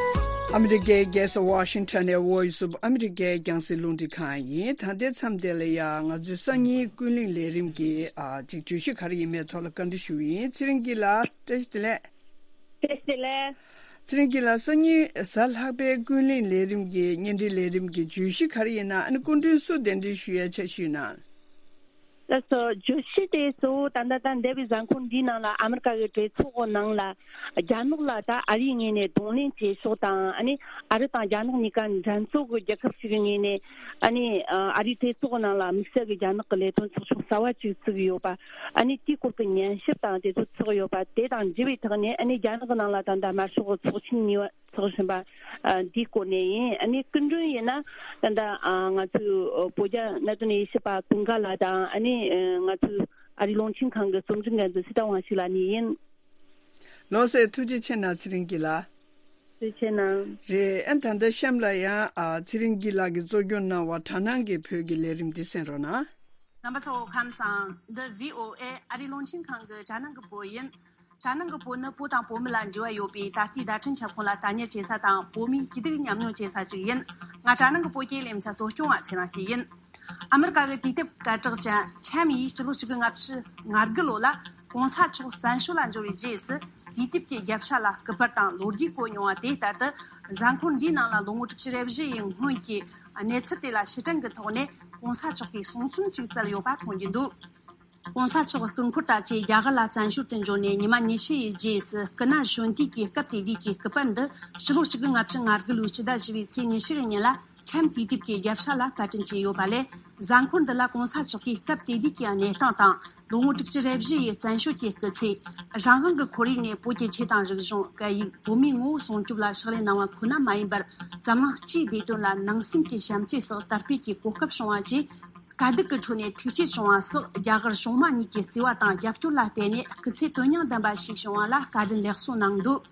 ཨ་མི་རི་ཀའི་རྒྱལ་ས་ཝ་ཤིང་ཊོན་ནས་Voice of America་རྒྱང་སྲིང་རླུང་འཕྲིན་ཁང་ཡིན། ད་ལྟའི་མཚམས་དེ་ལ་ཡ་ང་ཚོའི་སང་ཉིན་ཀུན་གླེང་ལས་རིམ་གྱི་ཨ་ཅིག་བརྗོད་གཞི་ག་རེ་ཡིན་མིན་ཐོག་ལ་བཀའ་འདྲི་ཞུ་གི་ཡིན། ཚེ་རིང་སྐྱིད་ལགས་བཀྲ་ཤིས་བདེ་ལེགས། བཀྲ་ཤིས་བདེ་ལེགས། ཚེ་རིང་སྐྱིད་ལགས། སང་ཉིན་གཟའ་ལྷག་པའི་ཀུན་གླེང་ལས་རིམ་གྱི་བརྙན་འཕྲིན་ལས་རིམ་གྱི་བརྗོད་གཞི་ག་རེ་ཡིན་ན། ཨ་ནི་སྐུ་མགྲོན་སུ་གདན་འདྲེན་ཞུ་ཡའི་འཆར་གཞི་ཡོད་ན། ད་སོ་བརྗོད་གཞི་དེ་གཙོ་བོ་ད་ལྟ་ད་འདས་པའི་གཟའ་འཁོར་འདིའི་ནང་ལ་ཨ་མི་རི་ཀ་གི་གྲོས་ཚོགས་ནང་ལ་རྒྱ་ནག་ལ་ད་ཨ་རིའི་ངོས་ནས་གདོང་ལེན་བྱེད་ཕྱོགས་དང་། ཨ་ནི་ཨ་རི་དང་རྒྱ་ནག་གཉིས་ཀ་འགྲན་རྩོད་ཀྱི་རྒྱལ་ཁབ་ཞིག་གི་ངོས་ནས། ཨ་ནི་ཨ་རིའི་གྲོས་ཚོགས་ནང་ལ་དམིགས་བསལ་གྱི་རྒྱ་ནག་གི་ལས་དོན་ཚོགས་ཆུང་གསར་བ་ཅིག་བཙུགས་ཡོད་པ། ཨ་ནི་དེའི་སྐོར་གྱི་ཉན་ཞིབ་དང་དེ་ཚོ་ཚོགས་ཡོད་པ་དེ་དང་འབྲེལ་བའི་ཐོག་ནས། ཨ་ནི་རྒྱ་ནག་གི་ནང་ལ་ད་ལྟ་དམར་ཤོག་གི་ཚོགས་ཆེན་གཉིས་པ་ཚོགས་བཞིན་པ། ཨ། འདིའི་སྐོར་ནས་ཡིན། ཨ་ནི་སྐུ་མགྲོན་ཡིན་ན་ད་ལྟ་ཨ་ང་ཚོའི་བོད་རྒྱ་གནད་དོན་དབྱེ་ཞིབ་པ་ཀུན་དགའ་ལགས་དང་། ཨ་ནི་ཨ་ང་ཚོའི་ཨ་རིའི་རླུང་འཕྲིན་ཁང་གི་རྩོམ་སྒྲིག་འགན་འཛིན་སྲི་ཐར་དབང་ཕྱུག་ལགས་གཉིས་ཡིན། ལགས་སོ། ཐུགས་རྗེ་ཆེ་གནང་། ཚེ་རིང་སྐྱིད་ལགས། ཐུགས་རྗེ་ཆེ་གནང་། རེད། ཨ་ད་ལྟ་གཤམ་ལ་ཡང་ཨ་ཚེ་རིང་སྐྱིད་ལགས་ཀྱིས་གཙོ་སྐྱོང་གནང་བ་དྲ་ནང་གི་བོད་ཀྱི་ལས་རིམ་འདི་གསན་རོགས་གནང་། རྣམ་པ་ཚོ་ཁམས་བཟང་། འདི་བྷི་ཨོ་ཨེ་ཨ་རིའི་རླུང་འཕྲིན་ཁང་གི་དྲ་ནང་གི་བོད་ཡིན། དྲ་ནང་གི་བོད་ནི་བོད་དང་བོད་མི་ལ་འབྲེལ་བ་ཡོད་པའི་ད་ལྟའི་བརྡ་འཕྲིན་ཁྱབ་ཁོངས་ལ་ལྟ་ཉན་བྱེད་ས་དང་། བོད་མིའི་སྐྱིད་སྡུག་མཉམ་མྱོང་བྱེད་ས་ཞིག་ཡིན། ང་དྲ་ནང་གི་བོད་སྐད་ལེ་ཚན་གཙོ་སྐྱོང་བ་ཚེ་རིང་སྐྱིད་ཡིན། ཨ་མི་རི་ཀ་གི་དུས་དེབ་སྐད་གྲགས་ཅན་ཊའིམ་ཡིས་སྤྱི་ལོ་གཅིག་དགུ་ང་བཅུ་ང་དགུ་ལོ་ལ་གོང་ས་མཆོག་བཙན་བྱོལ་ལ་འབྱོར་བའི་རྗེས་སུ། དུས་དེབ་ཀྱི་རྒྱབ་ཤ་ལ་སྐུ་པར་དང་ལོ་རྒྱུས་བཀོད་མྱོང་བ་དེ་ལྟར་དུ། གཟའ་འཁོར་འདིའི་ནང་ལ་ལོ་ངོ་དྲུག་ཅུ་རེ་བཞི་ཡི་སྔོན་གྱི་གནས་ཚུལ་དེ་ལ་ཕྱིར་དྲན་གྱི་ཐོག་ནས་གོང་ས་མཆོག་གིས་གསུང་རྩོམ་ཅིག་བསྩལ་ཡོད་པ་མཐོང་རྒྱུ་འདུག། གོང་ས་མཆོག་སྐུ་འཁོར་དང་བཅས་རྒྱ་གར་ལ་བཙན་བྱོལ་དུ་འབྱོར་ནས་ཉི་མ་ཉི་ཤུ་ཡི་རྗེས་སུ། སྐུ་ན་གཞོན་དུས་ཀྱི་སྐབས་དེ་དུས་ཀྱི་སྐུ་པར་འདི་ཕྱི་ལོ་གཅིག་དགུ་ང་བཅུ་ང་དགུ་ལོའི་སྤྱི་ཟླ་བཞི་པའི་ཚེས་ཉི་ཤུ་གི་ཉིན་ལ་ཊའིམ་དུས་དེབ་ཀྱི་རྒྱབ་ཤ་ལ་པར་སྐྲུན་བྱས་ཡོད་པ་ལས། གཟའ་འཁོར་འདི་ལ་གོང་ས་མཆོག་གིས་སྐབས་དེ་དུས་ཀྱི་གནས་སྟངས་དང་། ལོ་ངོ་དྲུག་ཅུ་རེ་བཞི་ཡི་བཙན་བྱོལ་གྱི་སྐུ་ཚེ། རང་དབང་གི་ཁོར་ཡུག་ནས་བོད་ཀྱི་ཆོས་དང་རིག་གཞུང་། སྐད་ཡིག། བོད་མིའི་ངོ་བོ་སྲུང་སྐྱོབ་ལ་ཕྱག་ལས་གནང་བ་ཁོ་ན་མ་ཡིན་པར། འཛམ་གླིང་སྤྱིའི་བདེ་དོན་ལ་ནང་སེམས་ཀྱི་བྱམས་བརྩེ་སོགས་དར་སྤེལ་གྱི་གོ་སྐབས་བྱུང་བ་བཅས། དཀའ་སྡུག་གི་ཁྲོད་ནས་ཐུགས་བསྐྱེད་བྱུང་བ་སོགས། རྒྱ་གར་གཞུང་མང་གཉིས་ཀྱི་བརྩེ་བ་དང་རྒྱབ་སྐྱོར་ལ་བརྟེན་ནས་སྐུ་ཚེ་དོན་སྙིང་ལྡན་པ་ཞིག་བྱུང་བ་ལ་བཀའ་དྲིན་ལེགས་གསོལ་གནང་འདུག།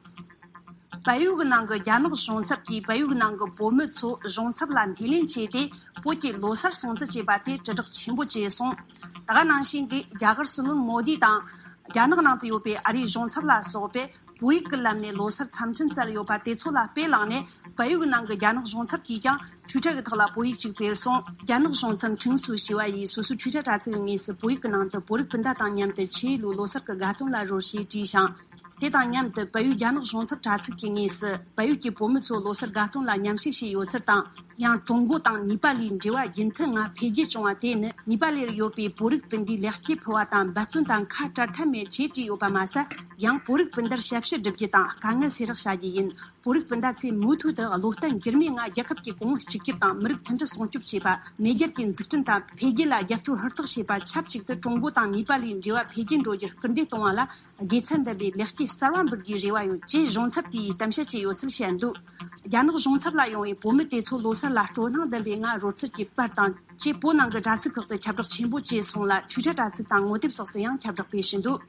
བལ་ཡུལ་གྱི་ནང་གི་རྒྱ་ནག་གཞུང་ཚབ་ཀྱིས་བལ་ཡུལ་གྱི་ནང་གི་བོད་མི་ཚོ་གཞུང་ཚབ་ལ་སྣེ་ལེན་བྱས་ཏེ། བོད་ཀྱི་ལོ་སར་སྲུང་བརྩི་བྱས་པ་དེ་དྲིལ་བསྒྲགས་ཆེན་པོ་བྱས་སོང་། ད་ག་ནང་བཞིན་གྱི་རྒྱ་གར་སྲིད་བློན་མོ་དི་དང་། རྒྱ་ནག་ནང་དུ་ཡོད་པའི་ཨ་རིའི་གཞུང་ཚབ་ལ་སོགས་པས་བོད་ཡིག་གི་ལམ་ནས་ལོ་སར་འཚམས་འཕྲིན་བསྩལ་ཡོད་པ་དེ་ཚོ་ལ་དཔེ་བླངས་ནས། བལ་ཡུལ་གྱི་ནང་གི་རྒྱ་ནག་གཞུང་ཚབ་ཀྱིས་ཀྱང་ཊུའི་ཊར་གྱི་ཐོག་ལ་བོད་ཡིག་ཅིག་སྤེལ་སོང་། རྒྱ་ནག་གཞུང་ཚབ་ཁྲིན་སུའུ་ཞི་བ་ཡིས་སོ་སོའི་ཊུའི་ཊར་དྲ་ཚིགས་ཀྱི་ངོས་སུ། བོད་ཡིག་གི་ནང་དུ། བོད་རིགས་སྤུན་ཟླ་དང་མཉམ་དུ་ཆེས་ཡོས་ལོ་སར་གྱི་དགའ་སྟོན་ལ་རོལ་ཞེས་བྲིས་ཤིང་། དེ་དང་མཉམ་དུ། བལ་ཡུལ་རྒྱ་ནག་གཞུང་ཚབ་དྲ་ཚིགས་ཀྱི་ངོས་སུ། བལ་ཡུལ་གྱི་བོད་མི་ཚོ་ལོ་སར་དགའ་སྟོན་ལ་མཉམ་ཞུགས་བྱས་ཡོད་ཚུལ་དང་། ཡང་ཀྲུང་གོ་དང་ནེ་པ་ལའི་འབྲེལ་བ་རྒྱུན་མཐུད་ངང་འཕེལ་རྒྱས་བྱུང་བ་དེ་ནི། ནེ་པ་ལར་ཡོད་པའི་བོད་རིགས་སྤུན་ཟླའི་ལེགས་སྐྱེས་ཕུལ་བ་དང་འབད་བརྩོན་དང་ཁ་བྲལ་ཐབས་མེད་ཅེས་བྲིས་ཡོད་པ་མ་ཟད། ཡང་བོད་རིགས་སྤུན་ཟླར་ཞབས་ཕྱི་སྒྲུབ་རྒྱུ་དང་དཀའ་ངལ་སེལ་རོགས་བྱ་རྒྱུ་ཡིན། བོད་རིགས་སྤུན་ཟླ་ཚོས་མུ་མཐུད་དུ་བློ་བརྟན་འགྱུར་མེད་ངང་རྒྱལ་ཁབ་ཀྱི་གོང་བུ་གཅིག་གྱུར་དང་མི་རིགས་མཐུན་སྒྲིལ་སྲུང་སྐྱོབ་བྱེད་པ། མེས་རྒྱལ་གྱི་འཛུགས་སྐྲུན་དང་འཕེལ་རྒྱས་ལ་རྒྱབ་སྐྱོར་ཧུར་ཐག་བྱེད་པ། ཆབས་ཅིག་ཏུ་ཀྲུང་གོ་དང་ནེ་པ་ལའི་འབྲེལ་བ་འཕེལ་རྒྱས་འགྲོ་རྒྱུར་སྐུལ་འདེད་གཏོང་བ་ལ། དགེ་མཚན་ལྡན་པའི་ལེགས་སྐྱེས་གསར་བ་འབུལ་རྒྱུའི་རེ་བ་ཡོད་ཅེས་གཞུང་ཚབ་དེས་གཏམ་བཤད་བྱས་ཡོད་ཚུལ་བཤད་འདུག། རྒྱ་ནག་གཞུང་ཚབ་ལ་ཡོང་བའི་བོད་མི་དེ་ཚོ་ལོ་སར་ལ་སྤྲོ་སྣང་ལྡན་པའི་ངང་རོལ་ཚུལ་གྱི་པར་དང་བཅས། བོད་ནང་གི་དྲ་ཚིགས་ཁག་ཏུ་ཁྱབ་བསྒྲགས་ཆེན་པོ་བྱས་སོང་ལ། ཊུའི་ཊར་དྲ་ཚིགས་དང་ངོ་དེབ་སོགས་སུ་ཡང་ཁྱབ་བསྒྲགས་སྤེལ་བཞིན་འདུག།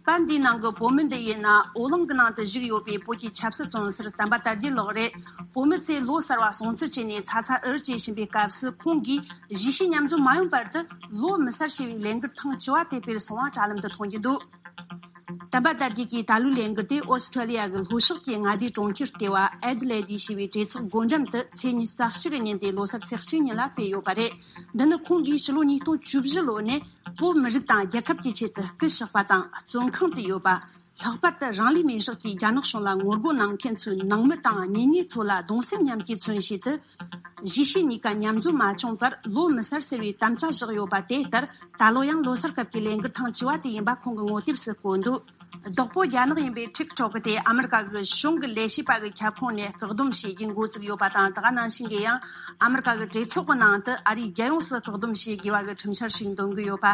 པར་འདིའི་ནང་གི་བོད་མི་འདི་ཡིན་ན། ཨོ་གླིང་གི་ནང་དུ་བཞུགས་ཡོད་པའི་བོད་ཀྱི་ཆབ་སྲིད་བཙོན་ཟུར་བསྟན་པ་དར་རྒྱས་ལགས་རེད། བོད་མི་ཚོས་ལོ་གསར་བ་སྲུང་བརྩི་བྱས་ནས་ཚ་ཚ་འུར་བྱེད་བཞིན་པའི་སྐབས་སུ། ཁོང་གིས་གཞིས་བྱེས་མཉམ་འཛོམས་མ་ཡོང་བར་དུ། ལོ་མི་སར་ཞེས་པའི་ལས་འགུལ་ཐེངས་བཅུ་བ་དེ་སྤེལ་སོང་བ་དྲ་ལམ་དུ་མཐོང་རྒྱུ་འདུག། བསྟན་པ་དར་རྒྱས་ཀྱིས་ད་ལོའི་ལས་འགུལ་དེ་ཨོ་སི་ཁྲུ་ལི་ཡ་གི་ལྷོ་ཕྱོགས་ཀྱི་མངའ་སྡེའི་གྲོང་ཁྱེར་ལྟེ་བ་ཨེ་ཌི་ལེ་ཌི་ཞེས་པའི་གྲོས་ཚོགས་སྒོ་འགྲམ་དུ་ཚེས་ཉི་ཤུ་རྩ་གཅིག་གི་ཉིན་ཏེ་ལོ་སར་ཚེས་གཅིག་ཉིན་ལ་སྤེལ་ཡོད་པ་རེད། འདི་ནི་ཁོང་གིས་ཕྱི་ལོ་ཉིས་སྟོང་བཅུ་བཞི་ལོ་ནས་བོད་མི་རིགས་དང་རྒྱལ་ཁབ་ཀྱི་ཆེད་དུ་སྐུ་གཤེགས་པ་དང་བཙོན་ཁང་དུ་ཡོད་པ། ལྷག་པར་དུ་རང་ལུས་མེར་བསྲེགས་ཀྱིས་རྒྱ་ནག་གཞུང་ལ་ངོ་རྒོལ་གནང་མཁན་ཚོའི་ནང་མི་དང་གཉེན་ཉེ་ཚོ་ལ་གདུང་སེམས་མཉམ་སྐྱེད་མཚོན་ཆེད་དུ། གཞིས་བྱེས་གཉིས་ཀ་མཉམ་འཛོམས་མ་བྱུང་བར་ལོ་མི་གསར་ཟེར་བའི་དམ་བཅའ་བཞག་ཡོད་པ་དེ་ལྟར། ད་ལོ་ཡང་ལོ་སར་སྐབས་ཀྱི་ལས་འགུལ་ཐེངས་བཅུ་བ་དེ་ཡིན་པ་ཁོང་གི་ངོ་དེབ་སུ་བཀོད་འདུག། བདག་པོ་རྒྱ་ནག་ཡིན་པའི་ཊིག་ཊོག་དེ་ཨ་མི་རི་ཀ་གི་གཞུང་གི་ལས་བྱེད་པ་གི་ཁྱབ་ཁོངས་ནས་བཀག་སྡོམ་བྱེད་རྒྱུ་འགོ་བཙུགས་ཡོད་པ་དང་། ད་ག་ནང་བཞིན་གྱི་ཡང་ཨ་མི་རི་ཀ་གི་གྲོས་ཚོགས་ཀྱི་ནང་དུ་ཨ་རིའི་རྒྱལ་ཡོངས་སུ་བཀག་སྡོམ་བྱེད་དགོས་པ་གི་ཁྲིམས་འཆར་ཞིག་འདོན་གྱི་ཡོད་པ།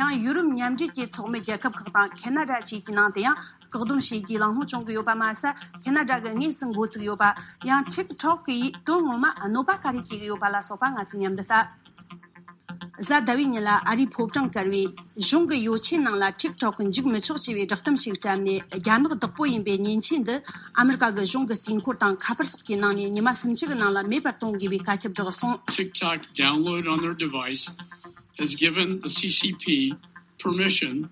ཡང་ཡུ་རོབ་མཉམ་འབྲེལ་གྱི་ཚོགས་མི་རྒྱལ་ཁབ་ཁག་དང་ཁེ་ན་ཌ་བཅས་ཀྱི་ནང་དུ་ཡང་བཀག་སྡོམ་བྱེད་རྒྱུའི་གླེང་སློང་བྱུང་གི་ཡོད་པ་མ་ཟད། ཁེ་ན་ཌ་གི་དངོས་སུ་འགོ་བཙུགས་ཡོད་པ། ཡང་ཊིག་ཊོག་གི་དོན་ངོ་མ་གནོད་པ་ག་རེ་སྐྱེལ་གི་ཡོད་པ་ལ་སོགས་པ་ང་ཚོས་མཉམ་དུ་ལྟ། གཟའ་ཟླ་བའི་ཉིན་ལ་ཨ་རིའི་ཕོ་བྲང་དཀར་བའི་གཞུང་གི་ཡོ་ཆས་ནང་ལ་ཊིག་ཊོག་གི་འཇུག་མི་ཆོག་ཅེས་པའི་བསྒྲགས་གཏམ་ཞིག་བཀྲམ་ནས། རྒྱ་ནག་བདག་པོ་ཡིན་པའི་མཉེན་ཆས་འདི་ཨ་མི་རི་ཀ་གི་གཞུང་གི་རྩིས་འཁོར་དང་ཁ་པར་སོགས་ཀྱི་ནང་ནས་ཉི་མ་སུམ་ཅུ་གི་ནང་ལ་མེད་པར་གཏོང་དགོས་པའི་བཀའ་ཁྱབ་བསྒྲགས་སོང་། TikTok download on their device has given the C C P permission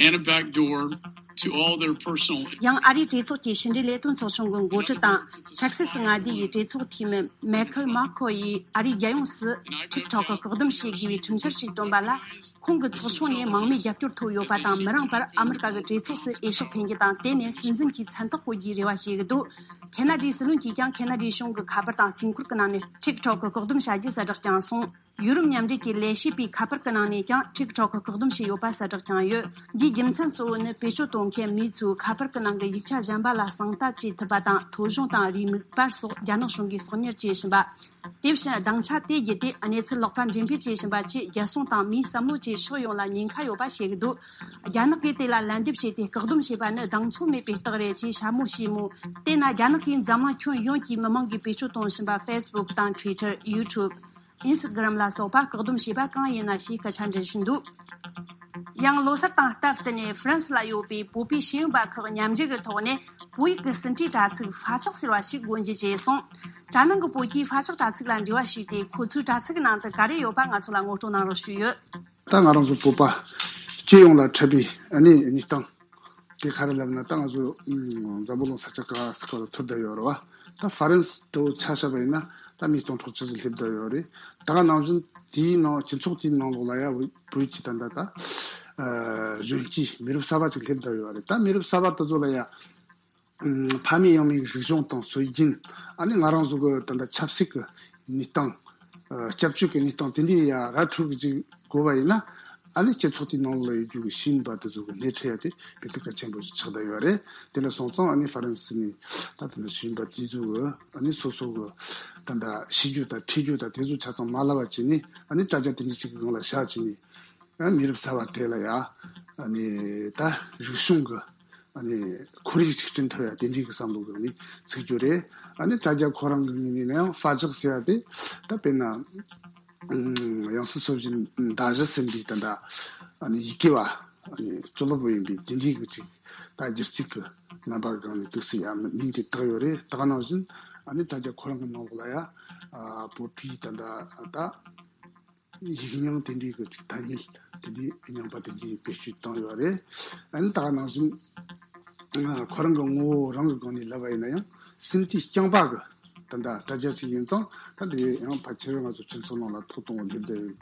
and a back door to all their personal. ཡང་ཨ་རིའི་གྲོས་ཚོགས་ཀྱི་ཕྱི་འབྲེལ་ལས་དོན་ཚོགས་ཆུང་གི་འགོ་ཁྲིད་དང་། ཐེག་སེ་སི་མངའ་སྡེ་ཡི་གྲོས་ཚོགས་འཐུས་མི་མའེ་ཁལ་མཱ་ཁོ་ཡིས་ཨ་རིའི་རྒྱལ་ཡོངས་སུ་ཊིག་ཊོག་གི་བཀག་སྡོམ་བྱེད་དགོས་པའི་ཁྲིམས་འཆར་ཞིག་བཏོན་པ་ལ། ཁོང་གི་ཚོགས་ཆུང་ནས་མང་མོས་རྒྱབ་སྐྱོར་ཐོབ་ཡོད་པ་དང་། མི་རིང་བར་ཨ་མི་རི་ཀ་གི་གྲོས་ཚོགས་སུ་འོས་ཤོག་འཕེན་རྒྱུ་དང་། དེ་ནས་སྲིད་འཛིན་གྱི་མཚན་རྟགས་བཀོད་རྒྱུའི་རེ་བ་བྱེད་ཀྱི་འདུག། ཁེ་ན་ཌའི་སྲིད་བློན་གྱིས་ཀྱང་ཁེ་ན་ཌའི་གཞུང་གི་ཁ་པར་དང་རྩིས་འཁོར་གྱི་ནང་ནས་ཊིག་ཊོག་གི་བཀག་སྡོམ་བྱ་རྒྱུ་གསལ་བསྒྲགས་བསྐྱངས་སོང་། ཡུ་རོབ་མཉམ་འབྲེལ་གྱི་ལས་བྱེད་པའི་ཁ་པར་གྱི་ནང་ནས་ཀྱང་TikTok་བཀག་སྡོམ་བྱས་ཡོད་པ་གསལ་བསྒྲགས་བྱུང་ཡོད། འདིའི་རྒྱུ་མཚན་གཙོ་བོ་ནི་བེད་སྤྱོད་གཏོང་མཁན་མིས་ཚོས་ཁ་པར་གྱི་ནང་གི་ཡིག་ཆ་གཞན་པ་ལ་གསང་ལྟ་བྱེད་ཐུབ་པ་དང་ཐོ་གཞུང་དང་རེའུ་མིག་པར་སོགས་རྒྱ་ནག་གཞུང་གིས་གསོག་ཉར་བྱེད་བཞིན་པ། དེ་བཞིན་སྡིངས་ཆ་དེ་བརྒྱུད་དེ་གནས་ཚུལ་ལོག་པ་འགྲེམས་སྤེལ་བྱེད་བཞིན་པ་ཆེད་རྒྱལ་སྲུང་དང་མིའི་བསམ་བློ་བཅས་ཕྱོགས་ཡོངས་ལ་ཉེན་ཁ་ཡོད་པ་བཤད་ཀྱི་འདུག་རྒྱ་ནག་གིས་དེ་ལ་ལན་འདེབས་བྱས་ཏེ་བཀག་སྡོམ་བྱས་པ་ནི་གདེང་ཚོད་མེད་པའི་རྟགས་རེད་ཅེས་ཤ་མོ་ཤི་མོ། དེས་ན་རྒྱ་ནག་གིས་འཛམ་གླིང་ཁྱོན་ཡོངས་ཀྱི་མི་མང་གིས་བེད་སྤྱོད་གཏོང་བཞིན་པ་Facebook་དང་Twitter། YouTube། Instagram་ལ་སོགས་པ་བཀག་སྡོམ་བྱས་པ་གང་ཡིན་ན་ཞེས་སྐད་ཆ་འདྲི་བཞིན་འདུག་ཡང་ལོ་གསར་དང་སྟབས་བསྟུན་ནས་ཧྥ་རན་སི་ལ་ཡོད་པའི་བོད་པའི་ཤེས་ཡོན་པ་ཁག་མཉམ་འབྲེལ་གྱི་ཐོག་ནས་བོད་ཡིག་གི་ཟིན་བྲིས་དྲ་ཚིགས་ཧྥ་ཅག་ཟེར་བ་ཞིག་སྒོ་འབྱེད་བྱས་སོང་། དྲ་ནང་གི་བོད་ཀྱིས་ཧྥ་ཅག་དྲ་ཚིགས་ལ་འབྲེལ་བ་ཞུས་ཏེ་ཁོ་ཚོའི་དྲ་ཚིགས་ནང་དུ་ག་རེ་ཡོད་པ་ང་ཚོ་ལ་ངོ་སྤྲོད་གནང་རོགས་ཞུས་ཡོད། ད་ང་རང་ཚོ་བོད་པ་སྤྱི་ཡོངས་ལ་འཕྲད་པའི་ཨ་ནི་གནས་སྟངས་དེ་ག་རེ་ལབ་ན། ད་ང་ཚོ་ཨུམ་འཛམ་བུ་གླིང་ས་ཆ་ག་ས་ག་ལ་ཐུར་བསྡད་ཡོད་རེད་བ། ད་ཧྥ་རན་སི་དུ་ཆ་བཞག་པ་ཡིན་ན་ད་མི་སྟོང་ཕྲག་ཆུ་ཚོད་སླེབས་བསྡད་ཡོད་རེད། ད་ག་ནང་བཞིན་དེའི་ནང་སྤྱི་ཚོགས་དེའི་ནང་ལོགས་ལ་ཡ་བོད་ཀྱི་ད་ད་ད་ཨ་གཞོན་སྐྱེས་མི་རབས་གསར་པ་ཅིག་སླེབས་བསྡད་ཡོད་རེད། ད་མི་རབས་གསར་པ་དེ་ཚོ་ལ་ཡ་ཕ་མེས་ཡང་མེས་ཀྱི་རིག་གཞུང་དང་སྲོལ་རྒྱུན། ཨ་ནི་ང་རང་ཚོ་གི་ད་ལྟ་ཆབ་སྲིད་ཀྱི་གནས་སྟངས། སྐྱབས་བཅོལ་གྱི་གནས་སྟངས་དེ་འདྲའི་ཡ་ར་འཕྲོད་ཀྱི་ཅིག་དགོས་པ་ཡིན་ན། ཨ་ནི་སྤྱི་ཚོགས་དེའི་ནང་ལ་ཡོད་རྒྱུ་གི་ཤེས་ཡོན་པ་དེ་ཚོ་གི་སྣེ་ཁྲིད་ཡ་དེ་དཔེ་དེབ་གལ་ཆེན་པོ་ཞིག་ཆགས་བསྡད་ཡོད་རེད། དེ་ལ་སོང་ཙང་ཨ་ནི་ཧྥ་རན་སི་ནས་ད་དེ་འདྲ་ཤེས་ཡོན་པ་དེ་ཚོ་གི་ཨ་ནི་སོ་སོ་གི་ད་ལྟ་ཤེས་རྒྱུ་དང་ཁྲིད་རྒྱུ་དང་དེ་ཚོ་ཆ་ཚང་མ་ལབ་པ་བྱས་ནས། ཨ་ནི་དྲ་རྒྱ་དེ་འདྲ་ཅིག་གི་སྒང་ལ་བཞག་བྱས་ནས། ཨ་མི་རབས་གསར་པ་དེ་ལ་ཡ་ཨ་ནི་ད་རིག་གཞུང་གི་ཨ་ནི་ཁོར་ཡུག་ཅིག་བསྐྲུན་ཐུབ་ཡ་དེ་འདྲའི་གི་བསམ་བློ་གི་ཨ་ནི་ཚུགས་རྒྱུ་རེད། ཨ་ནི་དྲ་རྒྱ་ཁོ་རང་གི་ངོས་ནས་ཡང་ཧྥ་ཅག་ཟེར་ཡ་དེ་ད་དཔེར་ན་ཨུམ་ཡང་སྲིད་སྲོལ་བཞིན་མདའ་གཞུ་ཟིན་པའི་ད་ད་ཨ་ནི་ཡི་གེ་བ། ཨ་ནི་གཙུག་ལག་པ་ཡིན་པའི་དེ་འདྲའི་གི་ཅིག་ད་སྒྱུ་རྩལ་གི་རྣམ་པ་གང་ནས་ཏོག་ཙམ་ཡ་མིང་དེ་བཏགས་ཡོད་རེད། ད་ག་ནང་བཞིན་ཨ་ནི་དྲ་རྒྱ་ཁོ་རང་གི་ནང་ལོགས་ལ་ཡ་ཨ་བོད་པའི་ད་ད་ད། ཡིག་རྙིང་དེ་འདྲའི་གི་ཅིག་ཐ་སྙད་དེ་འདྲའི་རྙིང་པ་དེ་འདྲའི་བེད་སྤྱོད་བཏང་ཡོད་རེད། ཨ་ནི་ད་ག་ནང་བཞིན་ཁོ་རང་གི་ངོ་བོ་རང་གི་སྒང་ནས་ལབ་པ་ཡིན་ན་ཡང་སྲིད་དེ་རྐྱང་པ་གི་ད་ལྟ་དྲ་རྒྱ་ཅིག་ཡིན་ཙང་། ད་དེ་ཡང་ཕལ་ཆེར་ང་ཚོ་སྤྱི་ཚོགས་ནང་ལ་ཐོག་གཏོང་བ་སླེབས་བསྡད་ཡོད།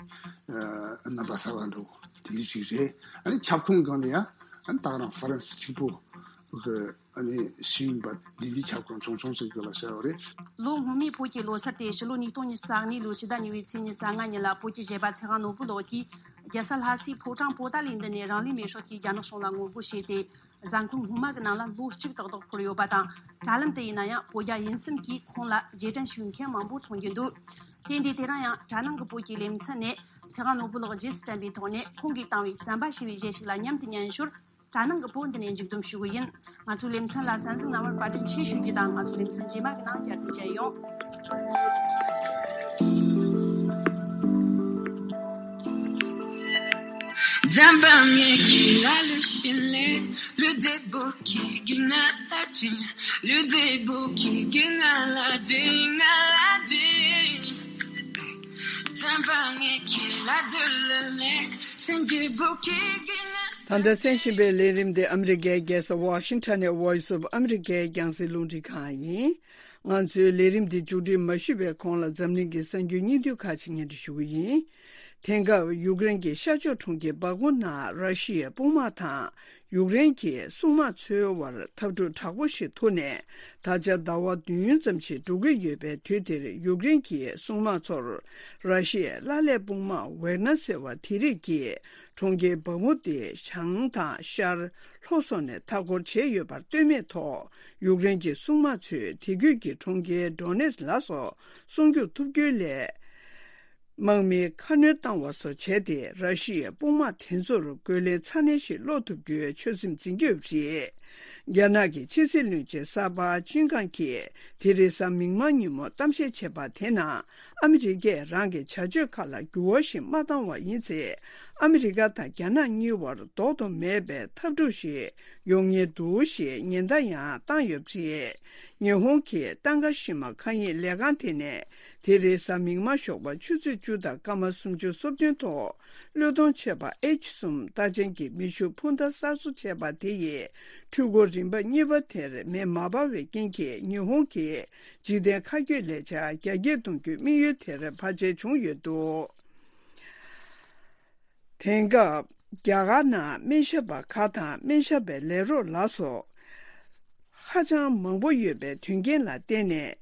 རྣམ་པ་གསར་པ་འདྲ་བོ་དེ་འདྲ་ཅིག་རེད། ཨ་ནི་ཁྱབ་ཁོངས་སྒང་ནས་ཡང་ཨ་ནི་ད་ག་རང་ཧྥ་རན་སི་གཅིག་པོ་གི་ཨ་ནི་ཤེས་ཡོན་པ་འདི་འདྲའི་ཁྱབ་ཁོངས་ཆུང་ཆུང་ཞིག་གི་ལ་བྱ་བ་རེད། ལོ་སྔོན་མའི་བོད་ཀྱི་ལོ་སར་དེ་ཕྱི་ལོ་ཉིས་སྟོང་ཉི་ཤུ་རྩ་གཉིས་ལོའི་ཕྱི་ཟླ་གཉིས་པའི་ཚེས་ཉི་ཤུ་རྩ་ལྔ་ཉིན་ལ་བོད་ཀྱི་གཞས་པ་ཚེ་དབང་ནོར་བུ་ལགས་ཀྱིས་རྒྱལ་ས་ལྷ་སའི་ཕོ་བྲང་པོ་ཏཱ་ལའི་མདུན་ནས་རང་ལུས་མེར་སྲེག་གིས་རྒྱ་ནག་གཞུང་ལ་ངོ་རྒོལ་བྱས་ཏེ། གཟའ་འཁོར་སྔོན་མ་གི་ནང་ལ་ལོ་གཅིག་ཏག་ཏག་འཁོར་ཡོད་པ་དང་། དྲ་ལམ་དུ་ཡིན་ན་ཡང་བོད་རྒྱ་དབྱིན་གསུམ་གྱིས་ཁོང་ལ་རྗེས་དྲན་ཞུ་མཁན་མང་པོ་མཐོང་རྒྱུ་འདུག་དེ་འདི་དེ་རིང་ཡང་དྲ་ནང་གི་བོད་ཀྱི་ལེ་ཚན་ནས་ཚེ་དབང་ནོར་བུ་ལགས་རྗེས་སུ་དྲན་པའི་ཐོག་ནས་ཁོང་གིས་བཏང་བའི་རྩམ་པ་ཞེས་པའི་གཞས་ཤིག་ལ་མཉམ་དུ་ཉན་ཞོར། དྲ་ནང་གི་བོད་འདི་ནས་མཇུག་བསྡོམས་ཞུ་གི་ཡིན། ང་ཚོའི་ལེ་ཚན་ལ་གསན་གཟིགས་གནང་བར་བཀའ་དྲིན་ཆེ་ཞུ་རྒྱུ་དང་། ང་ཚོའི་ལེ་ཚན་རྗེས་མ་གི་ནང་བསྐྱར་དུ་མཇལ་ཡོང་། ད་ལྟ་གསན་བཞིན་པའི་ལས་རིམ་དེ་ཨ་མི་རི་ཀའི་རྒྱལ་ས་ཝ་ཤིང་ཊོན་ནས་Voice of America་རྒྱང་སྲིང་རླུང་འཕྲིན་ཁང་ཡིན། ང་ཚོའི་ལས་རིམ་འདི་མཇུག་སྒྲིལ་མ་ཞུས་པའི་གོང་ལ་འཛམ་གླིང་གི་གསར་འགྱུར་སྙིང་བསྡུས་ཁག་ཅིག་སྙན་སྒྲོན་ཞུ་གི་ཡིན། དེང་སྐབས་ཡུཀ་རེན་གྱི་ཤར་ཕྱོགས་གྲོང་ཁྱེར་སྦག་མུ་ནང་ར་ཤི་ཡའི་དཔུང་དམག་དང་ཡུཀ་རེན་གྱི་སྲུང་དམག་ཚོའི་དབར་འཐབ་འཁྲུག་དྲག་པོ་ཞིག་ཐུག་ནས། ད་ཆ་ཟླ་བ་བདུན་ཙམ་ཞིག་འགྲོ་གི་ཡོད་པའི་དུས་དེར། ཡུཀ་རེན་གྱི་སྲུང་དམག་ཚོར་ར་ཤི་ཡའི་བླ་ལྷའི་དཔུང་དམག་ཝེག་ནར་ཟེར་བ་དེ་རིགས་ཀྱིས་གྲོང་ཁྱེར་སྦག་མུ་དེ་བྱང་དང་ཤར་ལྷོ་སོགས་ནས་མཐའ་སྐོར་བྱས་ཡོད་པར་ལྟོས་མེད་ཐོག་ཡུཀ་རེན་གྱི་སྲུང་དམག་ཚོས་དེ་ཁུལ་གྱི་གྲོང་ཁྱེར་ཌོ་ནེ་སི་ལ་སོགས་སྲུང་སྐྱོབ་ཐུབ་རྒྱུའི་སླད། དམག་མིའི་ཁ་སྣོན་བཏང་བ་སོགས་བྱས་ཏེ། ར་ཤི་ཡའི་དཔུང་དམག་དེ་ཚོར་རྒོལ་ལན་ཚ་ནན་ཞིག་སློག་ཐུབ་རྒྱུའི་ཆོད་སེམས་འཛིན་གྱི་ཡོད་པ་རེད། རྒྱ་ནག་གི་ཕྱི་སྲིད་བློན་ཆེན་གསར་པ་ཅིན་ཀང་གིས་དེ་རེས་གཟའ་མིག་དམར་ཉིན་མོ་གཏམ་བཤད་བྱས་པ་དེ་ནང་། ཨ་མི་རི་ཀས་རང་གི་བྱ་སྤྱོད་ཁག་ལ་འགྱུར་བ་ཞིག་མ་བཏང་བ་ཡིན་ཚེ། ཨ་མི་རི་ཀ་དང་རྒྱ་ནག་གཉིས་བར་ལྡོག་ཏུ་མེད་པའི་འཐབ་འཁྲུག་ཞིག་ཡོང་ཉེན་འདུག་ཞེས་ཉེན་བརྡ་ཡང་བཏང་ཡོད་པ་རེད། ཉི་ཧོང་གི་ཏང་ག་ཤི་མ་མཁའ་དབྱིངས་ལས་ཁང་དེ་ནས། དེ་རེས་གཟའ་མིག་དམར་ཞོགས་པ་ཆུ་ཚོད་བཅུ་དང་སྐར་མ་སུམ་ཅུ་སོ་བདུན་ཐོག་བློས་གཏོང་བྱས་པ་ཨེཆ་གསུམ་རྟགས་ཅན་གྱི་མེ་ཤུགས་འཕུར་མདའ་གསར་བཟོ་བྱས་པ་དེ་ཡིས། འཕྲུལ་འཁོར་རིམ་པ་གཉིས་པ་དེར་མེ་མ་འབར་བའི་རྐྱེན་གྱིས། ཉི་ཧོང་གི་འཇིག་རྟེན་མཁའ་སྐྱོད་ལས་འཆར་རྒྱ་སྐྱེད་གཏོང་རྒྱུའི་དམིགས་ཡུལ་དེར་བར་ཆད་བྱུང་ཡོད་འདུག་དེང་སྐབས། རྒྱ་གར་ནང་སྨན་ཞབས་པ་ཁག་དང་སྨན་ཞབས་པའི་ལས་རོགས་ལ་སོགས་ཧ་ཅང་མང་པོ་ཡོད་པའི་དོན་རྐྱེན་ལ་བརྟེན་ནས།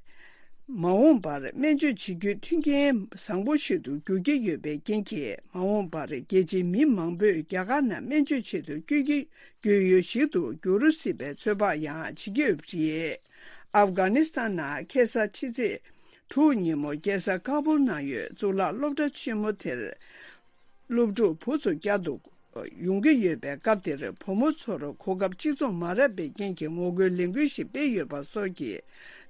མ་འོངས་པར་སྨན་བཅོས་བྱེད་རྒྱུའི་མཐུན་རྐྱེན་བཟང་པོ་ཞིག་ཏུ་འགྱུར་གྱི་ཡོད་པའི་རྐྱེན་གྱིས། མ་འོངས་པར་རྒྱལ་སྤྱིའི་མི་མང་པོས་རྒྱ་གར་ནང་སྨན་བཅོས་ཆེད་དུ་བསྐྱོད་ཀྱི་ཡོད་ཡུལ་ཞིག་ཏུ་འགྱུར་སྲིད་པའི་ཚོད་དཔག་ཡང་བྱེད་ཀྱི་ཡོད་པ་རེད། ཨབ་གྷ་ནི་སི་ཐན་ནང་ཁ་སང་ཕྱི་ཚེས་དྲུག་ཉིན་མོ་རྒྱལ་ས་ཀ་བུལ་ནང་ཡོད་གཙུག་ལག་སློབ་གྲྭ་ཆེན་མོ་དེར། སློབ་ཕྲུག་བུ་ཚོ་བསྐྱར་དུ་ཡོང་གི་ཡོད་པའི་སྐབས་དེར། བུ་མོ་ཚོར་གོ་སྐབས་གཅིག་མཚུངས་མ་རག་པའི་རྐྱེན་གྱིས་ངོ་རྒོལ་ལས་འགུལ་ཞིག་སྤེལ་ཡོད་པ་སོགས་ཀྱི་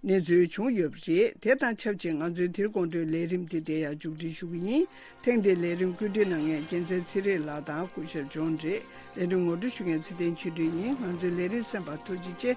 གནས་ཚུལ་བྱུང་ཡོད་པ་རེད། དེ་དང་ཆབས་ཅིག་ང་ཚོའི་དེ་རིང་དགོང་དྲོའི་ལས་རིམ་འདི་དེ་ཡང་མཇུག་སྒྲིལ་ཞུ་གི་ཡིན། ཐེངས་འདིའི་ལས་རིམ་བཀོད་སྒྲིག་གནང་མཁན་རྒྱལ་མཚན་ཚེ་རིང་ལགས་དང་སྐུ་ཞབས་ཇོན་རེད། ལས་རིམ་ངོ་སྤྲོད་ཞུ་མཁན་ཚེ་བརྟན་ཆོས་སྒྲོན་ཡིན། ང་ཚོའི་ལས་རིམ་གསན་པར་ཐུགས་རྗེ་ཆེ།